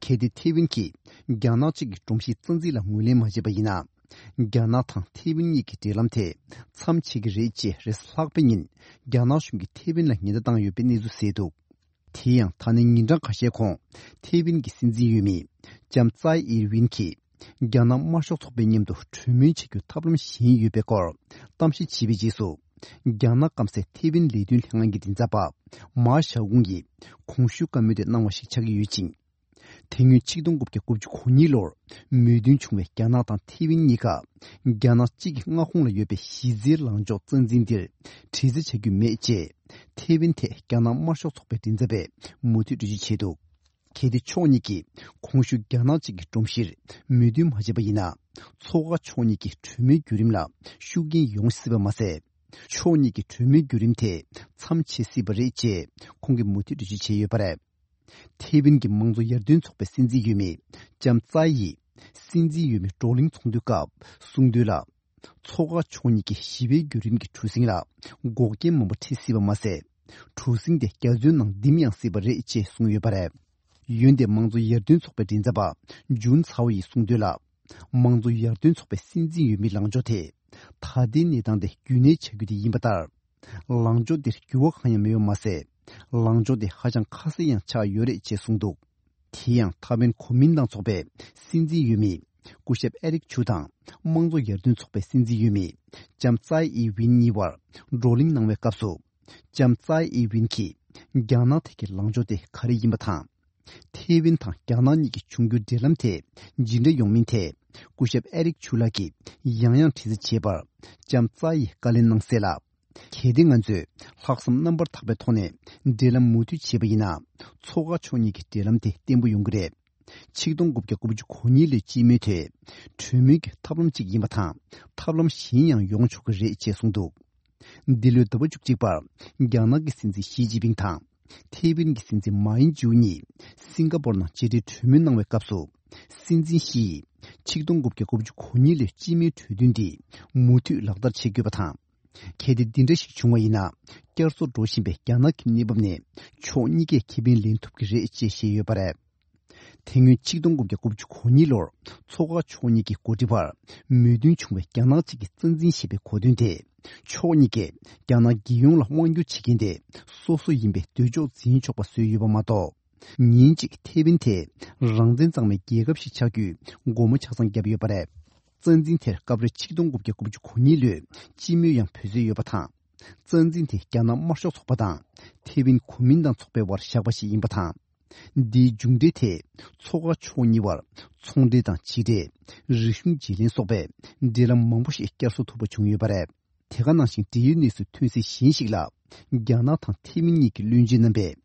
གལ་ཏེ་ཐེ་ཝན་གྱིས་རྒྱ་ནག་གཅིག་གི་སྒྲོམ་གཞིའི་རྩ་འཛིན་ལ་ངོས་ལེན་མ་བྱས་པ་ཡིན་ན། རྒྱ་ནག་དང་ཐེ་ཝན་གཉིས་ཀྱི་འབྲེལ་ལམ་དེ་མཚམས་ཆད་ཀྱི་རེད་ཅེས་རེས་གཟའ་ལྷག་པའི་ཉིན་རྒྱ་ནག་གཞུང་གིས་ཐེ་ཝན་ལ་ཉེན་བརྡ་བཏང་ཡོད་པའི་གནས་ཚུལ་གསལ་འདུག་དེ་ཡང་ད་ནས་ཉིན་གྲངས་ཁ་ཤས་གོང་ཐེ་ཝན་གྱི་སྲིད་འཛིན་འོས་མི་ལྕམ་ཙའེ་ཨིར་ཝིན་གྱིས་རྒྱ་ནག་དམར་ཤོག་ཚོགས་པའི་མཉམ་དུ་གྲོས་མོལ་བྱེད་རྒྱུའི་ཐབས་ལམ་གཞན་ཡོད་པའི་སྐོར་གཏམ་བཤད་བྱས་པའི་རྗེས་སུ། རྒྱ་ནག་སྐམ་སའི་ཐེ་ཝན་ལས་དོན་ལྷན་ཁང་གི་མགྲིན་ཚབ་པ་མཱ་ཞའོ་ཀུང་གིས་གོང་ཞུས་བཀའ་མོལ་དེ་གནང་བ་ཞིག་ཆགས་ཀྱི་ཡོད་ཅིང་། དེ་སྔོན་ཆིག་སྟོང་དགུ་བརྒྱ་དགུ་བཅུ་གོ་གཉིས་ལོར་མོས་མཐུན་བྱུང་བའི་རྒྱ་ནག་དང་ཐེ་ཝན་གཉིས་ཀ་རྒྱ་ནག་གཅིག་གི་མངའ་ཁོངས་ལ་ཡོད་པའི་གཞི་རྩའི་ལངས་ཕྱོགས་རྩ་འཛིན་འདིར་དྲི་རྩད་བྱ་རྒྱུ་མེད་ཅེས་ཐེ་ཝན་ཐད་རྒྱ་ནག་དམར་ཤོག་ཚོགས་པའི་མགྲིན་ཚབ་པས་མུ་མཐུད་འགྲེལ་བརྗོད་བྱས་འདུག་གལ་ཏེ་ཕྱོགས་གཉིས་ཀྱིས་གོང་ཞུས་རྒྱ་ནག་གཅིག་གི་སྒྲོམ་གཞིར་མོས་མཐུན་མ་བྱས་པ་ཡིན་ན། མཚོ་ཁ་ཕྱོགས་གཉིས་ཀྱི་གྲོས་མོལ་བརྒྱུད་རིམ་ལ་ཤུགས་རྐྱེན་ཡོང་སྲིད་པ་མ་ཟད། ཕྱོགས་གཉིས་ཀྱི་གྲོས་མོལ་བརྒྱུད་རིམ་དེ་མཚམས་ཆད་སྲིད་པ་རེད་ཅེས་ཁོང་གིས་མུ་མཐུད་འགྲེལ་བརྗོད་བྱས་ཡོད་པ་རེད། ཐེ་ཝན་གྱི་དམངས་གཙོ་ཡར་ཐོན་ཚོགས་པའི་སྲིད་འཛིན་འོས་མི་ལྕམ་ཙའེ་ཡིས་སྲིད་འཛིན་འོས་མི་བགྲོ་གླེང་ཚོགས་འདུའི་སྐབས་གསུངས་དོན་ལ། མཚོ་ཁ་ཕྱོགས་གཉིས་ཀྱི་ཞི་བའི་བརྒྱུད་རིམ་གྱི་གྲུ་གཟིངས་ལ་འགོག་རྐྱེན་མང་པོ་འཕྲད་སྲིད་པ་མ་ཟད། གྲུ་གཟིངས་དེ་རྒྱ་མཚོའི་ནང་ལྡིམ་ཡང་སྲིད་པ་རེད་ཅེས་གསུངས་ཡོད་པ་རེད། འོན་ཏེ་དམངས་གཙོ་ཡར་ཐོན་ཚོགས་པའི་མགྲིན་ཚབ་པ་ཇུན་ཚའོ་ཡིས་གསུངས་དོན་ལ། དམངས་གཙོ་ཡར་ཐོན་ཚོགས་པའི་སྲིད་འཛིན་འོས་མིའི་ལངས་ཕྱོགས་དེ། ད་ལྟའི་གནས་སྟངས་དེ་རྒྱུན་གནས་བྱ་རྒྱུ་དེ་ཡིན་པ་ལྟར། ལངས་ཕྱོགས་དེར་འགྱུར་བ་གང་ཡང་མེད་པ་མ་ཟད། ལངས་ཕྱོགས་དེ་ཧ་ཅང་ཁ་གསལ་ཡང་ཆགས་ཡོད་རེད་ཅེས་གསུངས་འདུག་དེ་ཡང་ཐའེ་ཝན་གོ་མིན་ཏང་ཚོགས་པའི་སྲིད་འཛིན་འོས་མི་སྐུ་ཞབས་ཨེ་རིག་ཆུ་དང་དམངས་གཙོ་ཡར་ཐོན་ཚོགས་པའི་སྲིད་འཛིན་འོས་མི་ལྕམ་ཙའེ་ཨི་ཝིན་གཉིས་བར་བགྲོ་གླེང་གནང་བའི་སྐབས་སུ། ལྕམ་ཙའེ་ཨི་ཝིན་གྱིས་རྒྱ་ནག་ཐད་ཀྱི་ལངས་ཕྱོགས་དེ་ག་རེ་ཡིན་པ་དང་། ཐའེ་ཝན་དང་རྒྱ་ནག་གཉིས་ཀྱི་འབྱུང་འགྱུར་འབྲེལ་ལམ་དེ་ཇི་འདྲ་ཡོང་མིན་ཐད་སྐུ་ཞབས་ཨེ་རིག་ཆུ་ལགས་ཀྱིས་ཡང་ཡང་དྲི་རྩད་བྱས་པར་ལྕམ་ཙའེ་ཡིས་བཀའ་ལན་གནང་གསལ་ལ། གལ་ཏེ་ང་ཚོས་ལྷག་བསམ་རྣམ་པར་དག་པའི་ཐོག་ནས་འབྲེལ་ལམ་མུ་མཐུད་བྱས་པ་ཡིན་ན། མཚོ་ཁ་ཕྱོགས་གཉིས་ཀྱི་འབྲེལ་ལམ་དེ་བརྟན་པོ་ཡོང་གི་རེད། ཆིག་སྟོང་དགུ་བརྒྱ་དགུ་བཅུ་གོ་གཉིས་ལོའི་སྤྱི་མོས་དེ་གྲོས་མོལ་གྱི་ཐབས་ལམ་གཅིག་ཡིན་པ་དང་། ཐབས་ལམ་གཞན་ཡང་ཡོང་ཆོག་གི་རེད་ཅེས་གསུངས་འདུག་འདི་ལོའི་ཟླ་བ་བཅུ་གཅིག་པར་རྒྱ་ནག་གི་སྲིད་འཛིན་ཞི་ཅིན་ཕིང་དང་ཐའེ་ཝན་གྱི་སྲིད་འཛིན་མཱ་ཨིན་ཇུ་གཉིས་སིང་ག་པོར་ནང་མཇལ་འཕྲད་གྲོས་མོལ་གནང་བའི་སྐབས་སུ། སྲིད་འཛིན་ཞི་ཡིས་ཆིག་སྟོང་དགུ་བརྒྱ་དགུ་བཅུ་གོ་གཉིས་ལོའི་སྤྱི་མོས་གྲོས་མཐུན་འདི་མུ་མཐུད་ལག་བསྟར་བྱེད་དགོས་པ་དང་། གལ་ཏེ་འདི་འདྲ་ཞིག་བྱུང་བ་ཡིན་ན། བསྐྱར་གསོ་འགྲོ་བཞིན་པའི་རྒྱ་ནག་གི་གནས་བབ་ནས་ཕྱོགས་གཉིས་ཀས་ཁེ་ཕན་ལེན་ཐུབ་ཀྱི་རེད་ཅེས་བཤད་ཡོད་པ་རེད། དེ་སྔོན་ཆིག་སྟོང་དགུ་བརྒྱ་དགུ་བཅུ་གོ་གཉིས་ལོར་མཚོ་དཀར་ཕྱོགས་གཉིས་ཀྱི་འགོ་ཁྲིད་བར་མོས་མཐུན་བྱུང་བའི་རྒྱ་ནག་གཅིག་གི་རྩ་འཛིན་ཞེས་པའི་གོ་དོན་དེ། ཕྱོགས་གཉིས་ཀས་རྒྱ་ནག་རྒྱལ་ཡོངས་ལ་དབང་བསྒྱུར་བྱེད་མཁན་དེ་སོ་སོ་ཡིན་པའི་འདོད་ཕྱོགས་འཛིན་ཆོག་པ་བཟོས་ཡོད་པ་མ་གཏོགས། ཉིན་གཅིག་ཐེ་ཝན་དེ་རང་བཙན་གཙང་མའི་རྒྱལ་ཁབ་ཞིག་ཆགས་རྒྱུའི་སྒོ་མོ་ཆ་ཚང་བརྒྱབ་ཡོད་པ་རེད། རྩ་འཛིན་དེར་སྐབས་རེ་ཆིག་སྟོང་དགུ་བརྒྱ་དགུ་བཅུ་གོ་གཉིས་ལོའི་སྤྱི་མོས་ཡང་འབོད་སྲོལ་ཡོད་པ་དང་། རྩ་འཛིན་དེ་རྒྱ་ནག་དམར་ཤོག་ཚོགས་པ་དང་ཐེ་ཝན་གོ་མིན་ཏང་ཚོགས་པའི་དབར་བཞག་པ་ཞིག་ཡིན་པ་དང་། འདིའི་མཇུག་འབྲས་དེ་མཚོ་དཀར་ཕྱོགས་གཉིས་བར་ཚོང་འབྲེལ་དང་ཕྱི་འབྲེལ། རིག་གཞུང་བརྗེ་ལེན་སོགས་པའི་འབྲེལ་ལམ་མང་པོ་ཞིག་བསྐྱར་གསོ་ཐུབ་པ་བྱུང་ཡོད་པ་རེད། དེ་ག་ནང་བཞིན་འབྲེལ་ཡོད་གནས་ཚུལ་ཐོན་གསལ་གཞན་ཞིག་ལ། རྒྱ་ནག་དང་ཐེ་ཝན་གཉིས་ཀྱི་བློན་ཆེན་རྣམ་པས་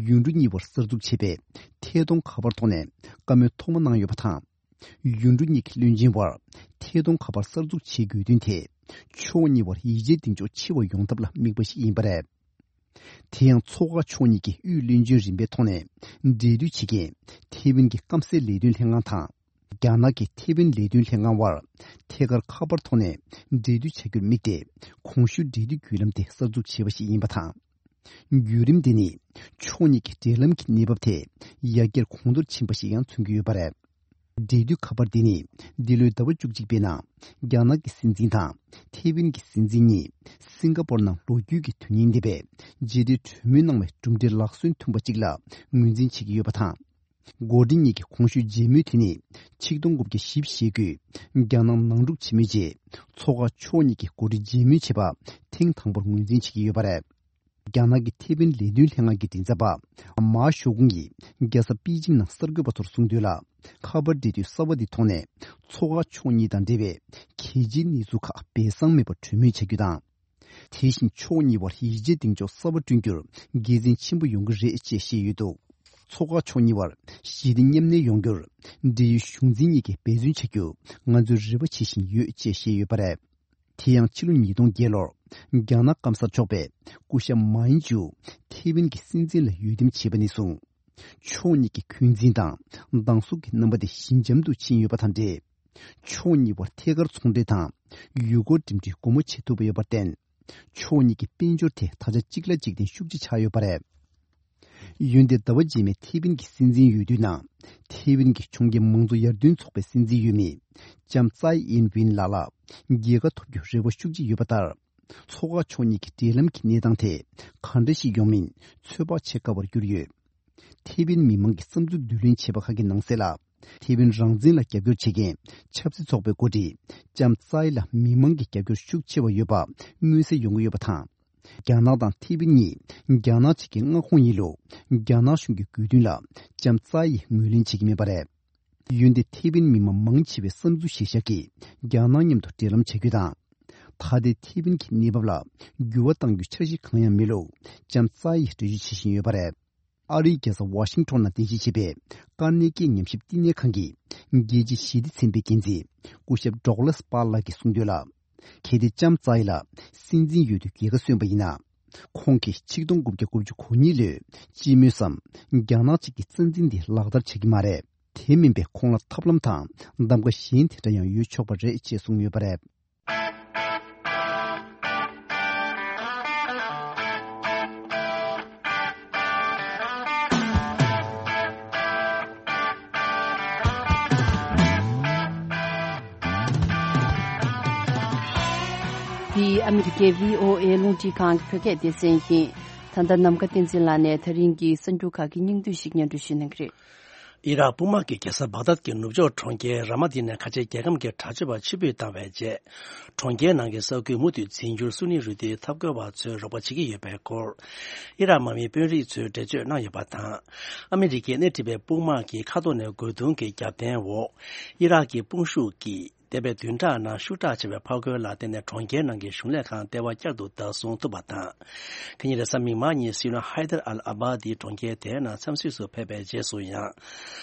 ཡུལ་གྲུ་གཉིས་བར་གསར་འཛུགས་བྱས་པའི་ཐད་གཏོང་ཁ་པར་ཐོག་ནས་བཀའ་མོལ་ཐོག་མ་གནང་ཡོད་པ་དང་། ཡུལ་གྲུ་གཉིས་ཀྱི་བློན་ཆེན་བར་ཐད་གཏོང་ཁ་པར་གསར་འཛུགས་བྱེད་དགོས་དོན་དེ། ཕྱོགས་གཉིས་བར་ཡིད་ཆེས་གདེང་འཇོག་ཆེ་བ་ཡོང་ཐབས་ལ་དམིགས་པ་ཞིག་ཡིན་པ་རེད། དེ་ཡང་མཚོ་དཀར་ཕྱོགས་གཉིས་ཀྱི་དབུས་བློན་ཆེན་རིམ་པའི་ཐོག་ནས་འབྲེལ་མཐུད་བྱེད་མཁན་ཐེ་ཝན་གྱི་སྐམ་སའི་ལས་དོན་ལྷན་ཁང་དང་། རྒྱ་ནག་གི་ཐེ་ཝན་ལས་དོན་ལྷན་ཁང་བར་ཐད་ཀར་ཁ་པར་ཐོག་ནས་འབྲེལ་མཐུད་བྱ་རྒྱུར་དམིགས་ཏེ། གོང་ཞུས་འབྲེལ་མཐུད་བརྒྱུད་ལམ་དེ་གསར་འཛུགས་བྱས་པ་ཞིག་ཡིན་པ་དང་། བརྒྱུད་རིམ་འདི་ནི་ཕྱོགས་གཉིས་ཀྱི་འབྲེལ་ལམ་གྱི་གནས་བབ་དེ་ཡར་རྒྱས་གོང་མཐོར་ཕྱིན་པ་ཞིག་ཡང་མཚོན་གྱི་ཡོད་པ་རེད། འབྲེལ་མཐུད་ཁ་པར་འདི་ནི་འདི་ལོའི་ཟླ་བ་བཅུ་གཅིག་པའི་ནང་རྒྱ་ནག་གི་སྲིད་འཛིན་དང་ཐེ་ཝན་གྱི་སྲིད་འཛིན་གཉིས་སིང་ག་པོར་ནང་ལོ་རྒྱུས་ཀྱི་དོན་སྙིང་ལྡན་པའི་མཇལ་འཕྲད་གྲོས་མོལ་གནང་བའི་གྲུབ་འབྲས་ལག་སོན་ཐུབ་པ་གཅིག་ལ་ངོས་འཛིན་བྱེད་ཀྱི་ཡོད་པ་དང་། འགོ་ཁྲིད་གཉིས་ཀྱི་གོང་ཞུས་མཇལ་མོལ་དེ་ནི་ཆིག་སྟོང་དགུ་བརྒྱ་བཞི་བཅུ་ཞེ་དགུའི་རྒྱ་ནག་ནང་འཁྲུག་ཆེན་མོའི་རྗེས་མཚོ་དཀར་ཕྱོགས་གཉིས་ཀྱི་འགོ་ཁྲིད་མཇལ་མོལ་བྱས་པ་ཐེངས་དང་པོར་ངོས་འཛིན་བྱེད་ཀྱི་ཡོད་པ་རེད། རྒྱ་ནག་གི་ཐེ་ཝན་ལས་དོན་ལྷན་ཁང་གི་མགྲིན་ཚབ་པ་མཱ་ཞའོ་ཀུང་གིས་རྒྱལ་ས་པེ་ཅིང་ནང་གསར་འགོད་པ་ཚོར་གསུངས་དོན་ལ། ཁ་པར་འབྲེལ་མཐུད་གསར་པ་འདི་ཐོག་ནས་མཚོ་དཀར་ཕྱོགས་གཉིས་དང་འབྲེལ་བའི་གལ་ཆེའི་གནས་ཚུལ་ཁག་སྦས་གསང་མེད་པར་གྲོས་མོལ་བྱ་རྒྱུ་དང་། དེ་བཞིན་ཕྱོགས་གཉིས་བར་ཡིད་ཆེས་གདེང་འཇོག་གསར་པ་བསྐྲུན་རྒྱུར་དགེ་མཚན་ཆེན་པོ་ཡོང་གི་རེད་ཅེས་བཤད་ཡོད་འདུག་མཚོ་དཀར་ཕྱོགས་གཉིས་བར་ཞི་བདེ་མཉམ་གནས་ཡོང་རྒྱུར་འབྲེལ་ཡོད་གཞུང་འཛིན་གཉིས་ཀས་འབད་བརྩོན་བྱ་རྒྱུ་ང་ཚོས་རེ་བ་བྱེད་བཞིན་ཡོད་ཅེས་བཤད་ཡོད་པ་རེད། དེ་ཡང་ཕྱི་ལོ་ཉིས་སྟོང་བརྒྱད་ལོར་རྒྱ་ནག་སྐམ་སར་ཕྱོགས་པའི་སྐུ་ཞབས་མཱ་ཡིན་ཅུ་ཐེ་ཝན་གྱི་སྲིད་འཛིན་ལ་འོས་འདེམས་བྱས་པ་ནས་བཟུང་། ཕྱོགས་གཉིས་ཀྱི་འཁོན་འཛིན་དང་སྡང་ཟུག་གི་རྣམ་པ་དེ་ཞི་འཇམ་དུ་ཕྱིན་ཡོད་པ་དང་འབྲེལ། ཕྱོགས་གཉིས་བར་ཐད་ཀར་ཚོང་འབྲེལ་དང་ཡུལ་སྐོར་འགྲིམ་འགྲུལ་སྒོ་མོ་འབྱེད་ཐུབ་པ་ཡོད་པར་བརྟེན། ཕྱོགས་གཉིས་ཀྱི་དཔལ་འབྱོར་དེ་ད་ཆ་གཅིག་ལ་གཅིག་བརྟེན་ཤུགས་ཆེ་ཆགས་ཡོད་པ་རེད། འོན་ཏེ་ཟླ་བ་རྗེས་མའི་ཐེ་ཝན་གྱི་སྲིད་འཛིན་འོས་བསྡུའི་ནང་ཐེ་ཝན་གྱི་ཕྱོགས་འགལ་མང་གཙོ་ཡར་ཐོན་ཚོགས་པའི་སྲིད་འཛིན་འོས་མི་ལྕམ་ཙའེ་ཨིན་ཝིན་ལགས་ལ་རྒྱལ་ཁ་ཐོབ་རྒྱུའི་རེ་བ་ཤུགས་ཆེ་ཡོད་པ་ལྟར། མཚོ་དཀར་ཕྱོགས་གཉིས་ཀྱི་འབྲེལ་ལམ་གྱི་གནས་སྟངས་དེ་ག་འདྲ་ཞིག་ཡོང་མིན་ཚོད་དཔག་བྱེད་དཀའ་བར་གྱུར་ཡོད། ཐེ་ཝན་མི་མང་གི་བསམ་ཚུལ་བསྡུ་ལེན་བྱས་པ་ཁག་གི་ནང་གསལ་ལ། ཐེ་ཝན་རང་བཙན་ལ་རྒྱབ་སྐྱོར་བྱེད་མཁན་ཆབ་སྲིད་ཚོགས་པའི་འགོ་ཁྲིད་ལྕམ་ཙའེ་ལ་མི་མང་གི་རྒྱབ་སྐྱོར་ཤུགས་ཆེ་བ་ཡོད་པ་མངོན་གསལ་ཡོང་གི་ཡོད་པ་དང་། རྒྱ་ནག་དང་ཐེ་ཝན་གཉིས་རྒྱ་ནག་གཅིག་གི་མངའ་ཁོངས་ཡིན་ལུགས་རྒྱ་ནག་གཞུང་གི་དགོས་འདུན་ལ་ལྕམ་ཙའེ་ཡིས་ངོས་ལེན་བྱེད་ཀྱི་མེད་པ་རེད། འོན་ཏེ་ཐེ་ཝན་མི་མང་མང་ཆེ་བའི་བསམ་ཚུལ་གཞིར་བཞག་གིས་རྒྱ་ནག་མཉམ་དུ་འབྲེལ་ལམ་བྱ་རྒྱུ་དང་། ད་ལྟའི་ཐེ་ཝན་གྱི་གནས་བབ་ལ་འགྱུར་བ་གཏང་རྒྱུའི་འཆར་གཞི་གང་ཡང་མེད་ལུགས་ལྕམ་ཙའེ་ཡིས་འགྲེལ་བརྗོད་བྱེད་བཞིན་ཡོད་པ་རེད། ཨ་རིའི་རྒྱལ་ས་ཝ་ཤིང་ཊོན་ནང་རྟེན་གཞི་བྱས་པའི་ཀར་ནེ་ཀི་ཉམས་ཞིབ་བསྟི་གནས་ཁང་གི་རྒྱལ་སྤྱིའི་ཞི་བདེ་ཚན་པའི་འགན་འཛིན་སྐུ་ཞབས་ཌོག་ལཱས་པཱལ་ལགས་ཀྱིས་གསུངས་དོན་ལ། གལ་ཏེ་ལྕམ་ཙའེ་ལ་སྲིད་འཛིན་འོས་བསྡུའི་རྒྱལ་ཁ་སོན་པ་ཡིན་ན། ཁོང་གིས་ཆིག་སྟོང་དགུ་བརྒྱ་དགུ་བཅུ་གོ་གཉིས་ལོའི་སྤྱི་མོས་སམ་རྒྱ་ནག་གཅིག་གི་རྩ་འཛིན་འདི་ལག་བསྟར་བྱ་གི་མ་རེད། དེ་མིན་པའི་ཁོང་ལ་ཐབས་ལམ་དང་གདམ་ག་གཞན་དེ་འདྲ་ཡང་ཡོད་ཆོག་པ་རེད་ཅེས་གསུངས་ཡོད་པ་རེད། འདི་ཨ་མི་རི་ཀའི་བྷི་ཨོ་ཨེ་རླུང་འཕྲིན་ཁང་གི་བོད་སྐད་སྡེ་ཚན་ཡིན། ད་ལྟ་ནམ་མཁའ་བསྟན་འཛིན་ལགས་ནས་ད་རིང་གི་གསར་འགྱུར་ཁག་གི་སྙིང་བསྡུས་ཤིག་སྙན་སྒྲོན་ཞུ་གནང་གི་རེད། ཨི་རག་དཔུང་དམག་གིས་རྒྱལ་ས་བག་དཱད་ཀྱི་ནུབ་ཕྱོགས་གྲོང་ཁྱེར་ར་མ་ཏི་ནས་ཁ་ཆེ་རྒྱལ་ཁམས་ཀྱི་དྲག་སྤྱོད་པ་ཕྱིར་འབུད་བཏང་བའི་རྗེས། གྲོང་ཁྱེར་ནང་གི་ས་ཁུལ་མུ་མཐུད་འཛིན་སྐྱོང་སུ་ནི་རུ་ཏིའི་འཐབ་རྒོལ་བ་ཚོས་རོགས་པ་བྱེད་ཀྱི་ཡོད་པའི་སྐོར། ཨི་རག་དམག་མིའི་དཔོན་རིགས་ཚོས་འགྲེལ་བརྗོད་གནང་ཡོད་པ་དང་། ཨ་མི་རི་ཀས་སྣེ་ཁྲིད་པའི་དཔུང་དམག་གིས་མཁའ་ཐོག་ནས་རྒོལ་རྡུང་གི་རྒྱབ་རྟེན་འོག་ཨི་རག་གི་དཔུང་ཤུགས་ཀྱིས། འདས་པའི་བདུན་ཕྲག་ནང་ཤུགས་དྲག་ཆེ་བའི་ཕར་རྒོལ་ལ་བརྟེན་ནས་གྲོང་ཁྱེར་ནང་གི་གཞུང་ལས་ཁང་ལྟེ་བ་བསྐྱར་དུ་བདག་བཟུང་ཐུབ་པ་དང་། ཁ་ཉིན་རེས་གཟའ་མིག་དམར་ཉིན་སྲིད་བློན་ཧའི་དར་ཨལ་ཨ་བྷ་དི་གྲོང་ཁྱེར་དེའི་ནང་འཚམས་གཟིགས་སུ་ཕེབས་པའི་རྗེས་སུ་ཡང་།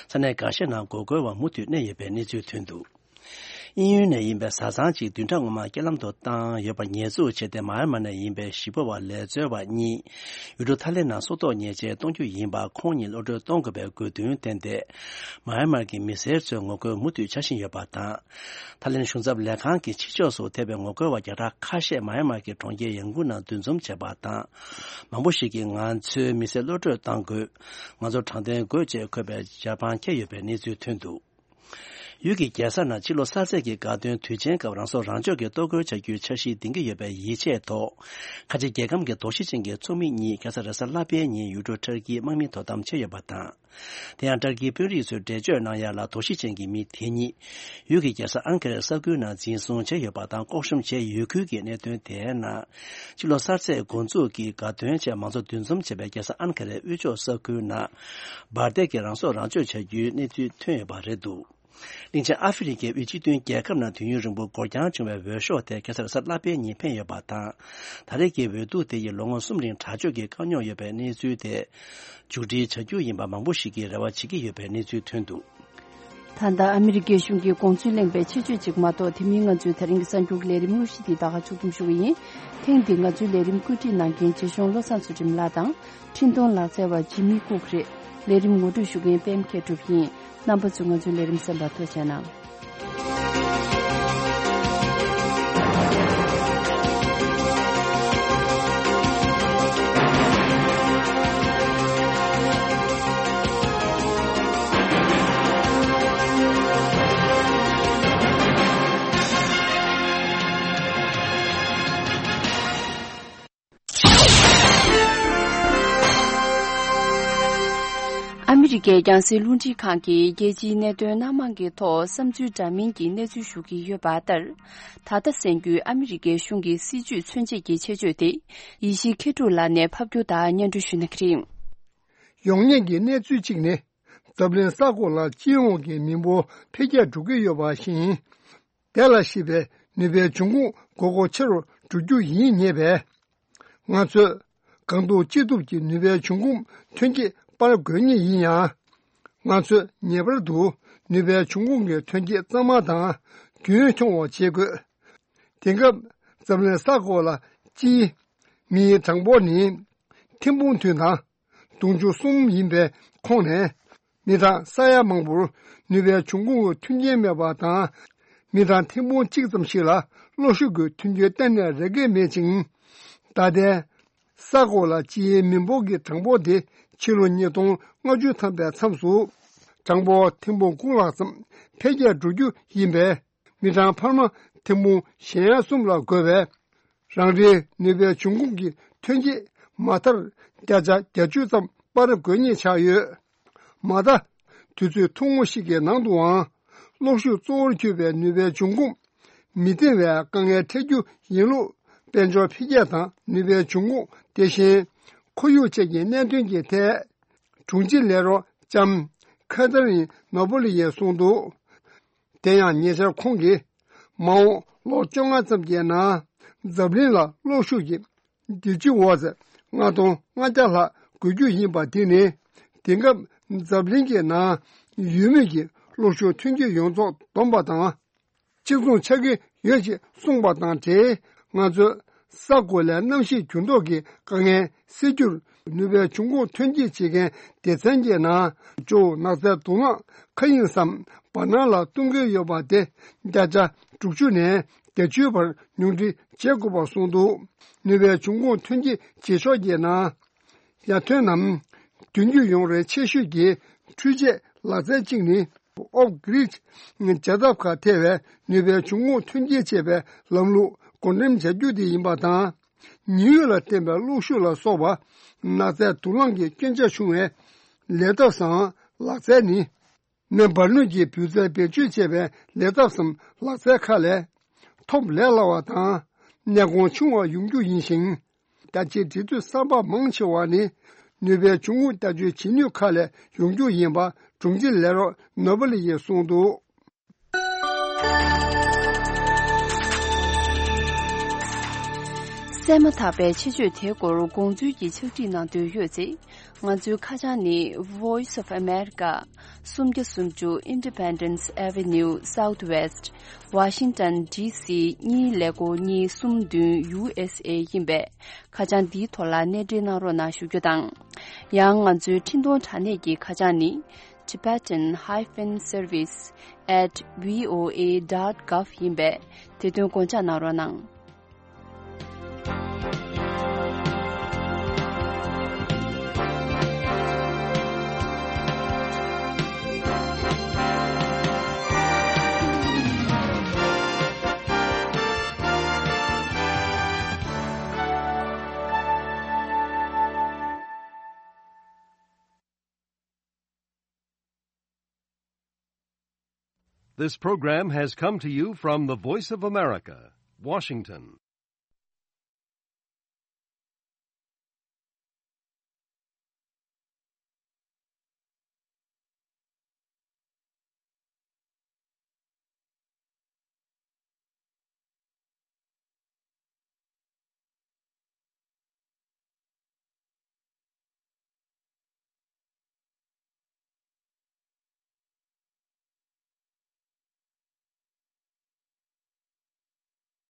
ས་གནས་འགའ་ཤས་ནང་འགོག་རྒོལ་བ་མུ་མཐུད་གནས་ཡོད་པའི་གནས་ཚུལ་ཐོན་འདུག་དབྱིན་ཡུལ་ནས་ཡིན་པའི་བཟའ་ཚང་གཅིག་བདུན་ཕྲག་སྔོན་མ་རྐྱེན་ལམ་དུ་བཏང་ཡོད་པར་ཉེས་འཛུགས་བྱས་ཏེ། མཱ་ཡན་མར་ནས་ཡིན་པའི་གཞིས་སྤོ་བ་ལས་འཚོལ་བ་གཉིས་ཡུལ་གྲུ་ཐའི་ལེན་ནང་སྲོག་ཐོག་ཉེས་ཆད་གཏོང་རྒྱུ་ཡིན་པ། ཁོང་གཉིས་གློད་གྲོལ་གཏོང་དགོས་པའི་དགོས་འདུན་བཏོན་ཏེ། མཱ་ཡན་མར་གྱི་མི་སེར་ཚོའི་ངོ་རྒོལ་མུ་མཐུད་བྱ་བཞིན་ཡོད་པ་དང་། ཐའི་ལེན་གཞུང་ཚབ་ལས་ཁང་གི་ཕྱི་ཕྱོགས་སུ་ཐེ་བའི་ངོ་རྒོལ་བ་བརྒྱ་ཕྲག་ཁ་ཤས་མཱ་ཡན་མར་གྱི་གྲོང་ཁྱེར་ཡང་ཀུང་ནང་འདུ་འཛོམས་བྱས་པ་དང་། མང་པོ་ཞིག་གིས་ང་ཚོའི་མི་སེར་གློད་གྲོལ་གཏང་དགོས། ང་ཚོར་དྲང་བདེན་དགོས་ཅེས་འཁོད་པའི་ཇ་པང་འཁྱེར་ཡོད་པའི་གནས་ཚུལ་ཐོན་འདུག་ཡུལ་གྱི་རྒྱལ་ས་ནང་ཕྱི་ལོ་གསར་ཚེས་ཀྱི་དགའ་སྟོན་དུས་ཆེན་སྐབས་རང་སྲོག་རང་སྐྱོབ་ཀྱི་གཏོར་རྒོལ་བྱ་རྒྱུའི་འཆར་གཞི་འདིང་གི་ཡོད་པའི་ཡིད་ཆེས་ཐོག་ཁ་ཆེ་རྒྱལ་ཁམས་ཀྱི་དོགས་གཞི་ཅན་གྱི་ཚོགས་མི་གཉིས་ཁ་སང་རེས་གཟའ་ལྷག་པའི་ཉིན་ཡུལ་གྲུ་ཊར་ཀིའི་དམག་མིའི་དོ་དམ་བྱས་ཡོད་པ་དང་། དེ་ཡང་ཊར་ཀིའི་དཔོན་རིགས་ཚོས་འགྲེལ་བརྗོད་གནང་ཡ་ལ། དོགས་གཞི་ཅན་གྱི་མི་དེ་གཉིས་ཡུལ་གྱི་རྒྱལ་ས་ཨན་ཀ་རའི་ས་ཁུལ་ནང་འཛིན་བཟུང་བྱས་ཡོད་པ་དང་། ལྐོག་ཤུམ་བྱས་ཡོད་ཁུལ་གྱི་གནད་དོན་དེའི་ནང་། ཕྱི་ལོ་གསར་ཚེས་འགོ་འཛུགས་ཀྱི་དགའ་སྟོན་ཆེད་མང་ཚོགས་འདུ་འཛོམས་བྱས་པའི་རྒྱལ་ས་ཨན་ཀ་རའི་དབུས་ཕྱོགས་ས་ཁུལ་ནང་འབར་མདེལ་གྱིས་རང་སྲོག་རང་གཅོད་བྱ་རྒྱུའི་གནས་ཚུལ་ཐོན་ཡོད་པ་རེད་འདུག་གླིང་ཆེན་ཨ་ཧྥེ་རི་ཁའི་དབུས་སྤྱི་མཐུན་རྒྱལ་ཁབ་ནང་དུས་ཡུན་རིང་པོ་འགོར་འགྱངས་བྱུང་བའི་འོས་ཤོག་དེ་ཁ་སང་རེས་གཟའ་ལྷག་པའི་ཉིན་འཕེན་ཡོད་པ་དང་། ད་རེས་ཀྱི་འོས་བསྡུ་དེ་ཡིས་ལོ་ངོ་གསུམ་རིང་དྲག་སྤྱོད་ཀྱི་དཀའ་རྙོག་ཡོད་པའི་གནས་ཚུལ་དེ་མཇུག་སྒྲིལ་བྱ་རྒྱུ་ཡིན་པ་མང་པོ་ཞིག་གིས་རེ་བ་བྱེད་ཀྱི་ཡོད་པའི་གནས་ཚུལ་ཐོན་འདུག་ད་ལྟ་ཨ་མི་རི་ཀའི་གཞུང་གི་དགོངས་ཚུལ་གླེང་བའི་ཆེད་བརྗོད་ཅིག་མ་གཏོགས། དེ་མིན་ང་ཚོའི་ད་རིང་གི་གསར་འགྱུར་ལས་རིམ་དངོས་གཞི་འདི་ད་ག་མཇུག་བསྡོམས་ཞུ་གི་ཡིན། ཐེངས་འདིའི་ང་ཚོའི་ལས་རིམ་བཀོད་སྒྲིག་གནང་མཁན་རྗེ་གཞུང་བློ་བཟང་ཚུལ་ཁྲིམས་ལགས་དང་། འཕྲིན་གཏོང་ལག་རྩལ་བ་ཇི་མི་ཀུག་རེད། ལས་རིམ་ངོ་སྤྲོད་ཞུ་མཁན་པད་མ་མཁས་གྲུབ་ཡིན། རྣམ་པ་ཚོས་ང་ཚོའི་ལས་རིམ་གསན་པར་ཐུགས་རྗེ་གནང་། ཨ་མི་རི་ཀའི་རྒྱང་སྲིང་རླུང་འཕྲིན་ཁང་གིས་རྒྱལ་སྤྱིའི་གནད་དོན་སྣ་མང་གི་ཐོག་བསམ་ཚུལ་འདྲ་མིན་གྱི་གནས་ཚུལ་ཞུ་གི་ཡོད་པ་ལྟར། ད་ལྟ་གསན་རྒྱུའི་ཨ་མི་རི་ཀའི་གཞུང་གི་སྲིད་ཇུས་མཚོན་བྱེད་ཀྱི་ཆེད་བརྗོད་དེ། ཡེ་ཤེས་མཁས་གྲུབ་ལགས་ནས་ཕབ་སྒྱུར་དང་སྙན་སྒྲོན་ཞུ་གནང་གི་རེད། ཡོང་སྙིང་གི་གནས་ཚུལ་གཅིག་ནི། འཛམ་གླིང་ས་ཁོངས་ལ་སྤྱི་ཡོངས་ཀྱི་མི་འབོར་འཕེལ་རྒྱས་འགྲོ་གི་ཡོད་པ་བཞིན། དེ་ལ་གཞིགས་པའི་ནུས་པའི་འབྱུང་ཁུངས་དགོས་མཁོ་ཆེ་རུ་འགྲོ་རྒྱུ་ཡིན་ངེས་པས། ང་ཚོས་གང་ཐུབ་ཅི་ཐུབ་ཀྱིས་ནུས་པའི་འབྱུང་ཁུངས་ཐོན་སྐྱེད་སྤར་དགོས་ངེས་ཡིན་ཡང་། ང་ཚོས་ངེས་པར་དུ་ནུས་པའི་འབྱུང་ཁུངས་ཀྱི་ཐོན་སྐྱེད་གཙང་མ་དང་རྒྱུན་འཁྱོངས་པ་བྱེད་དགོས། དེང་སྐབས་འཛམ་གླིང་ས་ཁོངས་ལ་སྤྱིའི་མིའི་གྲངས་འབོར་ནི་ཐེར་འབུམ་བདུན་དང་། དུང་ཕྱུར་གསུམ་ཡིན་པའི་ཁོངས་ནས། མི་གྲངས་ས་ཡ་མང་པོར་ནུས་པའི་འབྱུང་ཁུངས་ཀྱི་མཐུན་རྐྱེན་མེད་པ་དང་། མི་གྲངས་ཐེར་འབུམ་གཅིག་ཙམ་ཞིག་ལ་གློག་ཤུགས་ཀྱི་མཐུན་རྐྱེན་གཏན་ནས་རག་གི་མེད་ཅིང་། ད་ལྟའི་ས་ཁོངས་ལ་སྤྱིའི་མི་འབོར་གྱི་གྲངས་འབོར་དེ་ཕྱི་ལོ་ཉིས་སྟོང་ལྔ་བཅུ་ཐམ་པའི་མཚམས་སུ། གྲངས་འབོར་ཐེར་འབུམ་དགུ་ལྷག་ཙམ་འཕེལ་རྒྱས་འགྲོ་རྒྱུ་ཡིན་པས། མི་གྲངས་འཕར་མ་ཐེར་འབུམ་གཞན་གསུམ་ལ་བགོས་པའི་རང་རེའི་ནུས་པའི་འབྱུང་ཁུངས་ཀྱི་ཐོན་སྐྱེད་མ་མཐར་བརྒྱ་ཆ་བརྒྱད་ཅུ་ཙམ་སྤར་དགོས་ངེས་ཆགས་ཡོད། མ་མཐའ། དུས་ཚོད་ཐུང་ངུ་ཞིག་གི་ནང་དུའང་གློག་ཤུགས་གཙོ་བོར་གྱུར་པའི་ནུས་པའི་འབྱུང་ཁུངས་མི་བཏིང་བའི་དཀའ་ངལ་འཕྲད་རྒྱུ་ཡིན་ལུགས། དཔལ་འབྱོར་འཕེལ་རྒྱས་དང་ནུས་པའི་འབྱུང་ཁུངས། དེ་བཞིན་ཁོར་ཡུག་བཅས་ཀྱི་གནད་དོན་གྱི་ཐད། དྲུང་ཆེ་ལས་རོགས་ལྕམ་ཁ་ཐ་རིན་ནོ་བོ་ལི་ཡས་གསུངས་འདུག་དེ་ཡང་ཉེ་ཆར་ཁོང་གིས། མ་འོངས་ལོ་བཅོ་ལྔ་ཙམ་གྱི་ནང་འཛམ་གླིང་ལ་གློག་ཤུགས་ཀྱི་ཌི་ཇི་ཝཊ་ལྔ་སྟོང་ལྔ་བརྒྱ་ལྷག་དགོས་རྒྱུ་ཡིན་པ། དེ་ནི་དེང་སྐབས་འཛམ་གླིང་གི་ནང་ཡོད་མུས་ཀྱི་གློག་ཤུགས་ཐོན་སྐྱེད་ཡོངས་རྫོགས་བསྡོམས་པ་དང་གཅིག་མཚུངས་ཆགས་ཀྱི་ཡོད་ཅེས་གསུངས་པ་དང་འབྲེལ། ང་ཚོས་ས་གོ་ལའི་གནམ་གཤིས་འགྱུར་ལྡོག་གི་དཀའ་ངལ་སེལ་རྒྱུར་ནུས་པའི་འབྱུང་ཁུངས་ཐོན་སྐྱེད་བྱེད་མཁན་སྡེ་ཚན་གྱི་ནང་ཇོ་བོ་ནགས་ཚལ་དུག་རླངས་མཁའ་དབྱིངས་སམ་བར་སྣང་ལ་གཏོང་གི་ཡོད་པ་དེ་བརྒྱ་ཆ་དྲུག་ཅུ་ནས་བརྒྱད་ཅུའི་བར་ཉུང་འཕྲི་བྱེད་དགོས་པ་གསུངས་འདུག་ནུས་པའི་འབྱུང་ཁུངས་ཐོན་སྐྱེད་བྱེད་ཕྱོགས་ཀྱི་ནང་ཡར་ཐོན་ནམ་དུས་འགྱུར་ཡོང་རེ་ཆེ་ཤོས་ཀྱི་འཕྲུལ་ཆས་ལག་རྩལ་གཅིག་ནི། ཨོཕ་གྷི་རིད་བྱེད་ཐབས་ཁག་ཐེ་བའི་ནུས་པའི་འབྱུང་ཁུངས་ཐོན་སྐྱེད་བྱེད་པའི་ལམ་ལུགས་བགོ་འགྲེམས་བྱ་རྒྱུ་དེ་ཡིན་པ་དང་། ཉི་འོད་ལ་བརྟེན་པའི་གློག་ཤུགས་ལ་སོགས་པ་ནགས་ཚལ་དུག་རླངས་ཀྱི་སྐྱོན་ཆ་ཆུང་བའི་ལས་ཐབས་སམ་ལག་རྩལ་ནི། མེ་འབར་ནུས་ཀྱི་འབུད་རྫས་བེད་སྤྱོད་བྱེད་པའི་ལས་ཐབས་སམ་ལག་རྩལ་ཁག་ལས་ཐོབ་ལས་སླ་བ་དང་གནས་གོང་ཆུང་བ་ཡོང་རྒྱུ་ཡིན་ཞིང་། རྒྱ་ཆེའི་འབྲེལ་མཐུད་གསར་པ་མང་ཆེ་བ་ནི་ནུས་པའི་འབྱུང་ཁུངས་བརྒྱ་ཆའི་ཇི་སྙེད་ཁག་ལས་ཡོང་རྒྱུ་ཡིན་པ་དྲུང་ཆེ་ལས་རོགས་ནོ་བོ་ལི་ཡིས་གསུངས་འདུག་བཙས་མ་ཐག་པའི་ཆེད་བརྗོད་དེའི་སྐོར་དགོངས་ཚུལ་གྱི་ཕྱག་བྲིས་གནང་འདོད་ཡོད་ཚེ། ང་ཚོའི་ཁ་བྱང་ནི། Voice of America། སུམ་བརྒྱ་སུམ་ཅུ་Independence Avenue Southwest། Washington D C གཉིས་ཀླད་ཀོར་གཉིས་གསུམ་བདུན་U S A ཡིན་པས། ཁ་བྱང་འདིའི་ཐོག་ལ་གནས་འབྲེལ་གནང་རོགས་གནང་ཞུ་རྒྱུ་དང་། ཡང་ང་ཚོའི་འཕྲིན་གཏོང་དྲ་གནས་ཀྱི་ཁ་བྱང་ནི། Tibetan hyphen service at V O A dot gov ཡིན་པས། དེ་དོན་དགོངས་འཇགས་གནང་རོགས་གནང་། This program has come to you from the Voice of America, Washington.